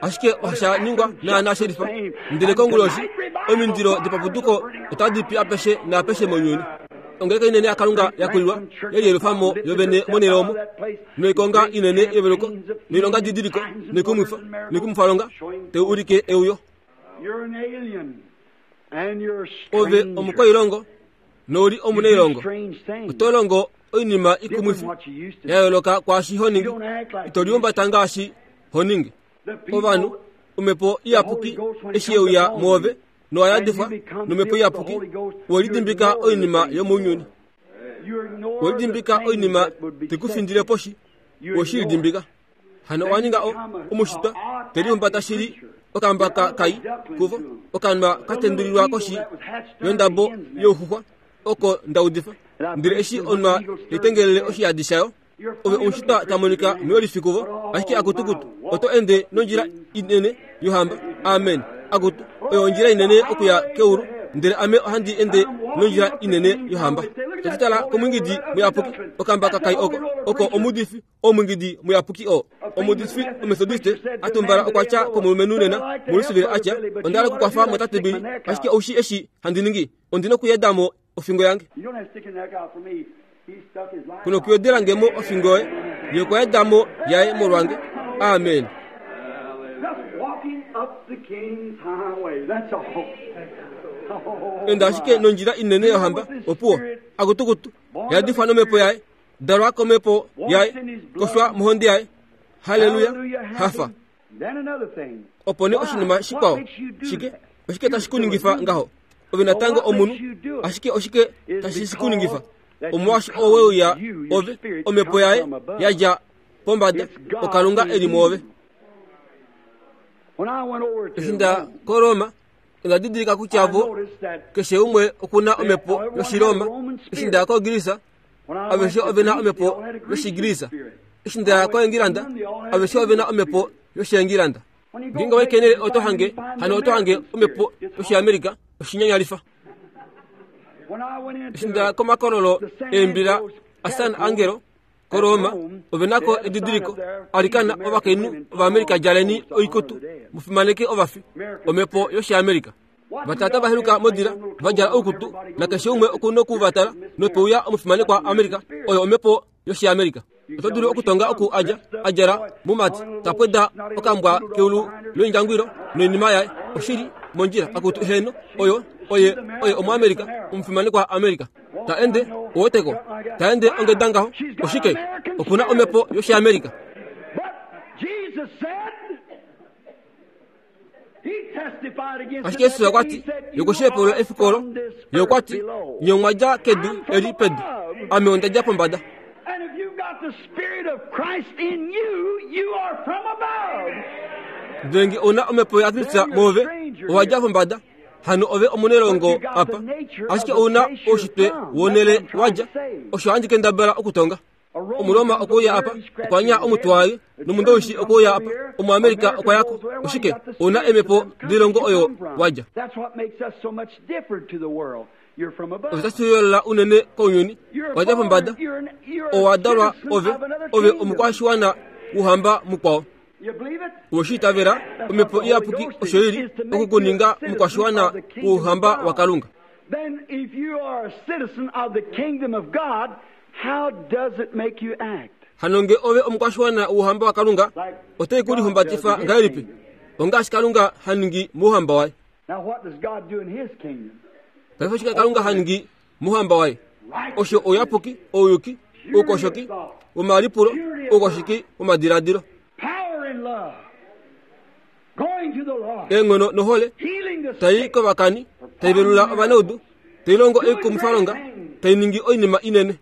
Ashike osha ningwa naana shelifa. Ndele konguloshi omindilo dipapuduko otadi pi apeshe naapeshe mounyuni. Ongeleka inene yakalunga yakulilwa yeliyelufamo yovene monhele omo, noikonga inene yeveluko, noilonga didiliko, noikumwifa, noikumwifalonga tai ulike euyo. Ove omukwailongo nouli omunailongo, oto longo oinima ikumwifi ya yooloka kwaashi ho ningi, ito liumbata ngaashi ho ningi. Ovanhu omhepo iyapuki eshi yeuya mwoove nowayadifwa nomhepo iyapuki, welidimbika oinima yomounyuni, welidimbika oinima tekufindile poshi, weshilidimbika. Hano owa ninga omushitwa teliumbata shili okambaka kai kuvo, okanwa katendulilwa koshi yondabo youxuxwa oko ndaudifa. Ndele eshi onwa litengelele oshiyadi shayo, ove omushitwa tamonika muyolifi kuvo, ashike akutukutu oto ende nondjila inene yohamba. Amen. Akutu oyo ondjila inene okuya keulu, ndele ame ohandi ende nondjila inene yohamba. Tatitala komwingidi muyapuki, okambaka kai oko oko omudifi omwingidi muyapuki o omudifi omethodiste atumbala okwatya komulumenhu nena mulusivile atya, ondala kukwafa motate Bili, ashike oushi eshi handi ningi ondina okuyedamo ofingo yange. Kuno kuyodela ngemo ofingo yoye, ye okwa yedamo yaye molwange. Amen. Enda ashike nondjila inene yohamba, opuwo, akutukutu, yadifwa nomhepo yaye, dalwa komhepo yaye, koshwa mohonde yaye. Haleluya, hafa. Opo nee oshinima shikwao, shike, oshike tashi kuningifa ngaho? Ove natango omunhu, ashike oshike tashi shi kuningifa? Omolwaashi oweuya ove, omhepo yaye yadja pombada, okalunga eli mwoove. Eshi nda koRoma, onda didilika kutya vo keshe umwe okuna omhepo yOshiroma. Eshi nda koGrisa, aveshe ovena omhepo yOshigrisa. Eshi nda koEngilanda, aveshe ovena omhepo yOshiengilanda. Ngeenge wai oto hange, hano oto hange omhepo yOshiamerika, oshinyanyalifa. Eshi nda komakololo eembila aSan Angelo koRoma, ovenako edidiliko alikana ovakainhu Ovaamerica djaleni oikutu, mufimaneke ovafi, omhepo yOshiamerika. Vatata vaheluka modila, vadjala oukutu, nakeshe umwe okuna okuvatala, nopeuya omufimanekwa Amerika, oyo omhepo yOshiamerika. Oto dulu okutonga oku adja, adjala mumati, tapweda okambwa keulu loindjangwilo noinima yaye, oshili mondjila akutu heno, oyo oye oye omuAmerika, omufimanekwa Amerika. Ta ende oweteko, ta ende ongeda ngaho, oshike, okuna omhepo yOshiamerika. Ashike Yesus okwa ti, yokushiepulula efiku olo, ye okwa ti, nye omwa dja kedu eli pedu, ame onda dja pombada. Ndele nge ouna omhepo yaKristus mwoove, owa dja pombada, hano ove omunelongo apa, ashike ouna oushitwe wonele wadja, osho handi kendabala okutonga. Omuroma okuuya apa, okwa nya omutwe waye, nomundowishi okuuya apa, omuAmerika okwa yako, oshike, ouna emhepo dilongo oyo wadja. Osho tashi yoolola unene kounyuni, wadja pombada, owa dalwa ove, ove omukwashiwana wohamba mukwao. Oweshi itavela, omhepo iyapuki osho ili okukuninga omukwashiwana wouhamba waKalunga. Hano nge ove omukwashiwana wouhamba waKalunga, otai ku lihumbatifa ngahelipi? Ongaashi Kalunga ha ningi mouhamba waye. Paife oshike Kalunga ha ningi mouhamba waye? Osho ouyapuki, ouyuki, oukoshoki womalipulo, oukoshiki womadiladilo, eenghono nohole, tai kovakani, tai velula ovanaudu, tai longo oikumwifalonga, tai ningi oinima inene.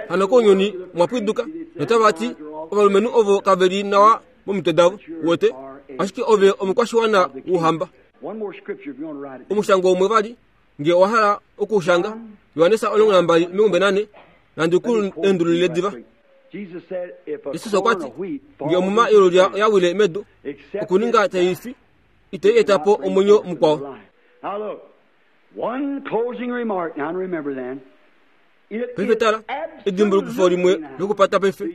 Hano kounyuni mwapwiduka, notava ti ovalumenhu ovo kave li nawa momitwe davo, wote, ashike ove omukwashiwana wouhamba. Omushango umwe vali, nge owa hala okuushanga, Johannes omulongo nambali omilongo nane, nandi ku endululile diva. Jesus okwa ti, nge omuma yolulya oya wile medu, okuninga tai fi, itai eta po omwenyo mukwao. Paife tala, edimbulukifo limwe lokupata paife,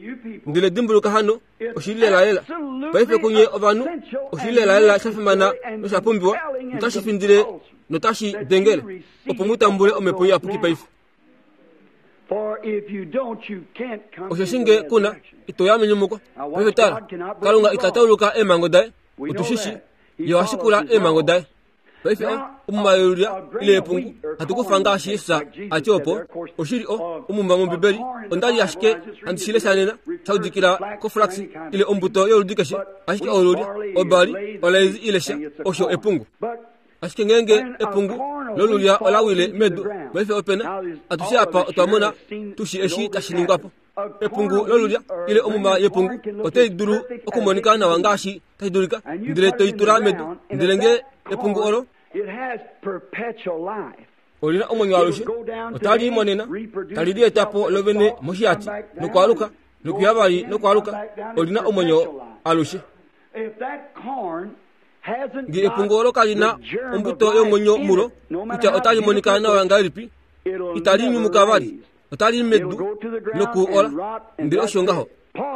ndele dimbuluka hano, oshili lelalela. Paife kunye ovanhu, oshili lelalela sha fimana nosha pumbiwa, notashi findile notashi dengele, opo mu tambule omhepo iyapuki paife. Osheshi nge kuna, ito ya menyumuko. Paife tala, Kalunga ita tauluka eemhango daye, otushishi, ye oha shikula eemhango daye. Paife omuma yolulya ile epungu, hatu kufa ngaashi Jesus a ti opo, oshili o, omuma mOmbibeli, onda li ashike handi shi lesha nena, sha udikila koflax ile ombuto yoludi keshe, ashike olulya, obali, olaizi ile sha, osho epungu. Ashike ngeenge epungu lolulya ola wile medu, paife opena, atushe apa otwa mona tushi eshi tashi ningwa po. Epungu lolulya ile omuma yepungu otai dulu okumonika nawa ngaashi tashi dulika, ndele toi tula medu, ndele nge epungu olo olina omwenyo alushe, otali monena, tali lieta po lovene moshihati, nokwaluka, nokuya vali nokwaluka, olina omwenyo alushe. Nge epungu olo kalina ombuto yomwenyo mulo, kutya otali monika nawa ngahelipi, itali nyumuka vali, otali medu noku ola, ndele osho ngaho.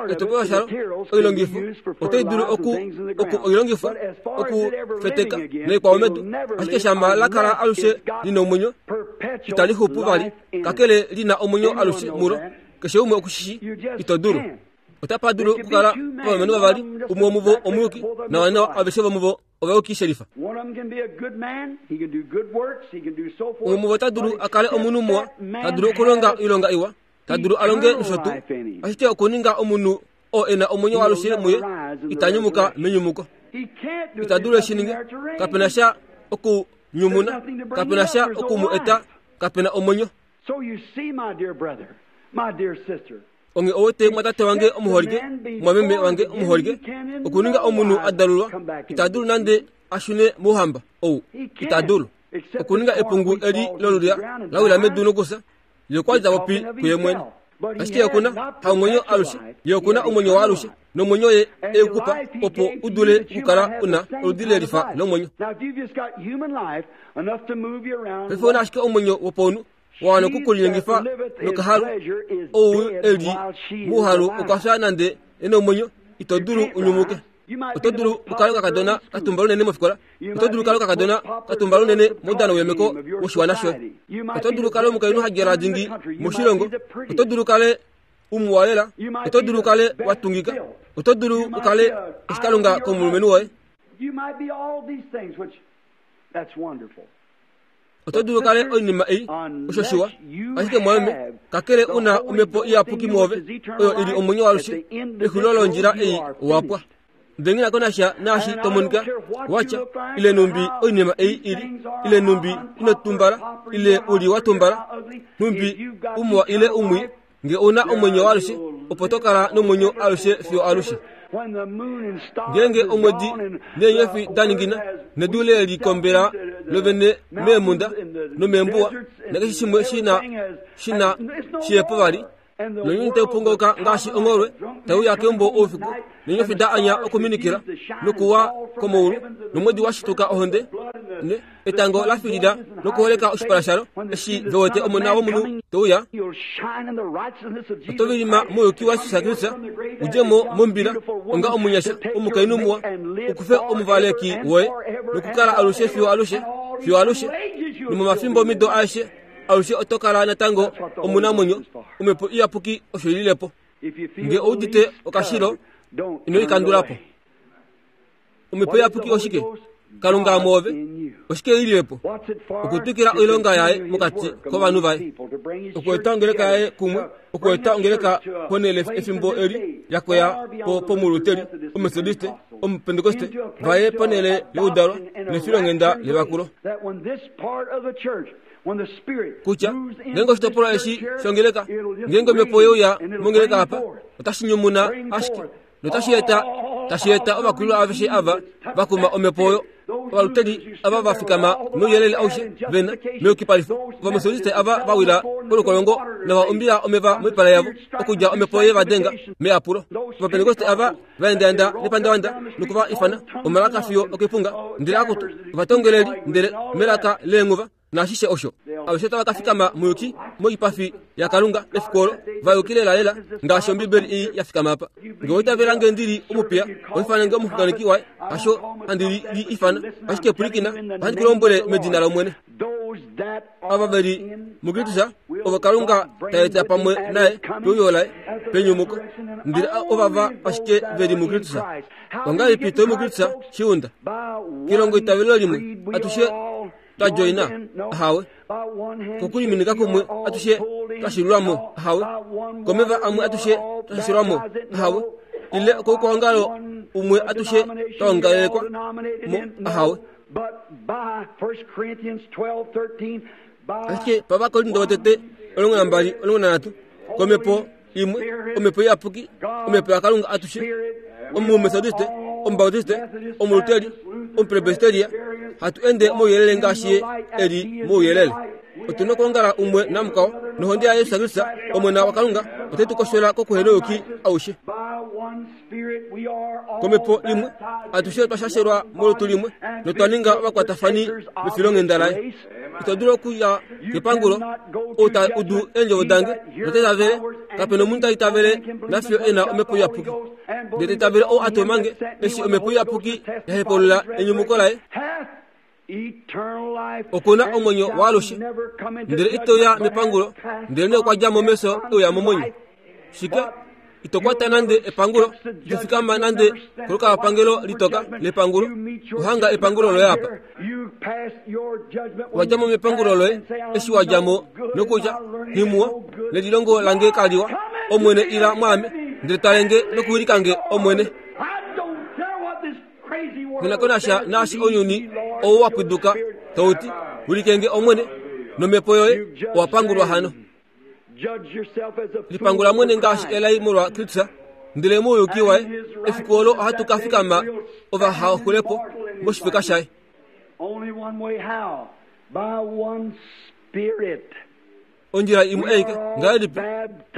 Etopolwa shalo, oilongifo, otai dulu oku oku oilongifo okufeteka noikwao medu, ashike shama la kala alushe lina omwenyo, itali xupu vali kakele lina omwenyo alushe mulo keshe umwe okushishi ito dulu otapa dulu okukala ovalumenhu vavali umwe womuvo omuyuki nawanawa aveshe vomuvo ovayuki shelifa umwe muvo ota dulu akale omunhu muwa ta dulu okulonga oilonga iwa ta dulu alonge nosho tuu ashike okuninga omunhu oo ena omwenyo waalushe muye itanyumuka menyumuko ita dulu eshininge kapena sha okunyumuna kapena sha okumu eta kapena omwenyo onge owete mwatate wange omuholike mwameme wange omuholike okuninga omunhu adalulwa ita dulu nande ashune mouhamba ou ita dulu okuninga epungu eli lolulya lawila medu nokusa ye kwali tapopi kuye mwene ashike okuna haomwenyo alushe ye okuna omwenyo waalushe nomwenyo ye eukupa opo udule okukala una oludi lelifa lomwenyo paife una ashike omwenyo wopaunhu wawana okukulinyengifa nokahalu ou eli muuhalu okwafya nande ena omwenyo ito dulu unyumuke oto dulu ukale okakadona katumba lunene mofikola oto dulu ukale okakadona katumba lunene moudano wemeko woshiwana shoye oto dulu ukale omukainhu hadjala dingi moshilongo oto dulu ukale umuwalela oto dulu ukale watungika oto dulu ukale oshikalunga komulumenhu woye oto dulu ukale oinima ei osho shiwa ashike mwameme kakele una omhepo iyapuki mwoove oyo ili omwenyo waalushe exulilo londjila ei owapwa ndele nghi nakonasha naashi tomonika watya ile numbi oinima ei ili ile numbi inotumbala ile uli watumbala numbi umuwa ile umwi nge una omwenyo waalushe opo tokala nomwenyo alushe fiyo alushe ngeenge omwedi neenyofi daningina nedu lelikombela lovene meemunda nomeembuwa nakeshe shimwe shina shina shiyepo vali nonyuni taupongoloka ngaashi ongholwe tauya keumbo oufiku neenyofi da anya okuminikila nokuwa komoulu nomwedi washituka ohonde etango lafilila nokuholeka oshipala shalo eshi vewete omona womunhu teuya oto vilima mouyuki wa Jesus Kristus udjemo mombila onga omunyasha omukainhu muwa ukufe omuvaleki woye nokukala alushe fiyo alushe fiyo alushe nomomafimbo mido aeshe alushe oto kala natango omunamwenyo omhepo iyapuki osho ililepo nge oudite okashilo ino ikandulapo omhepo iyapuki oshike Kalunga mwoove oshike ililepo okutwikila oilonga yaye mokati kovanhu vaye okueta ongeleka yaye kumwe okueta ongeleka ponele efimbo eli yakoya po pomuluteri omethodiste omupentekoste vaye ponele youdalwa nefilonghenda levakulo kutya ngeenge oshitopolwa eshi shongeleka ngeenge omhepo yeuya mongeleka apa otashi nyumuna ashike notashi eta tashi eta ovakulwa aveshe ava vakuma omhepo oyo ovaluteri ava vafikama nouyelele aushe vena meyukipalifo ovamethodiste ava vawila kolukolongo nova umbila omeva moipala yavo okudja omhepo ye vadenga meapulo ovapentekoste ava vaendaenda nepandawanda nokuva ifana omalaka fiyo okepunga ndele akutu ovatongeleli ndele melaka leenghuva naashishe osho aveshe tava kafikama muyuki moipafi yakalunga efiku olo vayuki lelalela ngaashi ombibeli ei yafikama apa nge oitavela nge ndili omupiya oifanange omuxunganeki waye hasho handi li ifana ashike pwilikina ohandi ku lombwele medina lomwene ava veli muKristus ovo Kalunga taeta pamwe naye peuyo laye penyumuko ndele ovava ashike veli muKristus ongahelipi toi muKristus shiunda kilongo itavelo limwe atushe twajoina ahawe kokuliminika kumwe atushe twashilwamo ahawe komeva amwe atushe twashilwamo ahawe ile koukwaongalo umwe atushe twaongalelekwa mo ahawe ashike pavakorinto votete omulongo nambali omulongo nanhatu komhepo imwe omhepo iyapuki omhepo yakalunga atushe omumethodiste omubautiste omuluteri omupresbiteria hatu ende mouyelele ngaashi ye eli mouyelele otuna okuongala umwe namukwao nohonde ya Yesu Kristus omona wakalunga ote tu koshola kokuhenoyuki aushe komhepo imwe atushe twashashelwa molutu limwe notwaninga ovakwatafani mefilonghenda laye ito dulu okuya kepangulo ou ta udu eendjovo dange notaitavele kapena omunhu taitavele nafiyo ena omhepo iyapuki ndele taitavele ou atomange eshi omhepo iyapuki yahepaulula enyumuko laye Okuna omwenyo waalushe ndele itoya mepangulo ndele ne okwa dja mo meso euya momwenyo. Shike ito kwata nande epangulo, ito fikama nande kolukalwapangelo litoka lepangulo, uhanga epangulo loye apa. Wadja mo mepangulo loye eshi wadja mo nokutya nghimuwa nelilongo lange kaliwa, Omwene ila mwaame ndele talenge nokuwilikange Omwene. Nghinakonasha naashi ounyuni ou wa pwiduka tauti wilikenge Omwene nomhepo yoye owapangulwa hano. Lipangula mwene ngaashi elai molwa Kristus ndele mouyuki waye efiku olo ohatu ka fikama ovahaxulepo moshifeka shaye. Ondjila imwe aike ngahelipi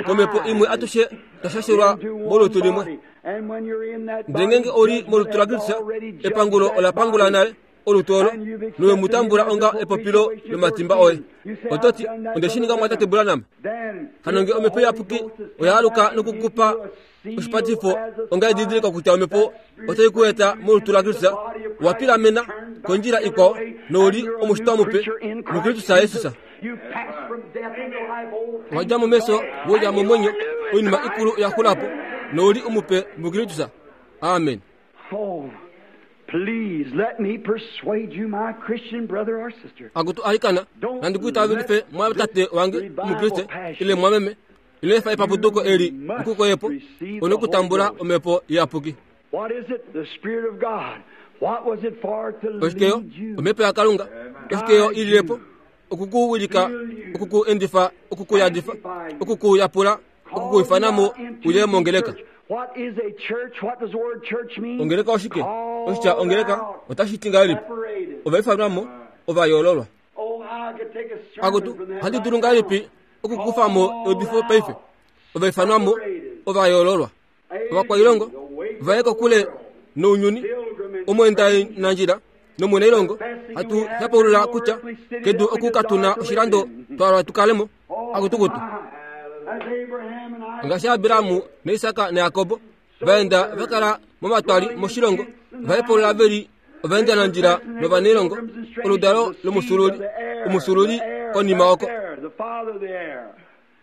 komhepo imwe atushe twashashelwa molutu limwe. Ndele ngeenge oli molutu laKristus epangulo ola pangula nale olutu olo nowe mu tambula onga epopilo lomatimba oye. Ototi onde shi ninga mwatate Branham. Hano nge omhepo iyapuki oya aluka nokukupa oshipatifo onga edidiliko kutya omhepo otai ku eta molutu laKristus, owa pilamena kondjila ikwao nouli omushitwa mupe muKristus Jesus. Owa dja mo meso wouya momwenyo, oinima ikulu oya xula po nouli omupe muKristus. Amen. Please let me persuade you, my Christian brother or sister. Akutu alikana nandi kuitavelife mwatate wange omukriste ile mwameme ile fa epaputuko eli nkukoyepo onokutambula omhepo iyapuki. What is it? The Spirit of God. What was it for to Oshikeyo lead you? omhepo yaKalunga oshikeyo ililepo okukuwilika, okukuendifa, okukuyadifa, okukuyapula, okukuifanamo uye mongeleka. What is a church? What does the word church mean? Ongeleka oshike? Oshitya ongeleka otashi ti ngahelipi? Ovaifanwamo ovayoololwa. Oh, how I could take a sermon Akutu from that ohandi right dulu ngahelipi now. okukufamo eudifo paife? Ovaifanwamo ovayoololwa. Ovakwailongo vaye kokule nounyuni, omweendanandjila nomwenailongo hatu hepaulula kutya kedu oku katuna oshilando twalwa tukalemo. Akutukutu As Abraham and Isaac ngaashi Abrahamu naIsaka naJakobo vaenda vakala momatwali moshilongo, vahepaulula veli ovaendanandjila novanailongo, oludalo lomusululi, omusululi konima oko. the father of the heir.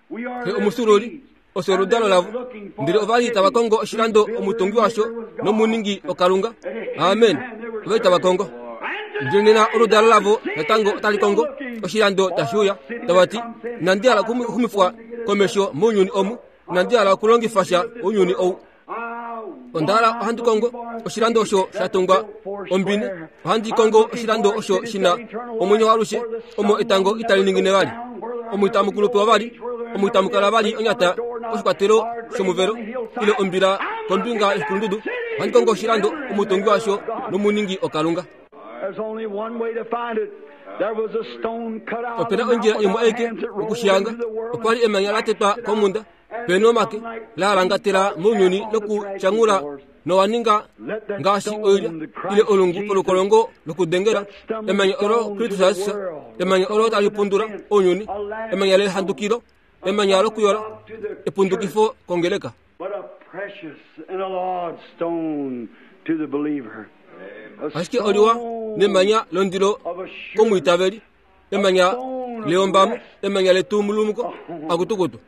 We are Xe their omusululi seeds. osho oludalo lavo, ndele ovali tava kongo oshilando omutungi washo nomuningi oKalunga. Amen. Ovali tava kongo. Ndele nena oludalo lavo natango otali kongo oshilando tashi uya, tava ti inandi hala okuxumifwa komesho mounyuni omu, inandi hala okulongifa sha ounyuni ou. Onda hala ohandi kongo oshilando osho sha tungwa ombine, ohandi kongo oshilando osho shina omwenyo waalushe, omo etango itali ningine vali, omo itamu kulupewa vali, omo itamu kala vali onyata oshikwatelo shomuvelo ile ombila kombinga yoshikulundudu. Ohandi kongo oshilando omutungi washo nomuningi oKalunga. There's only one way to find it. There was a stone cut out of Opena the ondjila mountain imwe aike hands that rolled okushiyanga, into the world okwali emanya la tetwa komunda peni omake la alangatela mounyuni nokutyangula nowaninga ngaashi oilya ile olungu polukolongo lokudengela. Emanya olo Kristus Jesus, emanya olo tali pundula ounyuni, emanya lehandukilo, emanya lokuyola, epundukifo kongeleka. But a precious and a large stone to the believer. A Ashike oliwa stone nemanya londilo of assurance. komwiitaveli, emanya leyombamo, emanya letumulumuko akutukutu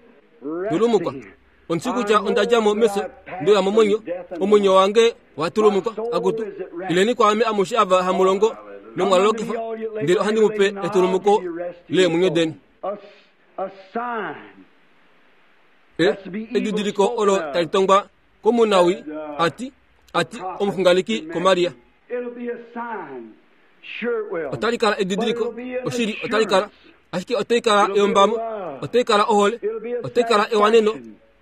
tulumukwa. Resting. Onsi kutya onda dja mo meso ndoya momwenyo, omwenyo wange watulumukwa. Akutu ileni kwaame amushe ava hamulongo nomwalolokifa, ndele ohandi mupe etulumuko leemwenyo deni. A, a sign. E, edidiliko olo tali tongwa komunawi ati ati omuxunganeki koMaria. It'll be a sign. Sure it will. Otali kala edidiliko, But it'll be an oshili otali kala, assurance. ashike otai kala eyombamo, otai kala ohole, otai kala ewaneno,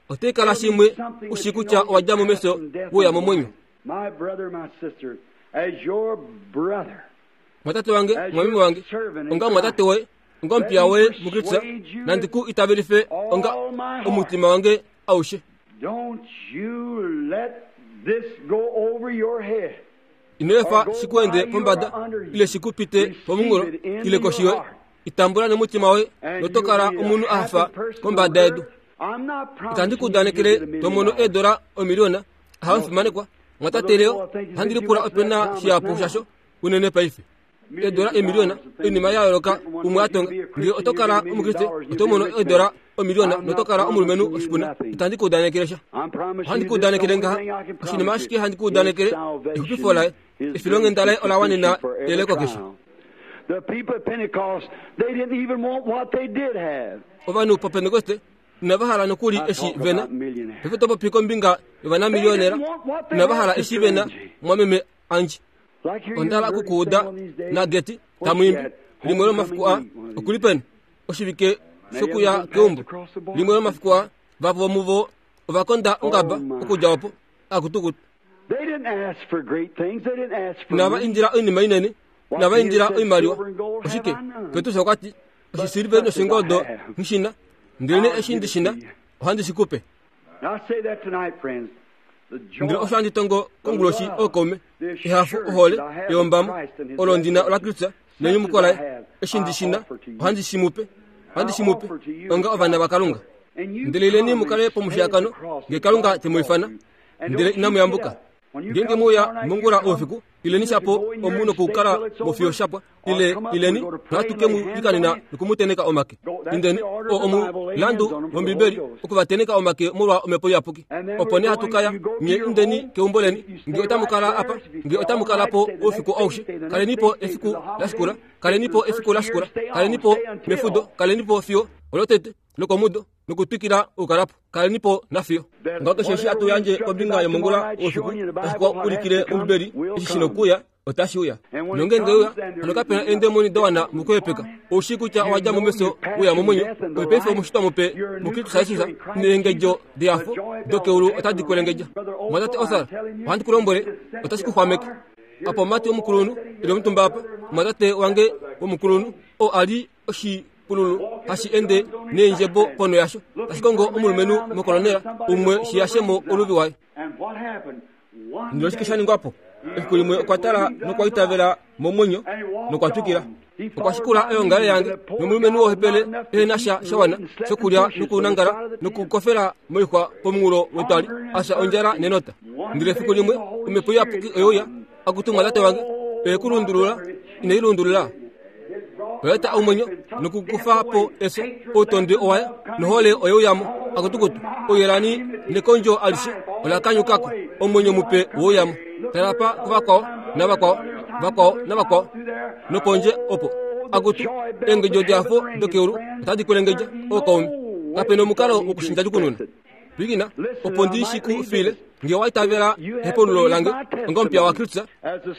otai kala shimwe ushi kutya owa dja mo meso wouya momwenyo. My brother, my sister, as your brother, Mwatate wange, mwameme wange, onga mwatate woye, onga omupiya woye muKristus, nandi ku itavelife onga omutima wange aushe. don't you let this go over your head. Ino efa shikuende pombada ile shikupite pomunghulo ile koshi yoye. Itambula nomutima woye And notokala you'll be a omunhu a hafa happy person kombada on yedu. earth. I'm not Itandi promising ku you udanekele you'll get a million tomono dollars. eedola omiliona ahamufimanekwa. Mwatate leo ohandi lipula opena shihapu shasho unene paife. Edola emiliona oinima ya yooloka umwe atonga ngee oto kala omukriste oto mono edola omiliona noto kala omulumenhu oshipuna itandi ku udanekele sha ohandi ku udanekele ngaha oshinima ashike handi ku udanekele exupifo laye efilonghenda laye ola wanena eleko keshe. Ovanhu popentekoste inava hala nokuli eshi vena paife topopi kombinga yovanamiliyonera inava hala eshi vena mwameme Anji ondala okukuuda nageti tamuimbi limwe lomafiku a okuli peni oshivike shokuya keumbo limwe lomafiku a vapo vomuvo ovakonda ongaba okudja opo akutukutu inava indila oinima inene inava indila oimaliwa oshike Petrus okwati oshisiliveli noshingoldo nghishina ndele eshi ndishina ohandi shikupe. Ndele osho handi tongo konguloshi ookaume ehafo ohole eyombamo olo ndina ola Kristus nenyumuko laye eshi ndishina ohandi shimupe ohandi shimupe onga ovana vaKalunga. Ndele ileni mukale pomushiyakano ngee Kalunga temuifana ndele inamuyambuka. Ngeenge muuya mongula oufiku ileni shapo omu nokukala mofiyo shapwa ile ileni ohatu ke mu likanena nokumuteneka omake. Indeni o omulandu wOmbibeli okuvateneka omake molwa omhepo iyapuki. Opo nee hatu kaya nye indeni keumbo leni ngee otamu kala apa ngee otamu kala po oufiku aushe kalenipo efiku lashikula kalenipo efiku lashikula kalenipo mefudo kalenipo fiyo olotete lokomudo nokutwikila okukalapo kalenipo nafiyo. Ngaho keshe eshi hatu yandje kombinga yomongula oufiku tashi ku ulikile Ombibeli eshi shina okuuya otashi uya. Nongeenge uya hano kapena eendemoni da wana mukuhepeka oushi kutya owadja mo mefyo uya momwenyo ove paife omushitwa mupe muKristus Jesus neengedjo dehafo dokeulu otadi kwelengedja. Mwatate Othar ohandi ku lombwele otashi ku xwameke. Apa omumati womukulunhu eli omutumba apa omwatate wange womukulunhu oo ali oshipululu hashi ende neendjebo ponho yasho tashi kongo omulumenhu mokolonela umwe shiyashemo oluvi waye. Ndele oshike sha ningwapo? Efiku limwe okwa tala nokwa itavela momwenyo nokwa twikila. Okwa shikula eongalo yange nomulumenhu wohepele ehena sha shawana shokulya nokunangala nokukofela moixwa pomunghulo wetwali asha ondjala nenota. Ndele efiku limwe omhepo iyapuki oyeuya akutumwa tate wange oye ku lundulula inai lundulula oyaeta omwenyo nokukufa po efyo outondi owaye nohole oyeuyamo akutukutu ouyelani nekondjo alishe ola kanyukako omwenyo mupe wouyamo. Talapa kuvakwao navakwao vakwao navakwao nopondje opo akutu eengedjo dehafo dokeulu otadi kwelengedja ookaume. Kapena omukalo wokushinda kununa. Pwikina opo ndi shiku file ngee waitavela hepaululo lange onga omupiya waKristus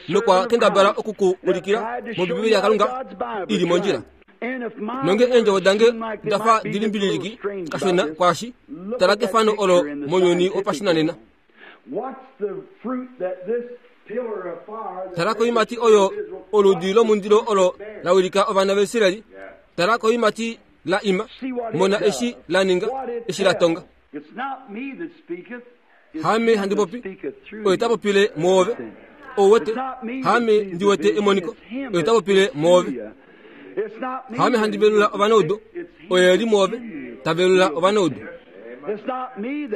nokwa kendabala okuku ulikila mOmbibeli yaKalunga ili mondjila. Nonge eendjovo dange dafa dili mbililiki kashona kwaashi tala kefano olo mounyuni wopashinanena. Tala koimati oyo oludi lomundilo olo la wilika ovana vaIsraeli. Tala koimati la ima mona eshi la ninga eshi la tonga. Hame handi popi oye ta popile mwoove ouwete hame ndiwete emoniko oye ta popile mwoove. Hame handi velula ovanaudu oye eli mwoove ta velula ovanaudu.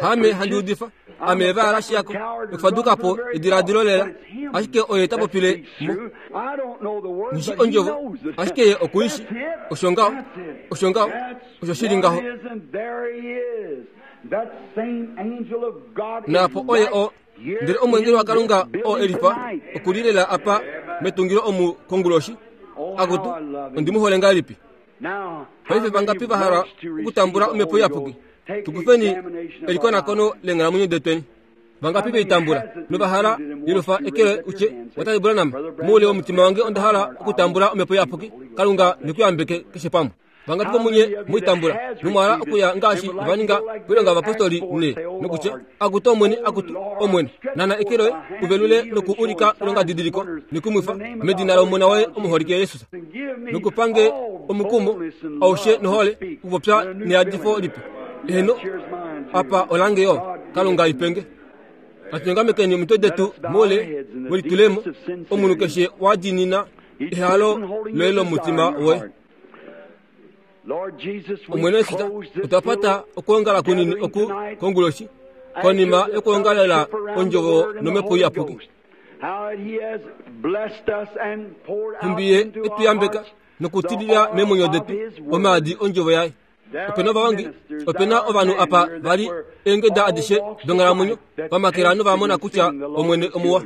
Hame handi udifa ame evala shiyako nokufadukapo ediladilo lela ashike oye ta popile mo. Nghishi ondjovo ashike ye okuishi osho ngaho osho ngaho osho shili ngaho. Naapo oye o ndele omwengeli waKalunga oo elifa okulilela apa metungilo omu konguloshi akutu ondimuhole ngahelipi. Paife vangapi vahala okutambula omhepo iyapuki? Tukufeni elikonakono leenghalamwenyo detweni. Vangapi veitambula novahala yelufa ekele utye watate Branham moule womutima wange onda hala okutambula omhepo iyapuki. Kalunga nekuyambeke keshe pamwe. Vangapi vomunye muitambula nomwahala okuya ngaashi vaninga koilonga yovapostoli ne nokutya akutu Omwene akutu Omwene nana eke loye uvelule noku ulika oilongadidiliko nekumwifa medina lOmona woye omuholike Jesus nokupange omukumo aushe nohole okupopya neyadifo lipe. Eheno apa olange yo Kalunga ipenge. Natunyongamekeni omitwe detu moule welitulemo omunhu keshe wadiinina ehalo loye lomutima woye. Omwene Jesus otwa pata okwoongala kunini oku konguloshi konima yokwoongalela ondjovo nomhepo iyapuki. Nhumbi ye etuyambeka nokutilila meemwenyo detu omaadi ondjovo yaye. Opena ovawangi, opena ovanhu apa vali eengeda adishe donghalamwenyo vamakela novamona kutya Omwene omuwa.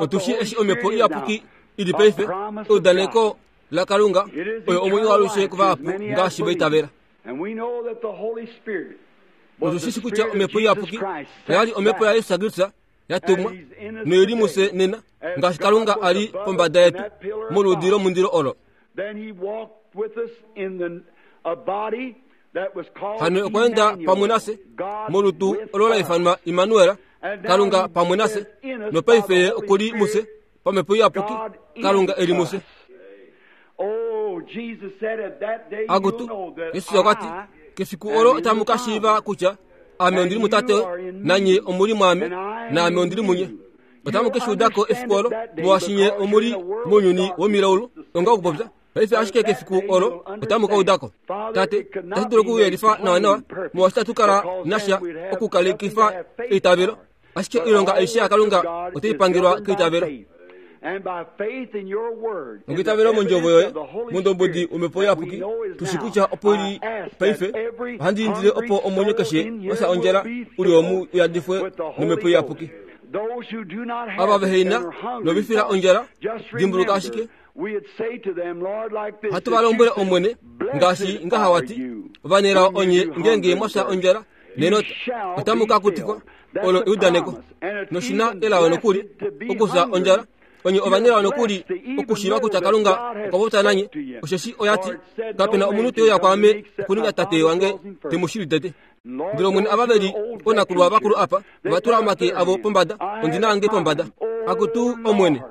Otushi eshi omhepo iyapuki ili paife eudaneko laKalunga oyo omwenyo waalushe kuvahapu ngaashi vaitavela. Otushishi kutya omhepo iyapuki oyali omhepo yaYesu Kristus yatumwa noili mufye nena ngaashi Kalunga ali pombada yetu moludi lomundilo olo. Hano okwa enda pamwe nafye molutu olo la ifanwa Immanuel, Kalunga pamwe nafye, nopaife ye okuli mufye pamhepo iyapuki, Kalunga eli mufye. Akutu, Yesus okwati kefiku olo otamu ka shiiva kutya ame ondili mutate nanye omuli mwaame naame ondili munye. Otamu ke shuudako efiku olo molwaashi nye omuli mounyuni womilaulu onga okupopya. Paife ashike kefiku olo otamu ka udako. Tate, tashi dulu okuyelifa nawanawa molwaashi tatu kala nasha okukalekifa eitavelo, ashike oilonga aishe yaKalunga otai pangelwa keitavelo. Nokitavelo mondjovo yoye mondombodi womhepo iyapuki tushi kutya opo ili paife. Ohandi indile opo omwenyo keshe wafya ondjala uli omu uyadifwe nomhepo iyapuki. Ava veheina novifila ondjala dimbuluka ashike hatu valombwele Omwene ngaashi ngaha wati ovanelao onye ngeenge mwafya ondjala nenota otamu ka kutifwa. Olo eudaneko noshina elao nokuli okufya ondjala onye ovanelao nokuli okushiiva kutya Kalunga okwa popya nanye, osheshi oyati kapena omunhu te uya kwaame okuninga tate wange temushili tete. Ndele Omwene ava veli onakulwa vakulu apa ovatula omake avo pombada, ondina yange pombada. Akutu Omwene,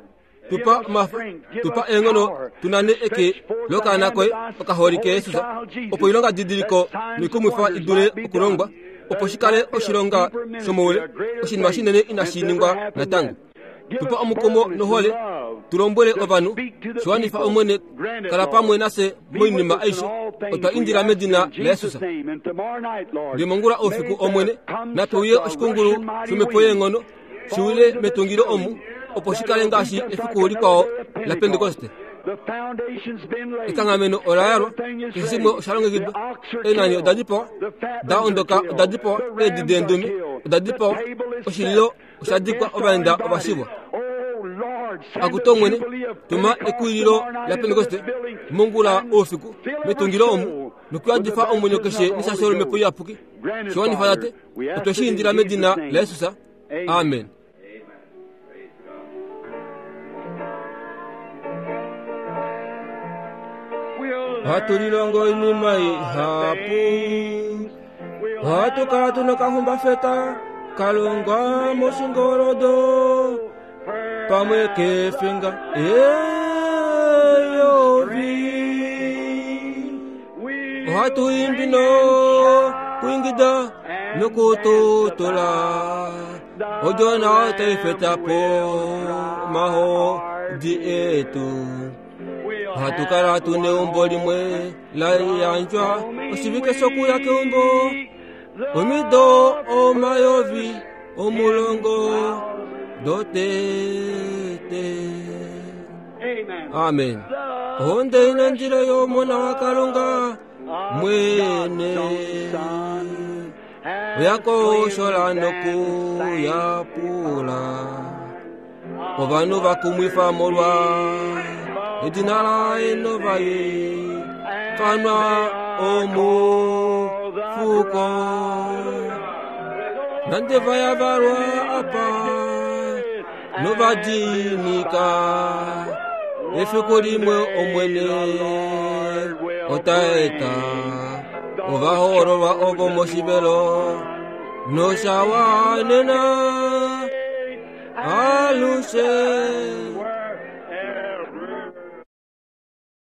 tupa omafa, tupa eenghono tunane eke lokaana koye okaholike Yesus, opo oilonga didiliko noikumwifa idule okulongwa, opo shikale oshilonga shomoule, oshinima shinene inashi ningwa natango. Tupa omukumo nohole, tulombwele ovanhu, shiwanifa Omwene, kala pamwe nafye moinima aishe, otwa indila medina laYesus. Ndele mongula oufiku Omwene, nape uye oshikungulu shomhepo yeenghono shiwile metungilo omu, opo shikale ngaashi efiku likwao laPentekoste. Ekanghameno ola yalwa, keshe shimwe osha longekidwa, eenani oda dipawa, da ondoka oda dipawa, eedi deendume oda dipawa, oshililo osha dikwa, ovaenda ovashivwa. Akutu Omwene, tuma ekuwililo laPentekoste mongula oufiku metungilo omu, nokuyadifa omwenyo keshe neshasho lomhepo iyapuki. Shiwanifa tate, otwe shi indila medina laYesus. Amen. Ohatu lilongo oinima ihapu, ohatu kala tuna okahumbafeta kalongwa moshingoldo pamwe kefinga eyovi. Ohatu imbi nokuingida nokututula odjona taifeta po mahodi etu. Ohatu kala tuna eumbo limwe la yandjwa oshivike shokuya keumbo, omido omayovi omulongo dotete. Amen. Ohonde inandilo yomona waKalunga mwene oyakoshola nokuyapula ovanhu vakumwifa molwa edina laye novaye fanwa omufuko. Nande vayavalwa apa novadinika, efiku limwe Omwene otaeta ovahoololwa ovo moshivelo noshawanena alushe.